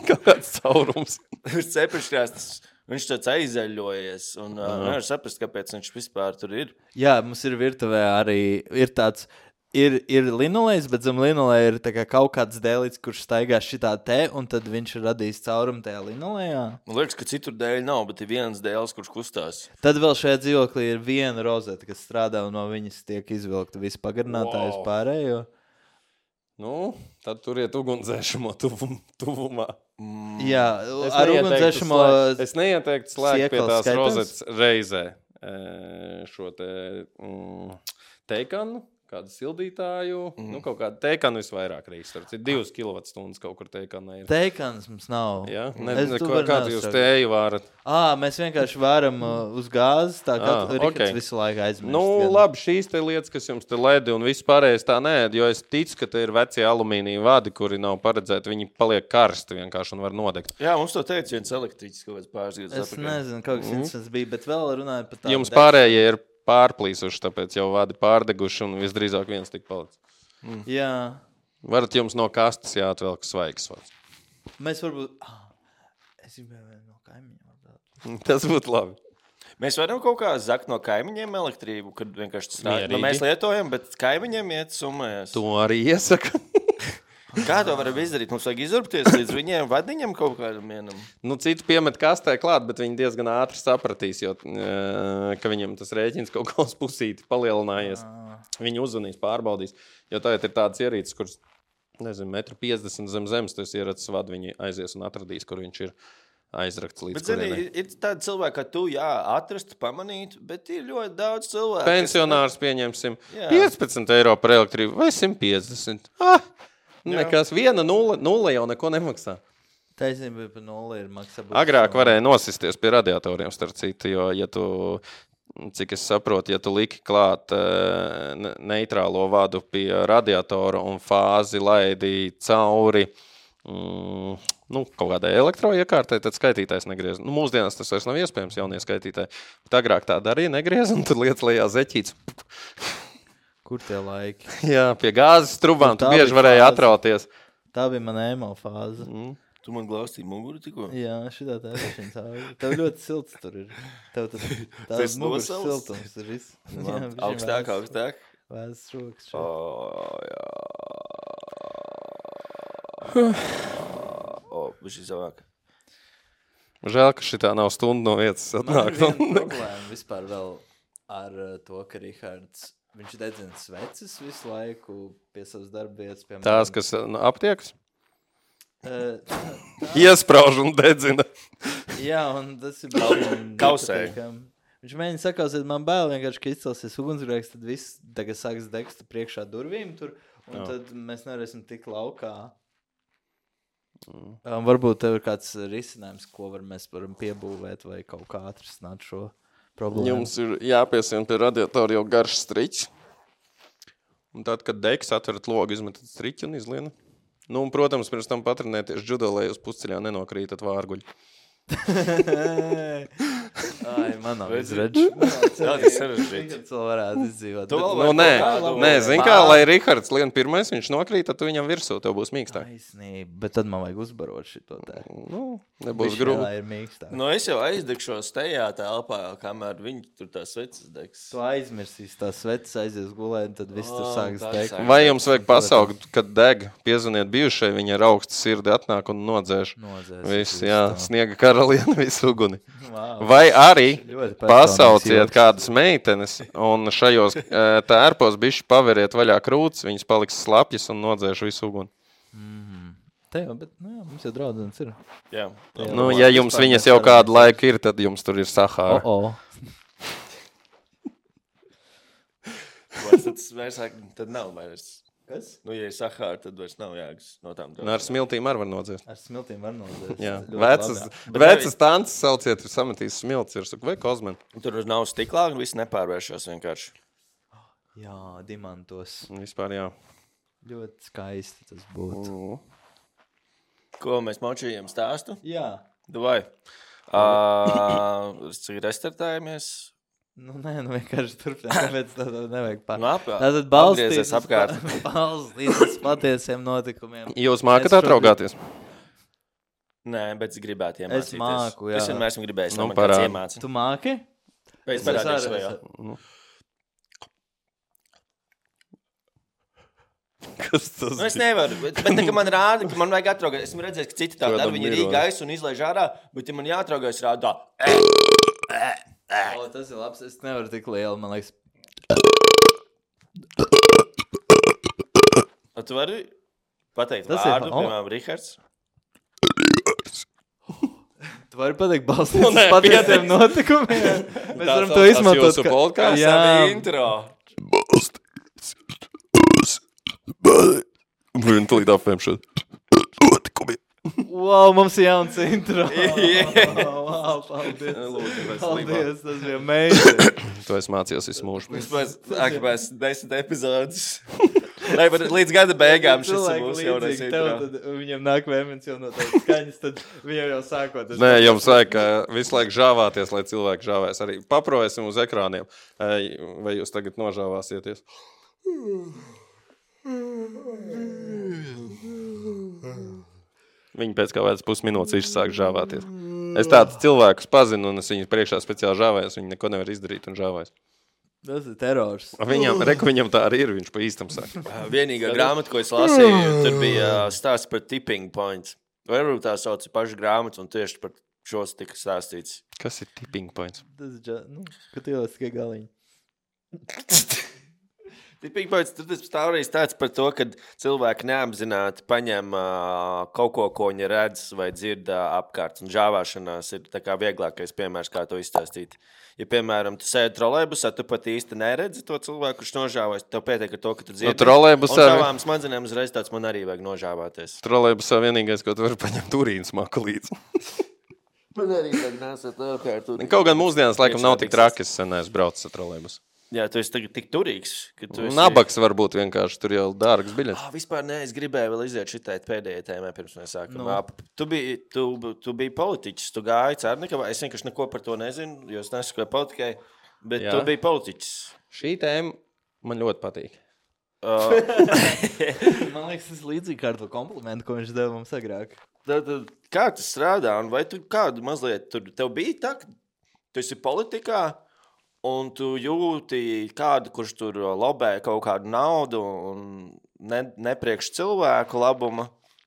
Kaut kāds caurums. Cepeškrāstas, viņš tāds aizaļojies, un uh, nevar saprast, kāpēc viņš vispār tur ir. Jā, mums ir virtuvē arī ir tāds, ir, ir linolejs, bet zem linoleja ir tā kā kaut kāds dēlīts, kurš staigā šitā te, un tad viņš ir radījis caurumu tajā linolejā. Man liekas, ka citur dēļ nav, bet ir viens dēls, kurš kustās. Tad vēl šajā dzīvoklī ir viena rozeta, kas strādā, un no viņas tiek izvilkta visu pagarinātāju uz Wow. pārējo. Nu, tad turiet ugunsdzēšamo tuvum, tuvumā. Jā, Es ar neieteiktu ugunsdzēšamo slēgt- Es neieteiktu slēgt pie siekals tās skaitās? rozetes reizē e, šo te mm, teikanu, kādu sildītāju, mm. nu kaut kādu teikanu visvairāk reizes. Ir divas kilovatstundas kaut kur teikanā ir. teikans mums nav. Ja? Ne, Es ne, tu ko, vari kādu jūs neuzsaukt. tēju vārat? Ā, mēs vienkārši varam uh, uz gāzes, tā kā Ā, Rihards ok. visu laiku aizmirst. Nu, gan. labi, šīs te lietas, kas jums te ledi un viss pārējais tā nē, jo es ticu, ka te ir vecie alumīnija vadi, kuri nav paredzēti, viņi paliek karsti vienkārši un var nodegt. Jā, mums to teica viens elektriķis kaut kāds pāris gadus Es atpakaļ. nezinu, kaut kas interesants bija, bet vēl runājot par tādu. Jums pārējie ir pārplīsuši, tāpēc jau vadi pārdeguši un visdrīzāk viens tik palicis. Jā, Varat jums no kastes jāatvelk svaigs vats. mēs varbūt... Ah, es gribēju vēl no kaimiņiem. atbraukt. Tas būtu labi. Mēs varam kaut kā zakt no kaimiņiem elektrību, kad vienkārši tas rāda. Nu, mēs lietojam, bet kaimiņiem iet summēs. To arī iesaka. Kā to varam izdarīt? Mums vajag izurpties līdz viņiem vadiņam kaut kādam vienam. Nu, citu piemet kastē klāt, bet viņi diezgan ātri sapratīs, jo, ka viņam tas rēķins kaut kā uz pusīti palielinājies. Viņi uzvanīs, pārbaudīs, jo tagad ir tādas ierīces, kuras, nezinu, metru piecdesmit zem zemes, tas ierats vadu, viņi aizies un atradīs, kur viņš ir. Aizrakts līdz bet, zini, kurienai. Ir tādi cilvēki, ka tu, jā, atrastu, pamanītu, bet ir ļoti daudz cilvēku. Pensionārs pieņemsim jā. piecpadsmit eiro par elektrību vai simt piecdesmit. Ah, nekas, viena nulle, nulle jau neko nemaksā. Taisnība par nulli ir maksā. Agrāk varēja nosisties pie radiatoriem, starp citu, jo, ja tu, cik es saprotu, ja tu liki klāt uh, neitrālo vadu pie radiatora un fāzi laidi cauri, Mm, nu, kaut kādai elektroiekārtai, tad skaitītājs negriez. Nu, mūsdienās tas vairs nav iespējams jaunie skaitītāji. Bet agrāk tā darīja, negriez, un tad lietas lejā zeķīts. Kur tie laiki? Jā, pie gāzes trubām tu bieži varēja atrauties. Tā bija mana emo fāze. Mm. Tu man glaustīji muguru tikko? Jā, šitā tā ir cauri. Tev ļoti silts tur ir. Tev tas tās muguras siltums ir viss. Augstāk, augstāk. Vēzes rokas. Oh, jā. O, viņš ir savāk. Žēl, ka šitā nav stundu no vietas atnāk. Man ir viena problēma vispār vēl ar to, ka Rihards, viņš dedzina sveces visu laiku pie savas darbvietas. Piemēram. Tās, kas nu, aptiekas? Uh, Iesprauž un dedzina. Jā, un tas ir baigi. Kausēji. Viņš mēģina sakausēt, man bail vienkārši, ka izcelsies ugunsgrēks, tad viss tagad sāks degst priekšā durvīm tur, un Jā. tad mēs nevarēsim tik laukā. Mm. Um, varbūt tev ir kāds risinājums, ko var mēs varam piebūvēt vai kaut kā atrisināt šo problēmu. Jums ir jāpiesien pie radiatora jau garš striķis. Un tad, kad degs atverat logu, izmetat striķi un izliena. Nu, un, protams, pirms tam patrenēties judo, lai uz pusceļā nenokrītat vārguļi. Ai, man nav izredz. Jā, tas sarežģīts. Kad vēl varētu izdzīvot. Tu vēl Nu, nē, nē, zin kā, lai Rihards lien pirmais, viņš nokrīt, tad tu viņam virsū, tev būs mīkstāk. Taisnība, bet tad man vajag uzbarot šito te. Nu, nebūs Viņš grūti. vēl ir mīkstāk. Nu, es jau aizdegšos tajā telpā, kamēr viņi tur tās sveces degs. Tu aizmirsīs tās sveces, aizies gulēt, un tad viss tur O, sāks tā degt. sāk. Vai jums vajag pasaukt, kad deg, piezvaniet bijušai, viņa ar augstu sirdi atnāk un nodzēš. Nozēs. Viss, jā, sniega karaliene, visu uguni. Wow. Vai arī Ļoti personīgs pasauciet joks. kādas meitenes un šajos eh, tērpos bišķi paveriet vaļā krūtis, viņas paliks slapjas un nodzēš visu uguni. Mm. Te jau, bet, nu jā, mums jau draudzenes ir. Jā. Jā. Nu, ja jums viņas jau kādu laiku ir, tad jums tur ir Sahāra. O, o. Vai tas vairs, tad nav vairs. Kas? Nu, ja ir Sahāra, tad vairs nav jāgas no tām. Un ar smiltīm arī var nodzēst. Ar smiltīm var nozēst. Jā, Ļoti vecas, labi, jā. Bet vecas tances sauciet, sametīs smilts, ir saku, vai kozmen. Tur nav stiklā un viss nepārvēršās vienkārši. Jā, dimantos. Vispār jā. Ļoti skaisti tas būtu. Mm. Ko mēs močījām stāstu? Jā. Davai. Uh, restartējamies. Nu, nē, nu vienkārši turpināt, tāpēc tā nevajag pār. Nu, ap, Tātad balstīties apgriezies apkārt. balstīties uz patiesiem notikumiem. Jūs mākat Es šobrīd- atraugāties? Nē, bet es gribētu iemācīties. Es māku, jā. Es vienmēr esmu gribējis. Nu, Nu, man kāds parādi. iemāca. Tu māki? Pēc Es parādīšu arī- vai jā. Nu. Kas tas Nu, es nevaru, bet, bet tā, ka man rāda, ka man vajag atraugāt. Esmu redzējis, ka citi tā Kādam dara, viņi ir mironi. gaisu un izlaiž ārā, bet ja man jāatraugās rādā. O, tas ir labs. Es nevaru tik lielu, man liekas. Tu vari pateikt Tas ir vārdu, fa- o. piemēram, Rihards. Tu vari pateikt balstīties Nu, nē, uz patiesiem pieteiks. notikumiem. Mēs Tā varam to saucās izmantot. jūsu podcasts? Jā. Intro. Blin, tu līdz apvēmšot. Notikumi. Wow, mums ir jauns intro. Jā. Wow, paldies. Lūdzu, mēs Paldies, tas bija amazing. Tu esi mācījies visu mūžu. Vispēc, ak, mēs desmit epizodes. Lai var līdz gada beigām šis Cilvēki būs jaunais līdzīgi tev, intro. tad viņam nāk vēmens jau no tādas skaņas, tad viņam jau sākot. Nē, jums vajag uh, visu laiku žāvāties, lai cilvēki žāvēs. Arī paprojesim uz ekrāniem. Ej, vai jūs tagad nožāvāsieties? Viņi pēc kā vēc pusminūtes izsāk žāvāties. Es tādus cilvēkus pazinu, un es viņus priekšā speciāli žāvējos. Viņi neko nevar izdarīt un žāvējos. Tas ir terors. Viņam, reku, viņam tā arī ir, viņš pa īstam saka. Vienīgā grāmata, ko es lasīju, tur bija stāsts par tipping points. Varbūt tā sauc pašu grāmatu, un tieši par šos tika stāstīts. Kas ir tipping points? Tas ir, nu, kad ielās tikai galiņi. Tipping points, tur tas stāstījis tāds par to, ka cilvēki neapzināti paņem uh, kaut ko, ko viņi redz vai dzird uh, apkārt. Un žāvāšanās ir tā kā vieglākais piemērs, kā to izstāstīt. Ja, piemēram, tu sēdi trolejbusā, tu pat īsti neredzi to cilvēku, kurš nožāvājas. Tev pietiek ar to, ka tu dzirdi. No trolejbusā... Un savām smadzenēm uzreiz tāds man arī vajag nožāvāties. Trolejbusā vienīgais, ko tu vari paņemt urīnu smaku līdzi. Man arī vajag nesat apkārt. Kaut gan mūsdienas laikam nav tik traki, es sen esmu braucis ar trolejbusu. Jā, tu esi tagad tik turīgs, ka tu esi... Nabaks varbūt vienkārši, tur jau dārgas biļetes. Ah, vispār ne, es gribēju vēl iziet šitai pēdējai tēmai, pirms mēs sākam. Nu. Ah, Tu biji, tu, tu biji politiķis, tu gāji Cērnikavā, es vienkārši neko par to nezinu, jo es nesakoju politikai, bet Jā. tu biji politiķis. Šī tēma man ļoti patīk. Uh, Man liekas, tas ir līdzīgi kā ar to komplimentu, ko viņš deva mums agrāk. tad, tad, kā tas strādā, un vai tu kādu mazliet tur, tev bija tā, ka tu esi politikā, un tu jūti kādu, kurš tur lobē kaut kādu naudu un ne, nepriekš cilvēku labuma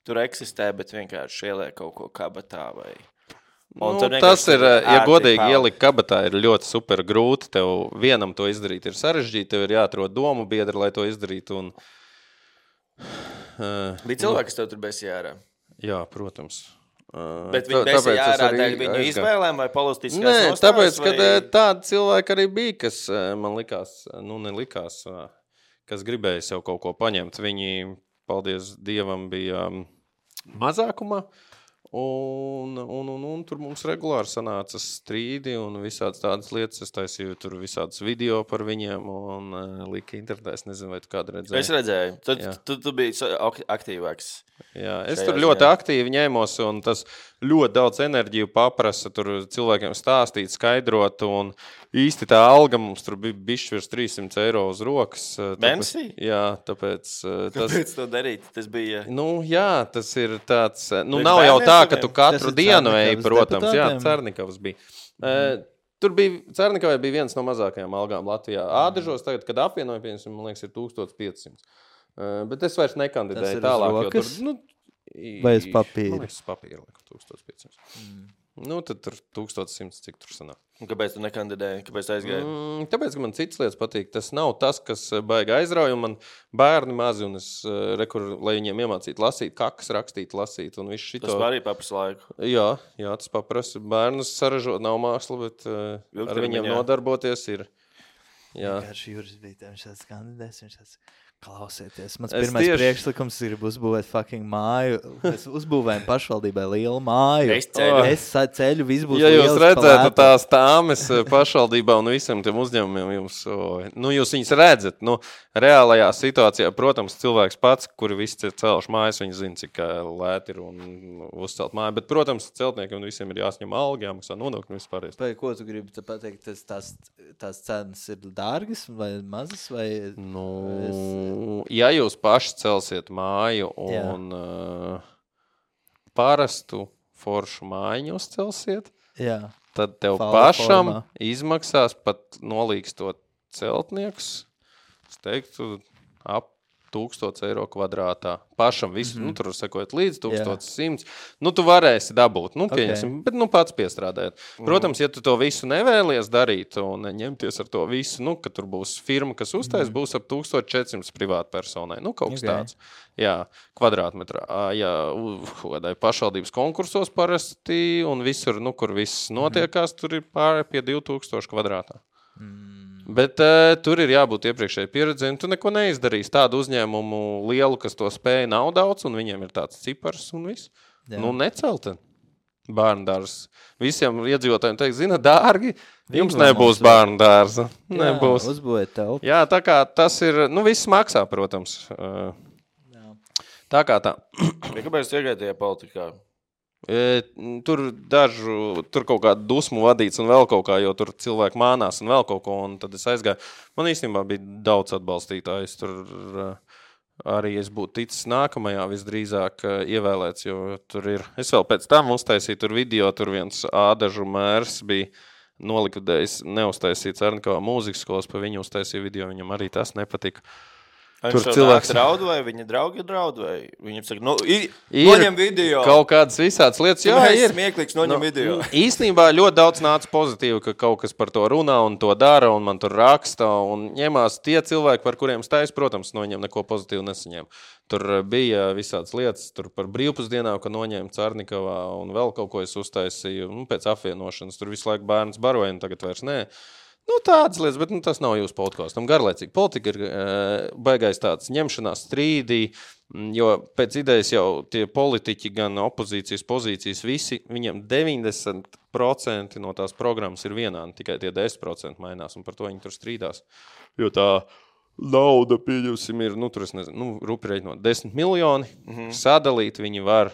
tur eksistē, bet vienkārši ieliek kaut ko kabatā vai... Un Nu, tur tas vienkārši ir, tur ja ērti godīgi peld. ielikt kabatā, ir ļoti super grūti. Tev vienam to izdarīt ir sarežģīti, tev ir jāatrod domu biedri, lai to izdarītu. Un, uh, Bija cilvēki, kas tev tur besīja ārā. Jā, protams. Uh, Bet viņi tā- besīja tāpēc es ārā arī dēļ viņu aizgāju. izvēlēm vai politiskās Nē, nostājas, tāpēc, ka vai... tādi cilvēki arī bija, kas man likās, nu nelikās, kas gribēja sev kaut ko paņemt. Viņi, paldies Dievam, bija mazākumā. Un, un, un, un tur mums regulāri sanāca strīdi un visādas tādas lietas. Es taisīju tur visādas video par viņiem un uh, lika internetā. Es nezinu, vai tu kādu redzēji. Es redzēju, tu, Jā. tu, tu biji sa- ak- aktīvāks. Jā, es šajā tur ļoti ziņā. aktīvi ņēmos, un tas ļoti daudz enerģiju paprasa tur cilvēkiem stāstīt, skaidrot. Un īsti tā alga mums tur bija bišķi virs trīssimts eiro uz rokas. tāpēc- Mēnesī? Jā, tāpēc uh, tas. Kāpēc to darīt? Tas bija... Nu, jā, tas ir tāds. Nu, Priekš nav jau bērniem tā, ka studiem? tu katru Tas ir dienu eji, Cernikavas protams. Jā, deputātiem? Cernikavas bija. Mm. Tur bija Cernikavai bija viens no mazākajām algām Latvijā. Ādažos tagad, kad apvienoja, piemēram, man liekas, ir tūkstoš piecsimt. Uh, bet es vairs Tas nekandidēju ir uz tālāk. jo rokas? Tur, nu, Vai uz papīra? Man liekas, uz papīra liekas, tūkstoš piecsimt. Mm. Nu, tad tur tūkstoš simts, cik tur sanāk. Un kāpēc tu nekandidēji? Kāpēc tu aizgāji? Mm, tāpēc, ka man citas lietas patīk. Tas nav tas, kas baigi aizrauja. Man bērni mazi, un es rekur, lai viņiem iemācītu lasīt, kakas rakstīt, lasīt. Un visu šito. Tas arī paprasa laiku. Jā, jā, tas paprasa. Bērnus saražot nav māksla, bet uh, ar Ilgtermiņā. viņiem nodarboties ir. Jā. Vienkārši Juris bija tam šāds kandidēts, viņš tāds klausieties. Mans Es pirmais tieši- priekšlikums ir uzbūvēt fucking māju. Mēs uzbūvējam pašvaldībai lielu māju. Es ceļu. Es sa- ceļu, viss būs Ja jūs liels, redzētu palēta. tās tāmes pašvaldībā un visiem tiem uzņēmumiem, jums, o, nu, jūs viņus redzat. Nu, reālajā situācijā, protams, cilvēks pats, kuri visi ir celši mājas, viņi zina, cik ā, lēti ir un uzcelt māju. Bet, protams, celtniekiem visiem ir jāsņem alga, jāmaksā nodokļi un vispār. Vai ko tu gribi te pateikt? Tas, tās, tās cenas ir dārgas vai mazas? Vai... Nu, ja jūs paši celsiet māju un uh, parastu foršu mājiņu uzcelsiet, Jā. tad tev Fala pašam formā. izmaksās pat nolīgstot celtnieks, es teiktu, ap tūkstoš eiro kvadrātā. Pašam visu, mm -hmm. nu, tur sakot līdz tūkstoš simts. Nu, tu varēsi dabūt, nu, pieņemsim, okay. bet, nu, pats piestrādājot. Protams, ja tu to visu nevēlies darīt un ņemties ar to visu, nu, ka tur būs firma, kas uztais, mm -hmm. būs ap tūkstoš četri simti privātu personai. Nu, kaut kas Okay. tāds. Jā, kvadrātmetrā. Ā, Jā, kādai pašvaldības konkursos parasti un visur, nu, kur viss notiekās, tur ir pāri pie divi tūkstoši kvadrātā. Mm. Bet uh, tur ir jābūt iepriekšēji pieredzēji. Tu neko neizdarīsi. Tādu uzņēmumu lielu, kas to spēja, nav daudz, un viņiem ir tāds cipars un viss. Jā. Nu, necelta bērnu dārza. Visiem iedzīvotājiem teikt, zina, dārgi, jums Vingro nebūs mums bērnu dārza. Jā, Nebūs. uzbūvēt telpu. Jā, tā kā tas ir, nu, viss maksā, protams. Uh, Jā. tā kā tā. Ja kāpēc tu iegāji tajā politikā? E, tur dažu, tur kaut kāda dusmu vadīts un vēl kaut kā, jo tur cilvēki mānās un vēl kaut ko, un tad es aizgāju. Man īstenībā bija daudz atbalstītāju. Es tur uh, arī es būtu ticis nākamajā visdrīzāk ievēlēts, jo tur ir, es vēl pēc tam uztaisīju tur video, tur viens ādažu mērs bija nolikvidējis, neuztaisīts Arnikavā mūzikas skolas, pa viņu uztaisīju video, viņam arī tas nepatika. Tur cilvēks draud vai viņa draugi draud vai viņam saka, nu, i, noņem video. Kaut kādas visādas lietas, jā, ir. ir. Smieklīgs, noņem no, video. Īstenībā ļoti daudz nāca pozitīvi, ka kaut kas par to runā un to dara un man tur raksta un ņemās tie cilvēki, par kuriem stājas, protams, no viņiem neko pozitīvu nesaņēma. Tur bija visādas lietas, tur par brīvpusdienām, ka noņēma Cārnikavā un vēl kaut ko es uztaisīju, nu, pēc apvienošanas, tur visu laiku bērns baroja un tagad vairs nē. Nu, tādas lietas, bet nu, tas nav jūsu podkāstam. Garlaicīgi politika ir e, baigais tāds ņemšanās strīdī, jo pēc idejas jau tie politiķi, gan opozīcijas pozīcijas, visi, viņiem deviņdesmit procenti no tās programmas ir vienādi, tikai tie desmit procenti mainās, un par to viņi tur strīdās. Jo tā nauda, pieņemsim, ir, nu, tur es nezinu, nu, rupi reiķinot desmit miljoni, mm-hmm. sadalīt viņi var,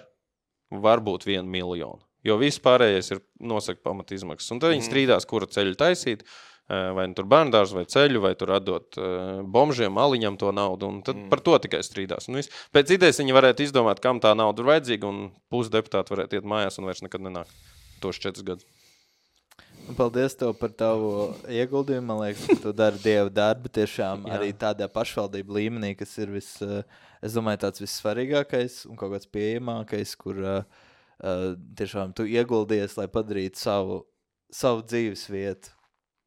var būt vienu miljonu, jo viss pārējais ir nosaka pamat izmaksas, un tad viņi mm-hmm. strīdās, kura ceļu taisīt, vai tur bērndārs, vai ceļu, vai tur atdot uh, bomžiem, aliņam to naudu, un tad mm. par to tikai strīdās. Un viss. Pēc idejas viņi varētu izdomāt, kam tā nauda ir vajadzīga, un pusi deputāti varētu iet mājās un vairs nekad nenāk tos četrus gadus. Paldies tev par tavu ieguldījumu. Man liekas, ka tu dari dievu darbu tiešām arī tādā pašvaldību līmenī, kas ir vis, es domāju, tāds vissvarīgākais un kaut kāds pieejamākais, kur uh, tiešām tu ieguldies, lai padarītu savu, savu dzīves vietu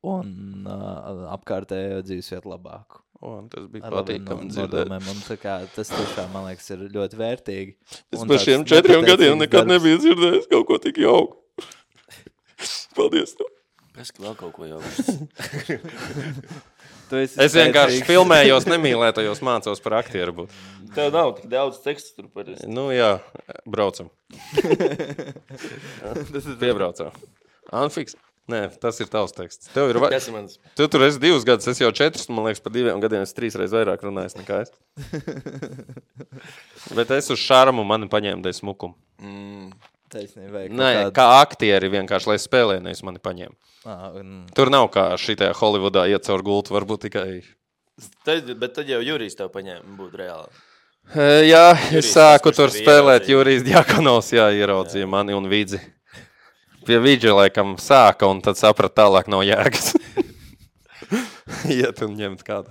un uh, apkārtējo dzīvesvietu labāku. O, tas bija patīkami dzirdēt. Un tā kā tas tiešām, man liekas, ir ļoti vērtīgi. Es par šiem četriem gadiem nekad darbs. Nebiju dzirdējis kaut ko tik jauku. Paldies tev. Es vēl kaut ko jauku. Es vienkārši filmējos, nemīlētajos mācos par aktieru būt. Tev nav tik daudz tekstu tur par es. Nu jā, braucam. Piebraucam. Anfiks. Nē, tas ir tavs teksts. Tev ir va... Kas ir mans? Tu tur esi divus gadus, es jau četrus, man liekas, par diviem gadiem es trīs reiz vairāk runājis nekā es. Bet es uz šarmu mani paņēmu dēļ smukumu. Mm. Taisnība, Nē, kāds... kā aktieri vienkārši, lai spēlē, nevis mani paņēmu. Ah, un... Tur nav kā šitajā Holivudā iet caur gultu, varbūt tikai... Tad, bet tad jau Jurijs tev paņēma, būtu reāli. E, jā, Jurijs, es sāku tas, tur spēlēt Jurijs Diakonovs, jā, ieraudzīja jā. Mani un Vidzi. Pie Vidža laikam sāka, un tad saprat tālāk nav jēgas. Iet un ņemt kādu.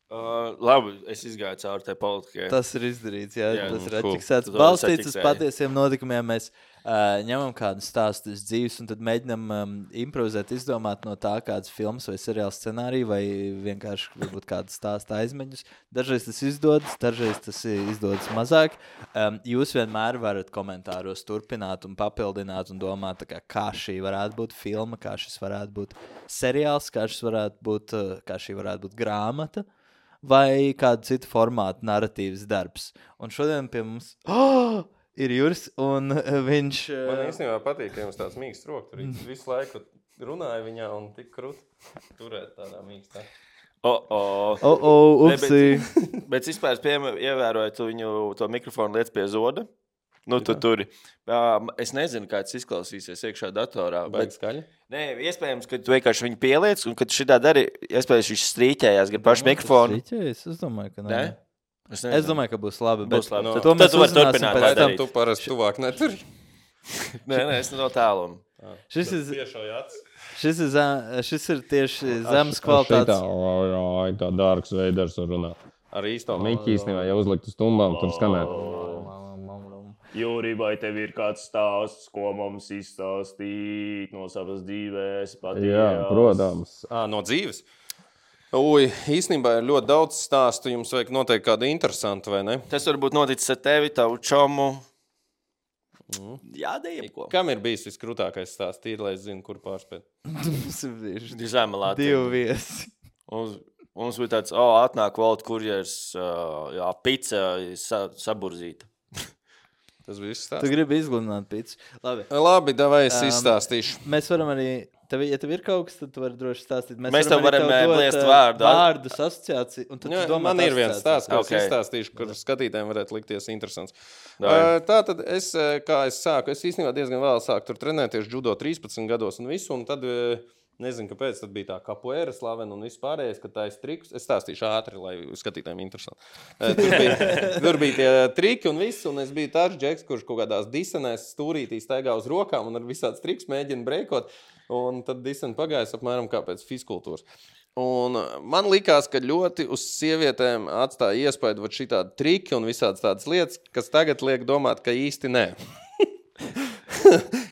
Uh, labi, es izgāju cauri tai politikai. Tas ir izdarīts, jā. jā tas ir cool. atķiksēts. Balstīts uz patiesiem notikumiem. Mēs uh, ņemam kādu stāstu uz dzīves, un tad mēģinam um, improvizēt, izdomāt no tā kādas filmas vai seriāla scenāriju, vai vienkārši varbūt kādu stāstu aizmeņus. Dažreiz tas izdodas, dažreiz tas izdodas mazāk. Um, jūs vienmēr varat komentāros turpināt un papildināt un domāt, kā, kā šī varētu būt filma, kā šis varētu būt seriāls, kā šis varētu būt, uh, kā šī varētu būt grāmata. Vai kādu citu formātu narratīvas darbs. Un šodien pie mums oh, ir Juris, un viņš... Man īstenībā patīk, ka jums tāds mīksts roka. Tur visu laiku runāja viņā un tik krut turēt tādā mīkstā. O, o. O, o, upsī. Bet, bet vispār ievēroju tu viņu to mikrofonu lietas pie zoda. Nu, tu turi. Es nezinu, kā tas izklausīsies iekšā datorā. Baigi skaļi? Nē, iespējams, ka tu vienkārši viņu pieliec, un kad šitā dari, iespējams, viņš strīķējās gar pašu mikrofonu. Strīķējas? Es domāju, ka nē. Ne? Es, es domāju, ka būs labi. Būs bet labi. No, to mēs uzzināsim pēc tam. Tu parasti tuvāk neturi. Nē, nē, es no tāluma. Šis ir, Tiešojāts. šis ir, zem, šis ir tieši zemes kvalitātes. Tā, tā dārgs veidars var runāt. Ar īsto miķi īstenībā, ja uzlikt uz tumbām, tur skanēt. Jūri, vai tev ir kāds stāsts, ko mums izstāstīt no savas dzīves? Patījās? Jā, protams. À, no dzīves? Ui, īstenībā ir ļoti daudz stāstu. Jums vajag noteikti kādu interesantu, vai ne? Tas varbūt noticis ar tevi, tavu čomu. Mm. Jā, dejeko. Kam ir bijis viskrūtākais stāsts? Tīri, lai es zinu, kur pārspēt. Zema Latvija. Divi viesi. Mums, mums bija tāds, o, atnāk valda kurjers, jā, pica sa, saburzīta. Tas bija izstāstīt. Tu gribi izgludināt picu. Labi. Labi, davai es Um, izstāstīšu. Mēs varam arī, tev, ja tev ir kaut kas, tad tu vari droši stāstīt. Mēs tev varam, arī bliest dot, vārdu. Vārdus, asociāciju. Un tad Jā, tu domā man ir viens asociāciju. stāsts, ko Okay. es izstāstīšu, kur skatītājiem varētu likties interesants. Davai. Uh, Tātad es, uh, kā es sāku, es īstenībā diezgan vēl sāku tur trenēties judo trīspadsmit gados un visu, un tad uh, Nezinu, kāpēc tad bija tā kapoeira slavena un viss pārējais, ka tā ir triks. Es stāstīšu ātri, lai skatītājiem interesanti. Tur bija, tur bija tie triki un viss, un es biju tāds džeks, kurš kaut kādās disenēs stūrītī staigā uz rokām un ar visāds triks mēģina breikot. Un tad disen pagājis apmēram kā pēc fizkultūras. Un man likās, ka ļoti uz sievietēm atstāja iespēju vat šitādi triki un visādas tādas lietas, kas tagad liek domāt, ka īsti nē.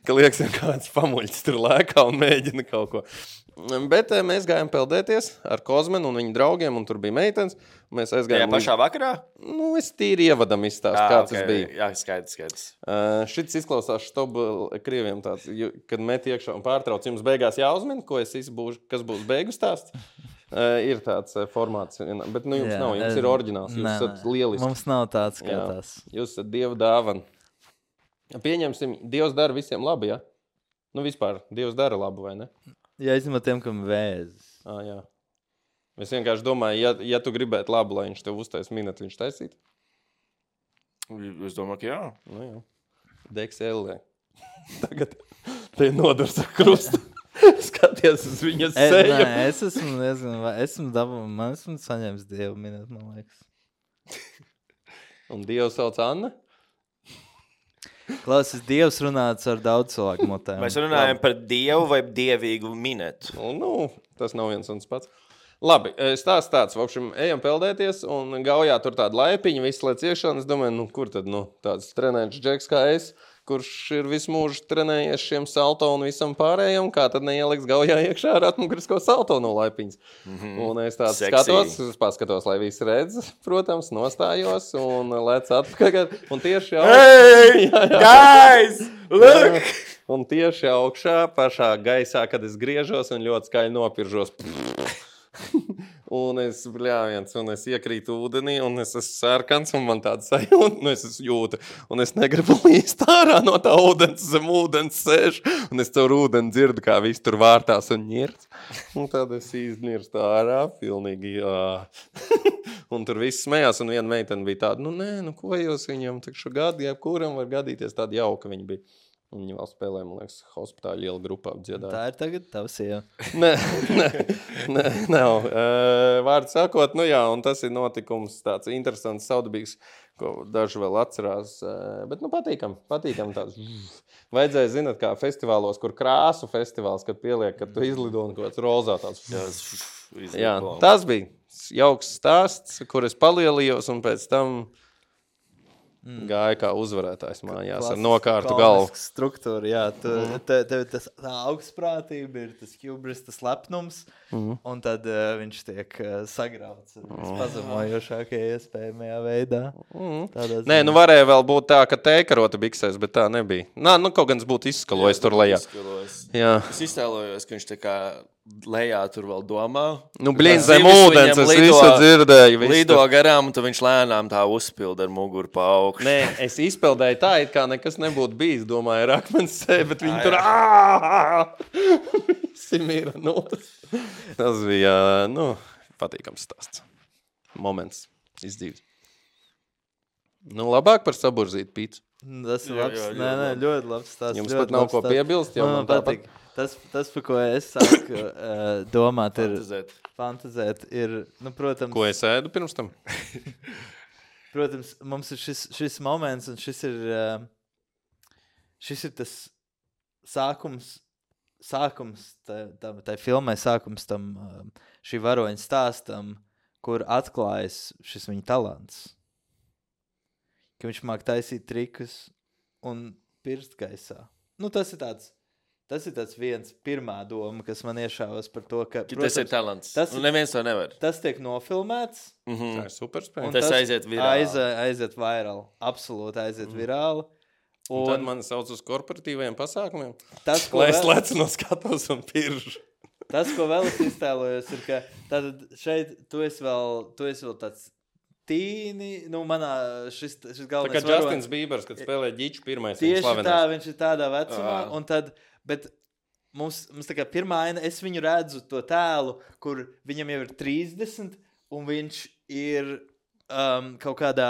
Ka liekas, ka kāds pamuļķis tur lēkā un mēģina kaut ko. Bet mēs gājām peldēties ar Kozmenu un viņu draugiem, un tur bija meitenes. Mēs aizgājām... Tajā pašā vakarā? Nu, es tīri ievadam izstāstu, Ah, kāds okay. tas bija. Jā, skaidrs, skaidrs. Uh, šits izklausās štobu krieviem tāds, ju- kad met iekšā un pārtrauc. Jums beigās jāuzmin, ko es izbūšu, kas būs beigu stāsts. Uh, ir tāds uh, formāts, bet nu jums Jā, nav, jums es- ir oriģināls, jūs Nē, esat nē. lieliski. Mums nav tāds kā Jā. tas. Jūs esat Dieva dāvana. Pieņemsim, Dievs dara visiem labi, ja? Nu, vispār, Dievs dara labu, vai ne? Ja izņemot tiem, kam vēzis. Ah, jā. Es vienkārši domāju, ja, ja tu gribētu labu, lai viņš tev uztais minēt, viņš taisītu. Es domāju, ka jā. Nu, jā. Deks ellē. Tagad te nodurs ar krustu. Skaties uz viņas E, seju. nē, es esmu, nezinu, vai esmu dabū, man esmu saņēmis Dievu minēt, man liekas. Un Dievs sauc Anna. Klausies, Dievs runāts ar daudz cilvēku mutēm. Mēs runājam par dievu vai dievīgu minētu. Nu, nu, tas nav viens un tas pats. Labi, stāsts tāds, vokšam, ejam peldēties un gaujā tur tāda laipiņa, viss lēc iekšā, un es domāju, nu, kur tad, nu, tāds trenēts džeks kā es, kurš ir visu mūžu trenējies šiem salto un visam pārējiem, kā tad neieliks gaujā iekšā ar atmugurisko salto no laipiņas. Mm-hmm. Un es tāds Seksī. skatos, es paskatos, lai visi redz, protams, nostājos un lec atpakaļ. Un tieši augšā, Hey, jā, jā. guys, look! Un tieši augšā, pašā gaisā, kad es griežos un ļoti skaļi nopiržos. Un es, bļāviens, un es iekrītu ūdenī, un es esmu sarkans, un man tāda sajūta, nu es esmu jūta, un es negribu līst ārā no tā ūdens, zem ūdens sēž, un es caur ūdeni dzirdu, kā viss tur vārtās un ņirts. Un tad es iznirstu ārā, pilnīgi, jā. Un tur viss smējās, un viena meitene bija tāda, nu nē, nu ko jūs viņam, takšu gadi, jebkuram var gadīties, tāda jauka viņa bija. Un viņa vēl spēlēja, man liekas, hospitāļu liela grupā dziedāja. Tā ir tagad tava sieva. Nē, nē, nē, nav. Uh, vārdu sakot, nu jā, un tas ir notikums tāds interesants, saudabīgs, ko daži vēl atcerās. Uh, bet, nu, patīkam, patīkam tāds. Vajadzēja, zināt, kā festivālos, kur krāsu festivāls, kad pieliek, kad tu izlido un kaut kāds rozā tāds. Jā, tas bija jauks stāsts, kur es palielījos un pēc tam gāja kā uzvarētājs mājās ar nokārtu galvu. Struktūra, jā. Tu, mm. te, tev tas tā augstprātība ir tas hubris, tas lepnums, mm. un tad uh, viņš tiek uh, sagrauts mm. pazemojošākajā iespējamajā veidā. Mm. Nē, nu varēja vēl būt tā, ka teikarota biksēs, bet tā nebija. Nā, nu kaut gan būtu izskalojis tur lejā. Jā. Es iztēlojos, ka viņš tā kā lejā tur vēl domā. Nu, blīn, zem ūdens, es visu dzirdēju. Visu lido garām, un tad viņš lēnām tā uzpilda ar muguru pa augšu. Nē, es izpildēju tā, it kā nekas nebūtu bijis, domāju, ar akmens sēju, bet viņi tur visi mīra notas. Tas bija, nu, patīkams stāsts. Moments izdzīves. Nu, labāk par saburzītu pīcu. Tas ir Jā, labs, jā, ļoti nē, nē, labi. ļoti labs stāsts. Jums ļoti pat nav labs ko stāsts. piebilst, jo Man man tāpat- patīk. Tas, tas, par ko es sāku uh, domāt, ir Fantazēt. fantazēt, ir, nu, protams, Ko es ēdu pirms tam? protams, mums ir šis, šis moments, un šis ir, uh, šis ir tas sākums, sākums tai, tam, tai filmai, sākums tam uh, šī varoņa stāstam, kur atklājas šis viņa talants. Ka viņš māk taisīt trikus un pirst gaisā. Nu, tas ir tāds, tas ir tāds viens pirmā doma, kas man iešāvas par to, ka, Protams, tas ir talants. tas Tas ir- un neviens to nevar. tas tiek nofilmēts, Mhm. Tā ir superspēja. un Tas aiziet virāli. Aiz, aiziet virāli. Absolūti aiziet mm. virāli. Un Un tad man sauc uz korporatīvajiem pasākumiem, tas, ko lai es vēl, lecu no skatos un piržu. tas, ko vēl es iztēlojos, ir, ka tātad šeit tu esi vēl, tu esi vēl tāds tīni, nu, manā šis, šis Tā kā galvenais Justins Bībers, kad spēlē ģiču pirmais, Tieši viņš tā, slavenais. viņš ir tādā vecumā, Ā. un tad, bet mums, mums tā kā pirmā aina, es viņu redzu to tēlu, kur viņam jau ir trīsdesmit, un viņš ir um, kaut kādā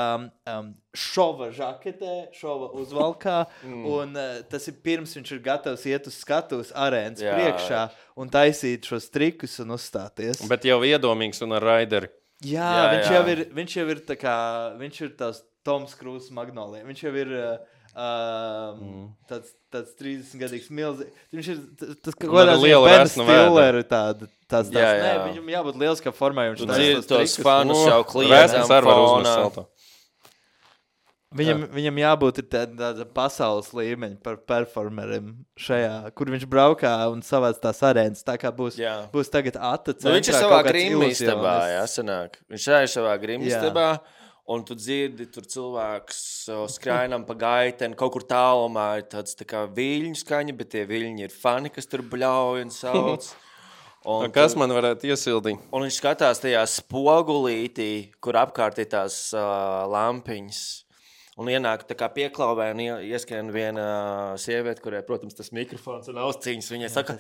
um, šova žaketē, šova uzvalkā, mm. un uh, tas ir pirms viņš ir gatavs iet uz skatuves arēnas Jā. priekšā un taisīt šos trikus un uzstāties. Bet jau iedomīgs un ar raideri. Jā, Jā, viņš, jā. Jau ir, viņš jau ir tā kā, viņš ir tās Toms Krūzes Magnolija. Viņš jau ir uh, um, mm. tāds, tāds trīsdesmitgadīgs milzīgs. Viņš ir t- tas, kā Un ar kādā lielu Ben resnu Stilleru tāda. Tas, tas, Jā, nē, jā. viņam jābūt lieliskam formai. Viņš Tu taisa dzirdi tos tos trikus. fanus jau kliedzam Resns arī var uzmest fonā. salto. Viņam, viņam jābūt ir tāda, tāda pasaules līmeņa par performeriem šajā, kur viņš braukā un savāc tās arēnas. Tā kā būs, Jā. būs tagad ata Nu, viņš ir centrā savā kaut kāds grimmistabā, jā, iluzionists. sanāk. Viņš ir savā grimmistabā, un tu dzirdi, tur cilvēks o, skrainam pa gaiteni, kaut kur tālumā ir tāds tā kā viļņu skaņa, bet tie viļņi ir fani, kas tur bļauj un sauc. Un Kas tu- man varētu iesildīt? Un viņš skatās tajā spogulītī, kur apkārt ir tās uh, lampiņas. Un ienāk tā kā pieklauvē un ie- ieskrien viena uh, sieviete, kurai, protams, tas mikrofons un austiņas. Viņai saka,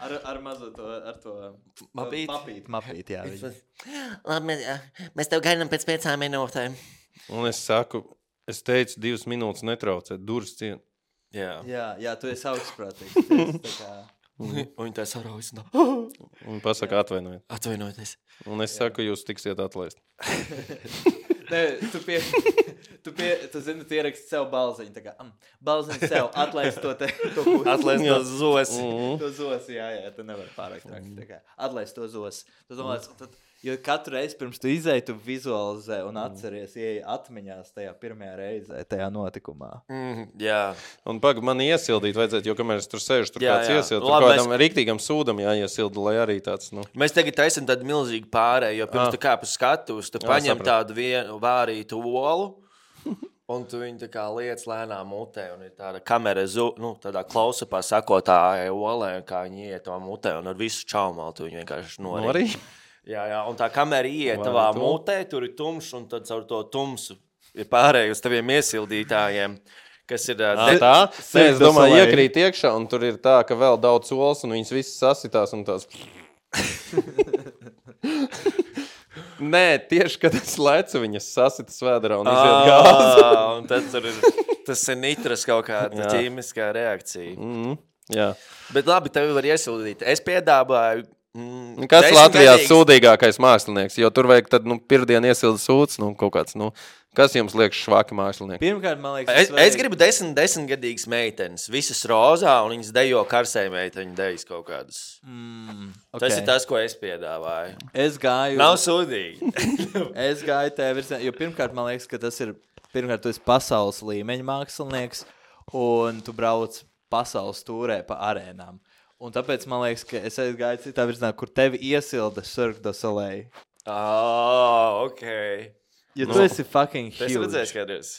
Ar, ar mazo to, ar to Mapīt? mapīt, mapīt, jā. Viņa. labi, mēs, mēs tev gaidām pēc piecām minūtēm. Un es saku, es teicu, divas minūtes netraucēt, durvis cien. Jā. Jā, jā, tu esi augstprātīgs. Tu esi tā kā... Un viņa tā saraujas. No. Un pasaka atvainojiet. Atvainojieties. Un es saku, jūs tiksiet atlaist. Nē, tu pie... Tu, pie, tu zini, tu ieraksti sev balziņu. Tā kā, um, balziņu sev, atlaist to te... To, ko- Atlaist to zosi. Mhm. To zosi, jā, jā, tu nevari pārāk traki. Tā kā, atlaist to zosi. Tu domāts, tad, jo katru reizi pirms tu izēji, tu vizualizē un atceries, ieeji atmiņās tajā pirmajā reizē, tajā notikumā. Mm, jā. Un pag, man iesildīt vajadzētu, jo kamēr es tur sēžu, tur Jā, kāds jā. iesild. Nu, Tur labi, kādam mēs... rīktīgam sūdam jāiesilda, lai arī tāds, nu... Mēs tagad taisam tādu milzīgu pārēju, jo pirms Ah. tu kāp uz skatuves, tu Jā, paņem sapratu. tādu vienu vārītu olu, un tu viņu tā kā liec lēnām mutē, un ir tāda kamera, zu, nu, tādā klausapā sakotā olē, kā viņi iet tavā mutē, un ar visu čaumalu tu viņu vienkārši norīt. Norī? Jā, jā, un tā kamera iet Vai tavā tu? mutē, tur ir tumšs, un tad caur to tumsu ir pārēj uz taviem iesildītājiem, kas ir... ā, Ā, de- tā? Nē, es domāju, Soleil. iekrīt iekšā, un tur ir tā, ka vēl daudz olas, un viņas visas sasitās, un tās... Nē, tieši, kad es lecu, viņas sasitas vēderā un iziet gāzi. Ā, un tad tur ir, tas ir nitras kaut kāda Jā. ķīmiskā reakcija. Mm, jā. Bet labi, tev var iesildīt. Es piedāvāju. Mm, Kas Latvijā desmitgadīgs- sūdīgākais mākslinieks? Jo tur vajag tad, nu, pirmdien iesilda sūds, nu, kaut kāds, nu, kas jums liekas švaki mākslinieki? Pirmkārt, man liekas, Es, svarīgi- es gribu desmit, desmitgadīgas meitenes. Visas rozā, un viņas dejo karsē meiteņu dejas kaut kādas. Mm, Okay. Tas okay. ir tas, ko es piedāvāju. Es gāju... Nav sūdīgi. Es gāju tajā virzienā, jo pirmkārt man liekas, ka tas ir, pirmkārt, tu esi pasaules līmeņa mākslinieks, un tu brauc pasaules tūrē pa arēnām. Un tāpēc man liekas, ka es gāju citā virzienā, kur tevi iesilda Cirque du Soleil. Ah, ok. Jo Nu. tu esi fucking Es redzēju, huge. skaties.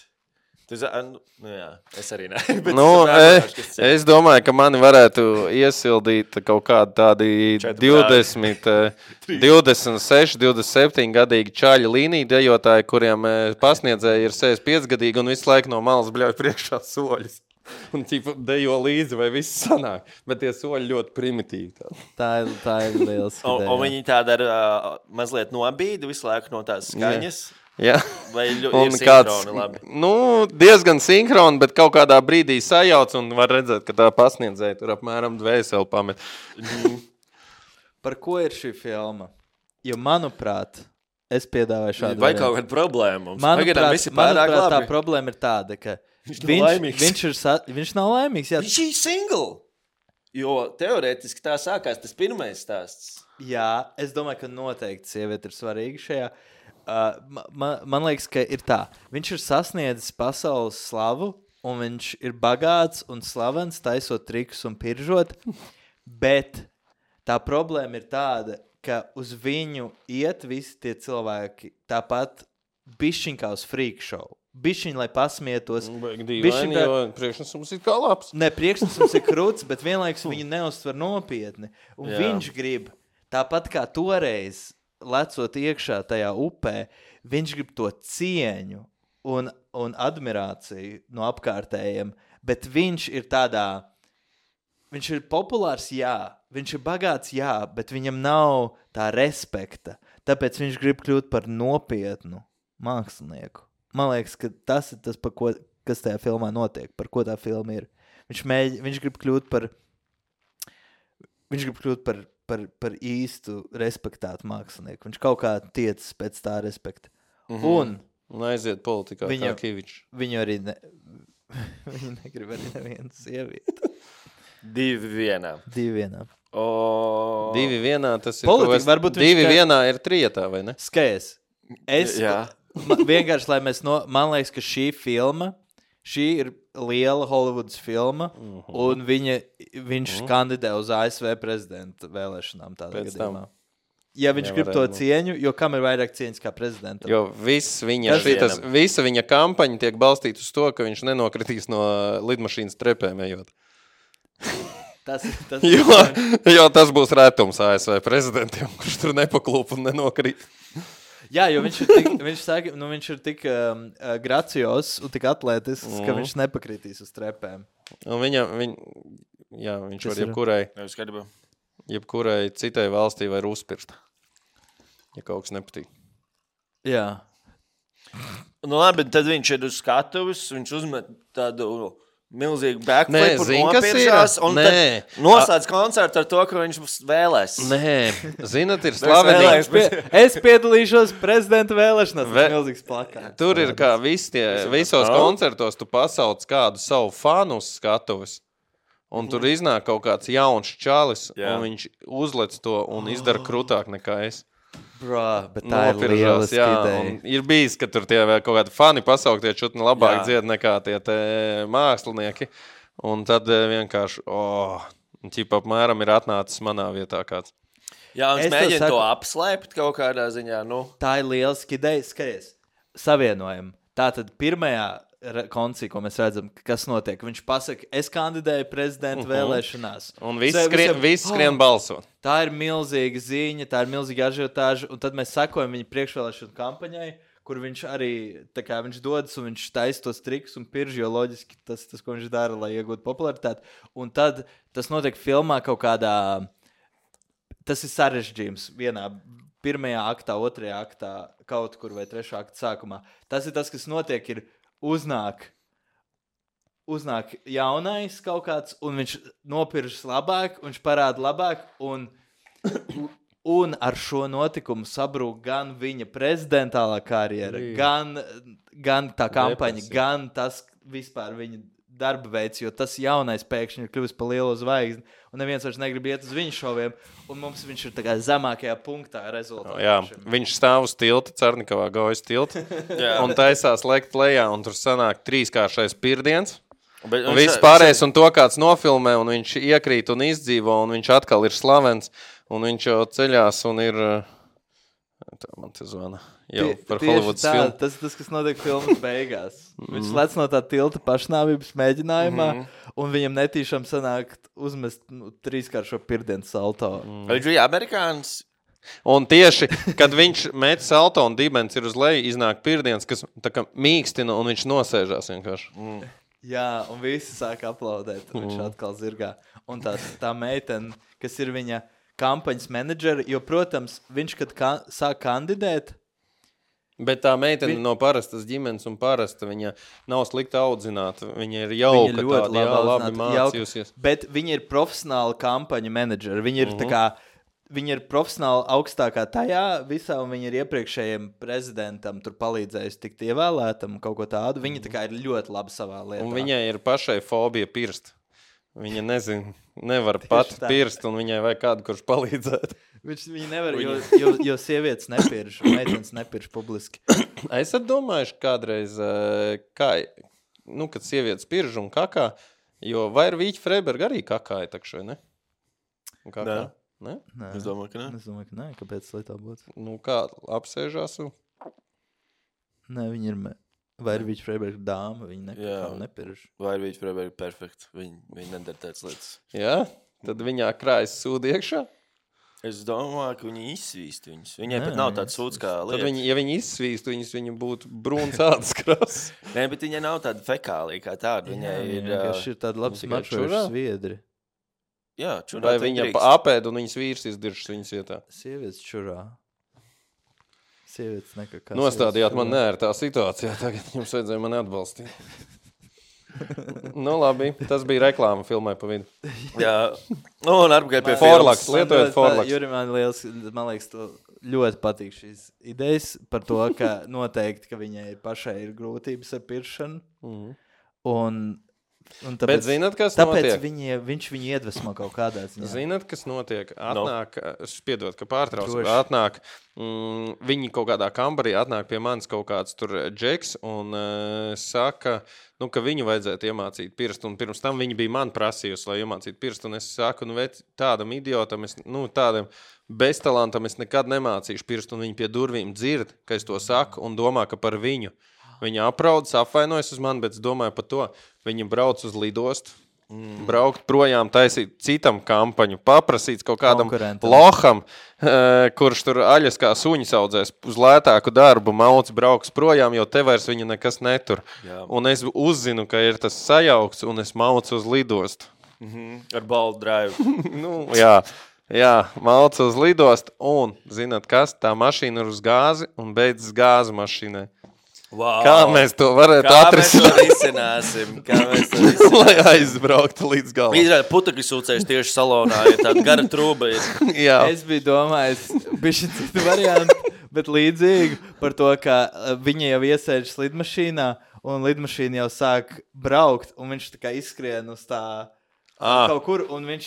Tu za... nu, nu, jā, es arī ne. Bet Nu, es saprotu, es, kas tas ir. es domāju, ka mani varētu iesildīt kaut kādi tādi Četri divdesmit, eh, divdesmit seši, divdesmit septiņi gadīgi čaļi līniju dejotāji, kuriem eh, pasniedzēji ir sešdesmit pieci gadīgi un visu laiku no malas bļauj priekšā soļus. Un tīpa dejo līdzi, vai viss sanāk. Bet tie soļi ļoti primitīvi. tādi. Tā ir, tā ir liels. Un, un viņi tāda ar uh, mazliet nobīdi visu laiku no tās skaņas. Jā. Vai ļu, Un ir kāds, sinhroni labi? nu, diezgan sinhroni, bet kaut kādā brīdī sajauc un var redzēt, ka tā pasniedzēja tur apmēram dvēseli pamet. Par ko ir šī filma? Jo, manuprāt, es piedāvāju šādu Vai variantu. kaut kāda problēma? Mums Manuprāt, pagaidām visi pārāk manuprāt tā labi. problēma ir tāda, ka Viņš nav viņš, laimīgs. viņš, ir sa, viņš nav laimīgs. Jā, Viņš ir single. Jo teorētiski tā sākās tas pirmais stāsts. jā, es domāju, ka noteikti sieviete ir svarīga šajā. Uh, man, man liekas, ka ir tā. Viņš ir sasniedzis pasaules slavu, un viņš ir bagāts un slavens, taisot trikus un piržot. Bet tā problēma ir tāda, ka uz viņu iet visi tie cilvēki tāpat bišķiņ kā uz freak show. Bišķiņ, lai pasmietos. Baigi Bišķiņ dīvaini, tā- jo priekšnesums ir kā labs. Ne, priekšnesums ir krūts, bet vienlaikus viņu neuztver nopietni. Un Jā. viņš grib, tāpat kā toreiz, lecot iekšā tajā upē, viņš grib to cieņu un, un admirāciju no apkārtējiem, bet viņš ir tādā, viņš ir populārs, jā, viņš ir bagāts, jā, bet viņam nav tā respekta, tāpēc viņš grib kļūt par nopietnu. mākslinieku. Man liekas, ka tas ir tas, par ko, kas tajā filmā notiek, par ko tā filma ir. Viņš, mēģi, viņš grib kļūt par, viņš grib kļūt par, par, par īstu respektātu mākslinieku. Viņš kaut kā tiecas pēc tā respekta. Mm-hmm. Un, un aiziet politikā viņu, kā Kivičs. Viņu arī ne, viņu negrib arī nevienu sievieti. Divi vienā. Divi vienā. O... Divi vienā, tas ir Politika, es, varbūt divi viņš, vienā ir trietā, vai ne? Skaties. Es, Jā. man, vienkārši, lai mēs no, man liekas, ka šī filma, šī ir liela Hollywoods filma, uh-huh. un viņa, viņš uh-huh. kandidē uz A S V prezidenta vēlēšanām tādā Pēc gadījumā. Tam. Ja viņš grib to būt. cieņu, jo kam ir vairāk cieņas kā prezidentam? Jo viss viņa, šitas, visa viņa kampaņa tiek balstīta uz to, ka viņš nenokritīs no lidmašīnas trepēm ejot. Tas, tas jo, jo tas būs retums A S V prezidentiem, kurš tur nepaklūp un nenokrīt. Jā, jo viņš ir tik, viņš saka, nu, viņš ir tik um, gracios un tik atlētisks, mm. ka viņš nepakritīs uz trepēm. Un viņa, viņ, jā, viņš Tas var jebkurai, Ir... jebkurai citai valstī var uzpirst, ja kaut kas nepatīk. Jā. Nu labi, tad viņš ir uz skatuves, viņš uzmet tādu... milzīgi Nē, backflip un zini, kas ir? nopiržās, un Nē. tad nosāc koncertu ar to, ka viņš vēlēs. Nē, zinat, ir slavenīgs. Es, pie, es piedalīšos prezidenta vēlēšanās, Ve- tas milzīgs plakāts. Tur ir kā visi tie, visos koncertos tu pasauc kādu savu fanu uz skatuves, un tur iznāk kaut kāds jauns čalis, Jā. un viņš uzlec to un izdara krūtāk nekā es. Brā, bet tā ir Nopiržās, lieliski jā, ideja. un ir bijis, ka tur tie vēl kaut kādi fani pasauktie čutni labāk Jā. dzied nekā tie te mākslinieki. Un tad eh, vienkārši, oh, ķipa apmēram ir atnācis manā vietā kāds. Jā, un Es es tev mēģinu saku- to apslēpt kaut kādā ziņā, nu. Tā ir lieliski ideja, skaties. Savienojam. Tātad pirmajā re- koncī, ko mēs redzam, kas notiek, viņš pasaka, es kandidēju prezidenta uh-huh. vēlēšanās. Un viss Sa- skrien, visiem- vis skrien Oh! balsot. Tā ir milzīga ziņa, tā ir milzīga ažiotāža, un tad mēs sekojam viņa priekšvēlēšanu kampaņai, kur viņš arī, tā kā viņš dodas un viņš taisa tos trikus un pirž, jo loģiski tas, tas, ko viņš dara, lai iegūtu popularitāti. Un tad tas notiek filmā kaut kādā, tas ir sarežģījums vienā, pirmajā aktā, otrajā aktā, kaut kur vai trešā akta sākumā. Tas ir tas, kas notiek, ir uznāk, uznāk jaunais kaut kāds, un viņš nopiržas labāk, un viņš parāda labāk, un, un ar šo notikumu sabrūk gan viņa prezidentālā karjera, Jī. gan, gan tā kampaņa, Depresija. gan tas vispār viņa darba veids, jo tas jaunais pēkšņi ir kļuvis par lielu zvaigzni, un neviens vairs negrib iet uz viņu šoviem, un mums viņš ir tā kā zemākajā punktā rezultātā. Jā, viņš stāv uz tilta, Cernikavā gaujas tilta, un taisās lekt lejā, un tur sanāk trīskāršais pirdiens. Bet, Un viss pārējais, un to kāds nofilmē, un viņš iekrīt un izdzīvo, un viņš atkal ir slavens, un viņš jau ceļās, un ir... Tā man te zvana. Jau Tie- par tieši Hollywoods tā, filmu. Tas tas, kas notiek filmas beigās. Viņš lec no tā tilta pašnāvības mēģinājumā, un viņam netīšām sanāk uzmest nu, trīskāršo pirdienu salto. Viņš bija amerikānis. Un tieši, kad viņš met salto un dibens ir uz leju, iznāk pirdiens, kas tā kā mīkstina, un viņš nosēžās vienkārši. Mm. Jā, un visi sāk aplaudēt, un viņš atkal zirgā. Un tās, tā meitene, kas ir viņa kampaņas menedžeri, jo, protams, viņš, kad ka sāk kandidēt, Bet tā meitene Vi- no parastas ģimenes un parasta, viņa nav slikti audzināta. Viņa ir jauka, viņa ļoti tāda, jā, labi labi audzināta, jauka, mācījusies. bet viņa ir profesionāla kampaņa menedžeri. Viņa ir, Mhm. tā kā, viņa ir profesionāli augstākā tajā visā, un viņa ir iepriekšējiem prezidentam tur palīdzējusi tikt ievēlētam un kaut ko tādu. Viņa tā kā ir ļoti labi savā lietā. Un viņai ir pašai fobija pirst. Viņa nezin, nevar pat tā. pirst, un viņai vajag kādu, kurš palīdzētu. Viņš viņa nevar, jo, jo, jo sievietes nepirš, meitenes nepirš publiski. Esat domājuši kādreiz, eh, kā, nu, kad sievietes pirž un kakā, jo vai ir Vīķa Freiberga arī kakāja takšai, ne? Un kakā? Ne? Nē, Es domāju, ka ne. es domāju, ka nē, kāpēc lai tā būtu? Nu, kā apsēžās un... Nē, viņa ir, me... vai ir Vīķa Freiberga dāma, viņa ne, Jā. nepirš. Vai viņš bija perfekts? Viņi, viņi nedara tādas lietas. Jā? Tad viņā krājas sūdi iekšā? Es domāju, ka viņi izsvīst viņus. Viņai Nē, pat nav viņi tāds sūds kā Tad lieta. viņi, ja viņi izsvīst, viņas viņa būtu brūns ādas krāsas. Nē, bet viņai nav tāda fekālija kā tāda. Viņai Jā, ir... viņa ā, vienkārši ir tāda labi tikai čurā? smaržojuša sviedri. Jā, čurā Vai viņa drīkst. apēd un viņas vīrs izdiršas viņas vietā? Sievietes čurā. sievietes nekā kā Nostādījāt man neērtā situācijā, tagad jums vajadzēja mani atbalstīt. Nu labi, tas bija reklāma filmai pa vidu. Jā, nu, un atpakaļ pie Forlaks, filmas. lietojot Forlaks. Juri, man liels, man liekas, to ļoti patīk šīs idejas par to, ka noteikti, ka viņai pašai ir grūtības ar piršanu. Mm. Un, un tāpēc, Bet zinat, kas tāpēc notiek? Viņi, viņš viņu iedvesmo kaut kādā ziņā. Zinat, kas notiek? Atnāk, no. Spiedot, ka pārtrauc, Droši. atnāk, mm, viņi kaut kādā kambarī atnāk pie manis kaut kāds tur džeks un uh, saka, nu, ka viņu vajadzētu iemācīt pirstu, un pirms tam viņi bija man prasījusi, lai iemācītu pirstu, un es saku, nu, vet, tādam idiotam, es, nu, tādam beztalantam es nekad nemācīšu pirstu, un viņi pie durvīm dzird, ka es to saku, un domā, ka par viņu. Viņa apraudas, apvainojas uz mani, bet es domāju par to. Viņa brauc uz lidostu, mm. braukt projām, taisīt citam kampaņu, paprasīt kaut kādam loham, uh, kurš tur aļas kā suņas audzēs uz lētāku darbu, mauc brauks projām, jo te vairs viņu nekas netur. Jā. Un es uzzinu, ka ir tas sajaukts, un es maucu uz lidostu. Mm-hmm. Ar baldu drive. nu, jā. Jā, maucu uz lidostu, un, zināt kas, tā mašīna ir uz gāzi, un beidzas gāzi mašīnai. Wow. Kā mēs to varētu Kā atrisināt? mēs to risināsim? Kā mēs to risināsim? Lai aizbrauktu līdz galam. Izrāda putekļu sūcējs tieši salonā, ja tāda gara trūba ir. Jā. Es biju domājis, bišķi citu variantu, bet līdzīgi par to, ka viņa jau iesēžas lidmašīnā, un lidmašīna jau sāk braukt, un viņš tā kā izskrien uz tā Ah. kaut kur, un viņš,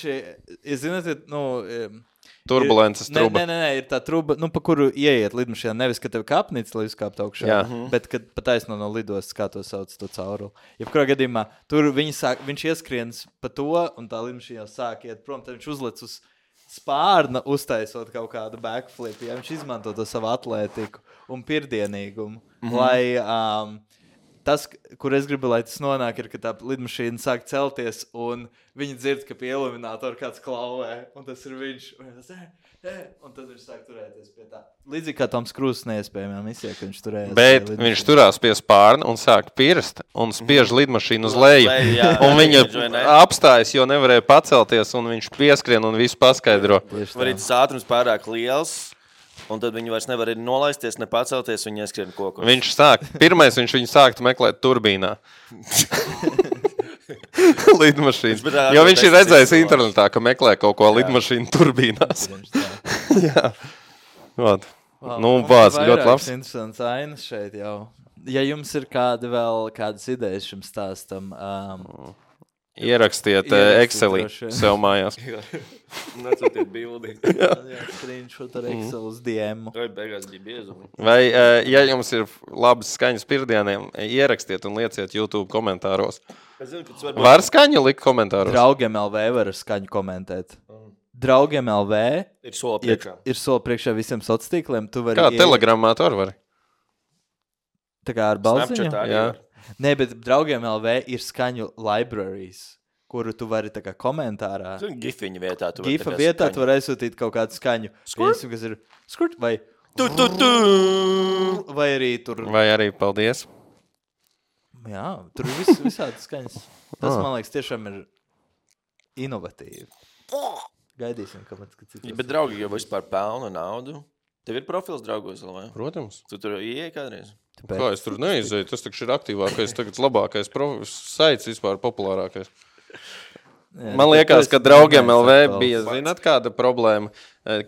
ja zināt, nu... Turbulences ir, truba. Nē, nē, nē, ir tā truba, nu, pa kuru ieiet lidmašīnā. Nevis, ka tev kāpnīca, lai uzkāptu augšā, Jā. bet kad pataisno no lidostas, kā to sauc, to cauruli. Jebkurā gadījumā, tur viņi sāk, viņš ieskrienas pa to, un tā lidmašīna jau sāk iet prom, tad viņš uzlec uz spārna, uztaisot kaut kādu backflip, ja viņš izmanto to savu atlētiku un pirdienīgumu, mm-hmm. lai... Um, Tas, kur es gribu, lai tas nonāk, ir, ka tā lidmašīna sāk celties, un viņi dzird, ka pie iluminātora kāds klauvē, un tas ir viņš. Un, tas, un tad viņš sāk turēties pie tā. Līdzīgi kā Toms Krūzes neiespējamā misijā, ka viņš turējās. Bet viņš turās pie spārna un sāk pirst, un spiež lidmašīnu uz leju. Un viņa apstājas, jo nevarēja pacelties, un viņš pieskrien un visu paskaidro. Var tas ātrums pārāk liels. Un tad viņi vairs nevar nolaisties, ne pacelties, viņi ieskrien kokos. Viņš sāk, pirmais viņš viņu sāktu meklēt turbīnā. Lidmašīnas. Jo viņš ir redzējis internetā, ka meklē kaut ko lidmašīnu turbīnās. Jā. Vat. Wow, nu, vārds ļoti labs. Interesants ainas šeit jau. Ja jums ir kādi vēl kādas idejas šim stāstam... Um, Ierakstiet Excelī sev mājās. Nacūtiet bildi. Jā, screenshot ar Excel uz D M. Vai beigās bija biezumi. Vai, ja jums ir labas skaņas pirdieniem, ierakstiet un lieciet YouTube komentāros. Zinu, var, var skaņu likt komentāros? Draugiem L V var skaņu komentēt. Draugiem L V ir soli priekšā. Ir, ir soli priekšā visiem sociāliem. Kā ie... telegramā to var? Tā kā ar balziņu? Jā. Nē, bet draugiem L V ir skaņu libraries, kuru tu vari tā kā komentārā. Gifiņa vietā tu vari. Gifa vietā skaņu. Tu vari aizsūtīt kaut kādu skaņu. Skurt? Kas ir skurt vai... Tu, tu, tu. Vai arī tur... Vai arī paldies. Jā, tur ir vis, visādi skaņas. Tas, man liekas, tiešām ir inovatīvi. Gaidīsim, ka man cits. Ja, bet draugi jau vispār pelna naudu. Tev ir profils draugos, vai? Protams. Tu tur ieej kādreiz? Tāpēc. Kā es tur neizēju? Tas taču ir aktīvākais, tagad labākais saits vispār populārākais. Jā, man liekas, ka draugiem L V bija, zināt, kāda problēma,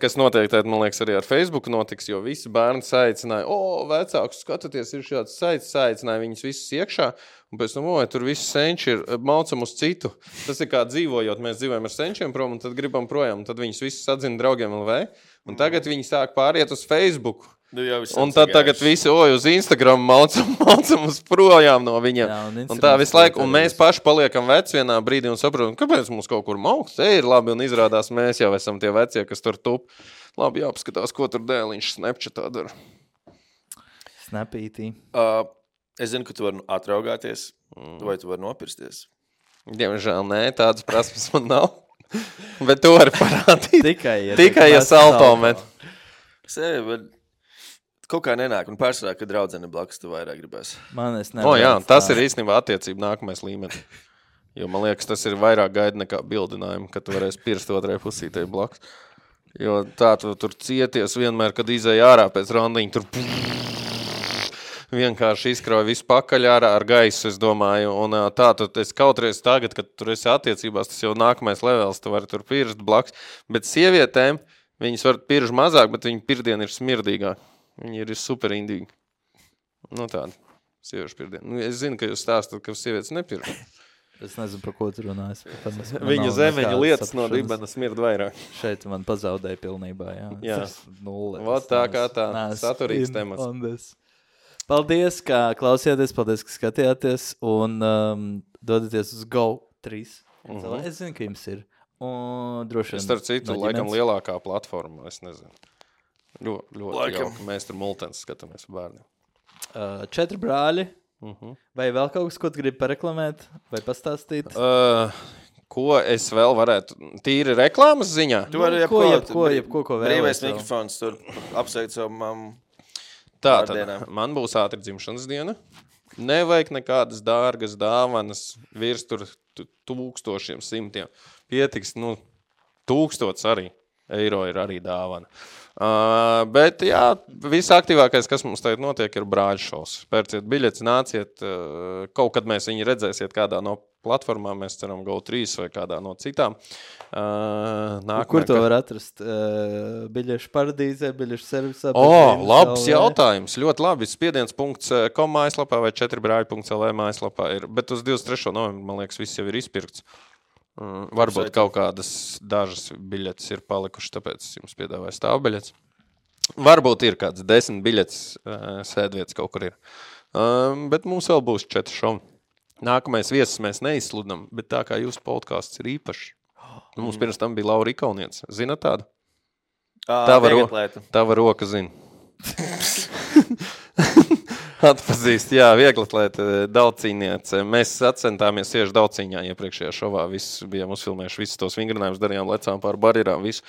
kas noteikti, man liekas, arī ar Facebook notiks, jo visi bērni saicināja, o, vecākus skatoties, ir šāds saits, saicināja viņus visus iekšā, un pēc tam, oi, tur visi senči ir, maucam uz citu. Tas ir kā dzīvojot, mēs dzīvojam ar senčiem prom, un tad gribam projām, un tad viņus visus atzina draugiem L V, un tagad viņi sāk pāriet uz Facebook. Nu, un tad tagad visi, oj, uz Instagram maucam, maucam uz projām no viņiem. Jā, un, un tā visu laiku, un mēs paši paliekam veci vienā brīdī un saprotam, kāpēc mums kaut kur mauks, te ir labi, un izrādās mēs jau esam tie vecie, kas tur tup. Labi, jāpaskatās, ko tur dēliņš Snapchatā dara. Snapītī. Uh, es zinu, ka tu vari atraugāties, mm. vai tu vari nopirsties. Diemžēl nē, tādas prasmes man nav. Bet tu vari parādīt. Tikai, ja, Tikai, ja salto met. Sevi, bet... Kaut kā nenāk, un pārsvarā, kad draudzene blakus tu vairāk gribēs. Man es nevaru. O, jā, tas ir īstenībā attiecība nākamais līmenis. Jo man liekas, tas ir vairāk gaida nekā bildinājumi, ka tu varēsi pirst otrai pusītei blakus. Jo tā tu tur cieties vienmēr, kad izēja ārā pēc randiņa, tur vienkārši izkrauj visu pakaļ ārā ar gaisu, es domāju. Un tā, tu es kautreiz tagad, kad tur esi attiecībās, tas jau nākamais levels, tu vari tur pirst blaks. Bet sievietēm, viņas var pirst mazāk, bet viņa pirdiena ir smirdīgāk. Viņa ir superindīgi. Nu tāda, sieviešu pirdiena. Nu, es zinu, ka jūs stāstat, ka sievietes nepirst. Es nezinu, par ko tu runājas. Viņa zemeņa lietas no dibena smird vairāk. Šeit man pazaudēja pilnībā, jā. Jā. Nulle. Vot tā kā tā, saturīgs temats. Paldies, ka klausījāties, paldies, ka skatījāties un um, dodaties uz Go trīs. Mm-hmm. Es zinu, ka jums ir. Un droši vien. Starp citu, no laikam lielākā platforma, es nezinu. Ļo, ļoti Laikam. jauka. Mēs tur multens skatāmies bērniem. Uh, četri brāļi. Uh-huh. Vai vēl kaut kas, ko tu gribi pareklamēt vai pastāstīt? Uh, ko es vēl varētu? Tīri reklāmas ziņā? Tu vari Nu, ko, jebko, jebko, jebko, ko vēlēs brīvais vēl. mikrofons tur apsveic savu mammu. Tā, tad Vārdienā. man būs ātri dzimšanas diena. Nevajag nekādas dārgas dāvanas virs tur tu- tūkstošiem, simtiem. Pietiks, nu, tūkstots arī. Eiro ir arī dāvana. Uh, bet, jā, visaktīvākais, kas mums tagad notiek, ir brāļu šovs. Pērciet biļetes, nāciet. Uh, kaut kad mēs viņu redzēsiet kādā no platformām, mēs ceram Go trīs vai kādā no citām. Uh, nākamā, Kur to ka- var atrast? Uh, biļešu paradīzē, biļešu servisā? O, biļešu labs L V? jautājums. Ļoti labi. spiediens punkts com mājaslapā vai četri brāļi punkts l v mājaslapā ir. Bet uz divdesmit trešo novembru, man liekas, viss jau ir izpirkts. Mm, varbūt Apsveicam. kaut kādas dažas biļetes ir palikušas, tāpēc es jums piedāvāju stāvbiļetes. Varbūt ir kāds desmit biļetes uh, sēdvietas kaut kur ir. Um, bet mums vēl būs četri šovi. Nākamais viesis mēs neizsludinām, bet tā kā jūsu podcasts ir īpašs. Mums pirms tam bija Laura Ikauniec. Zinat tādu? Tava, ro tava roka zina. Atpazīst, jā, vieglatlēta daudzcīniece. Mēs atcentāmies tieši daudzcīņā iepriekšējā šovā. Viss bijām uzfilmējuši visus tos vingrinājumus, darījām, lecām pār barjerām, visu.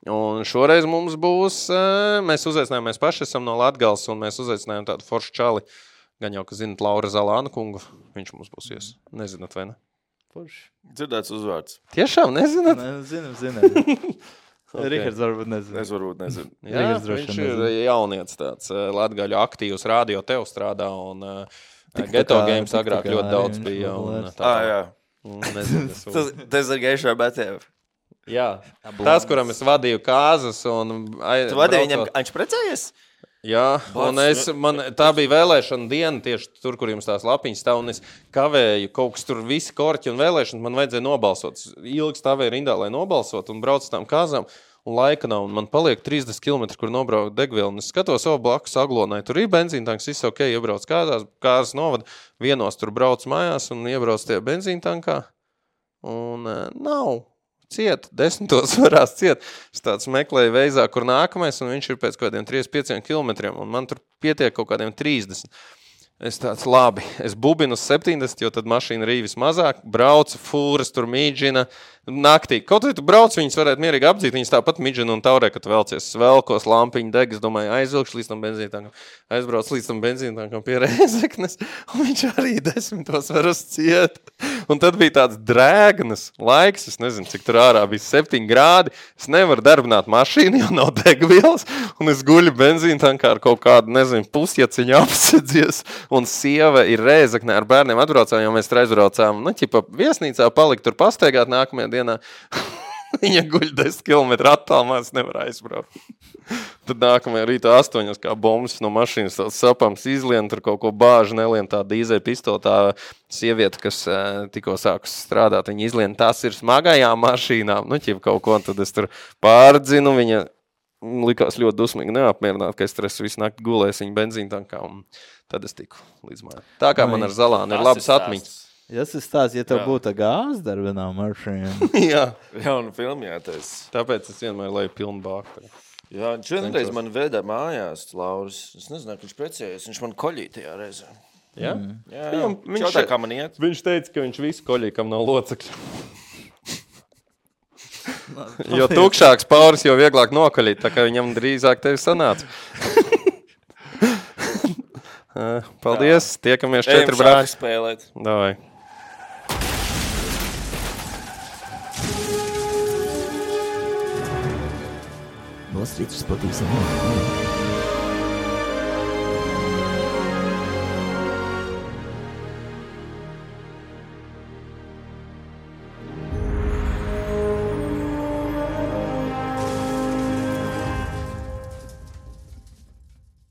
Un šoreiz mums būs, mēs uzaicinājām, mēs paši esam no Latgales, un mēs uzaicinājām tādu foršu čali. Gan jau, ka zinat Laura Zalāna kungu, viņš mums būs ies. Nezināt, vai ne? Forši. Dzirdēts uzvārds. Tiešām nezināt? Ne, zinām, zinām. Okay. Rihards varbūt nezinu. Es varbūt nezinu. Jā, Rihards droši viņš vien ir nezina. jauniets tāds latgaļu aktīvs, radio tev strādā, un uh, Tik tā Geto kā- Games tik tā agrāk kā ļoti arī daudz viņš bija. Un, populārs. tā, Ah, jā. un nezinu, kas Tas, tas ir gaišā betēv. jā, tas, kuram es vadīju kāzas, un ai, Tu vadīji viņam, braucot- viņš precējies? Jā, un es, man, tā bija vēlēšana diena tieši tur, kur jums tās lapiņas stāv, un es kavēju kaut kas tur visi korķi un vēlēšanas, man vajadzēja nobalsot. Ilgi stāvēju rindā, lai nobalsot, un braucu tām kāzām, un laika nav, un man paliek trīsdesmit kilometri, kur nobraukt degvielu, un es skatos savu blakus Aglonai, tur ir benzīntanks, viss ok, iebrauc kādās, kāzas novada, vienos tur brauc mājās, un iebrauc tie benzīntankā, un uh, nav. Ciet, desmitos varās ciet. Es tāds meklēju veizā, kur nākamais, un viņš ir pēc kādiem trīsdesmit pieciem kilometriem, un man tur pietiek kaut kādiem trīsdesmit. Es tāds, labi, es bubinu uz septiņdesmit, jo tad mašīna rīvis mazāk, braucu, fūras tur mīdžina, naktī. Kaut vai tu brauc, viņas varētu mierīgi apdzīt, viņas tāpat mīdžina un taurē, kad velcies svelkos, lampiņu deg, es domāju, aizvilkšu līdz tam benzīntankam, aizbrauc līdz tam benzīntankam pie Rēzeknes, un viņš arī desmitos var uz ciet. Un tad bija tāds drēgnas laiks, es nezinu, cik tur ārā bija septiņi grādi, es nevaru darbināt mašīnu, jo nav degvielas, un es guļu benzīntankā ar kaut kādu, nezinu, pusjaciņu apsedzies, un sieva ir Rēzeknē ar bērniem atbraucām, jo mēs tur aizbraucām, nu, ķipa, viesnīcā palikt tur pastaigāt nākamajā dienā. Viņa guļ desmit kilometru attālumā, es nevaru aizbraukt. Tad nākamajā rītā astoņos kā bombas no mašīnas tāds sapams izlien, tur kaut ko bāži nelien tā dīzeļa pistola, tā sieviete, kas uh, tikko sākus strādāt, viņa izlien, tas ir smagajām mašīnām, nu, ķip kaut ko, un tad es tur pārdzinu, viņa likās ļoti dusmīgi neapmierināt, ka es tur esmu visu nakti gulējis viņa benzīntankā, un tad es tiku līdz mājā. Tā kā man ar Zalānu ir labas atmiņas. Ja tas stāsts, ja tev Jā. būtu gāzes darbinā mašīna. Jā, Jauna filma jātais. tāpēc es vienmēr leju pilnu bāku. Jā, viņš vienreiz man veda mājās, Lauris. Es nezināju, ka viņš precējies. Viņš man koļīja tajā reizē. Jā? Jā, Viņam- viņš viņš- jautā, kā man iet. Viņš teica, ka viņš visu koļīja, kam nav locekļu. Jo tukšāks pauris, jo vieglāk nokaļīt, tā kā viņam drīzāk tevi sanāca. Paldies, tiekamies četri brāļi. Spēlēt. Davai. klausīties par tīsiem notikumiem.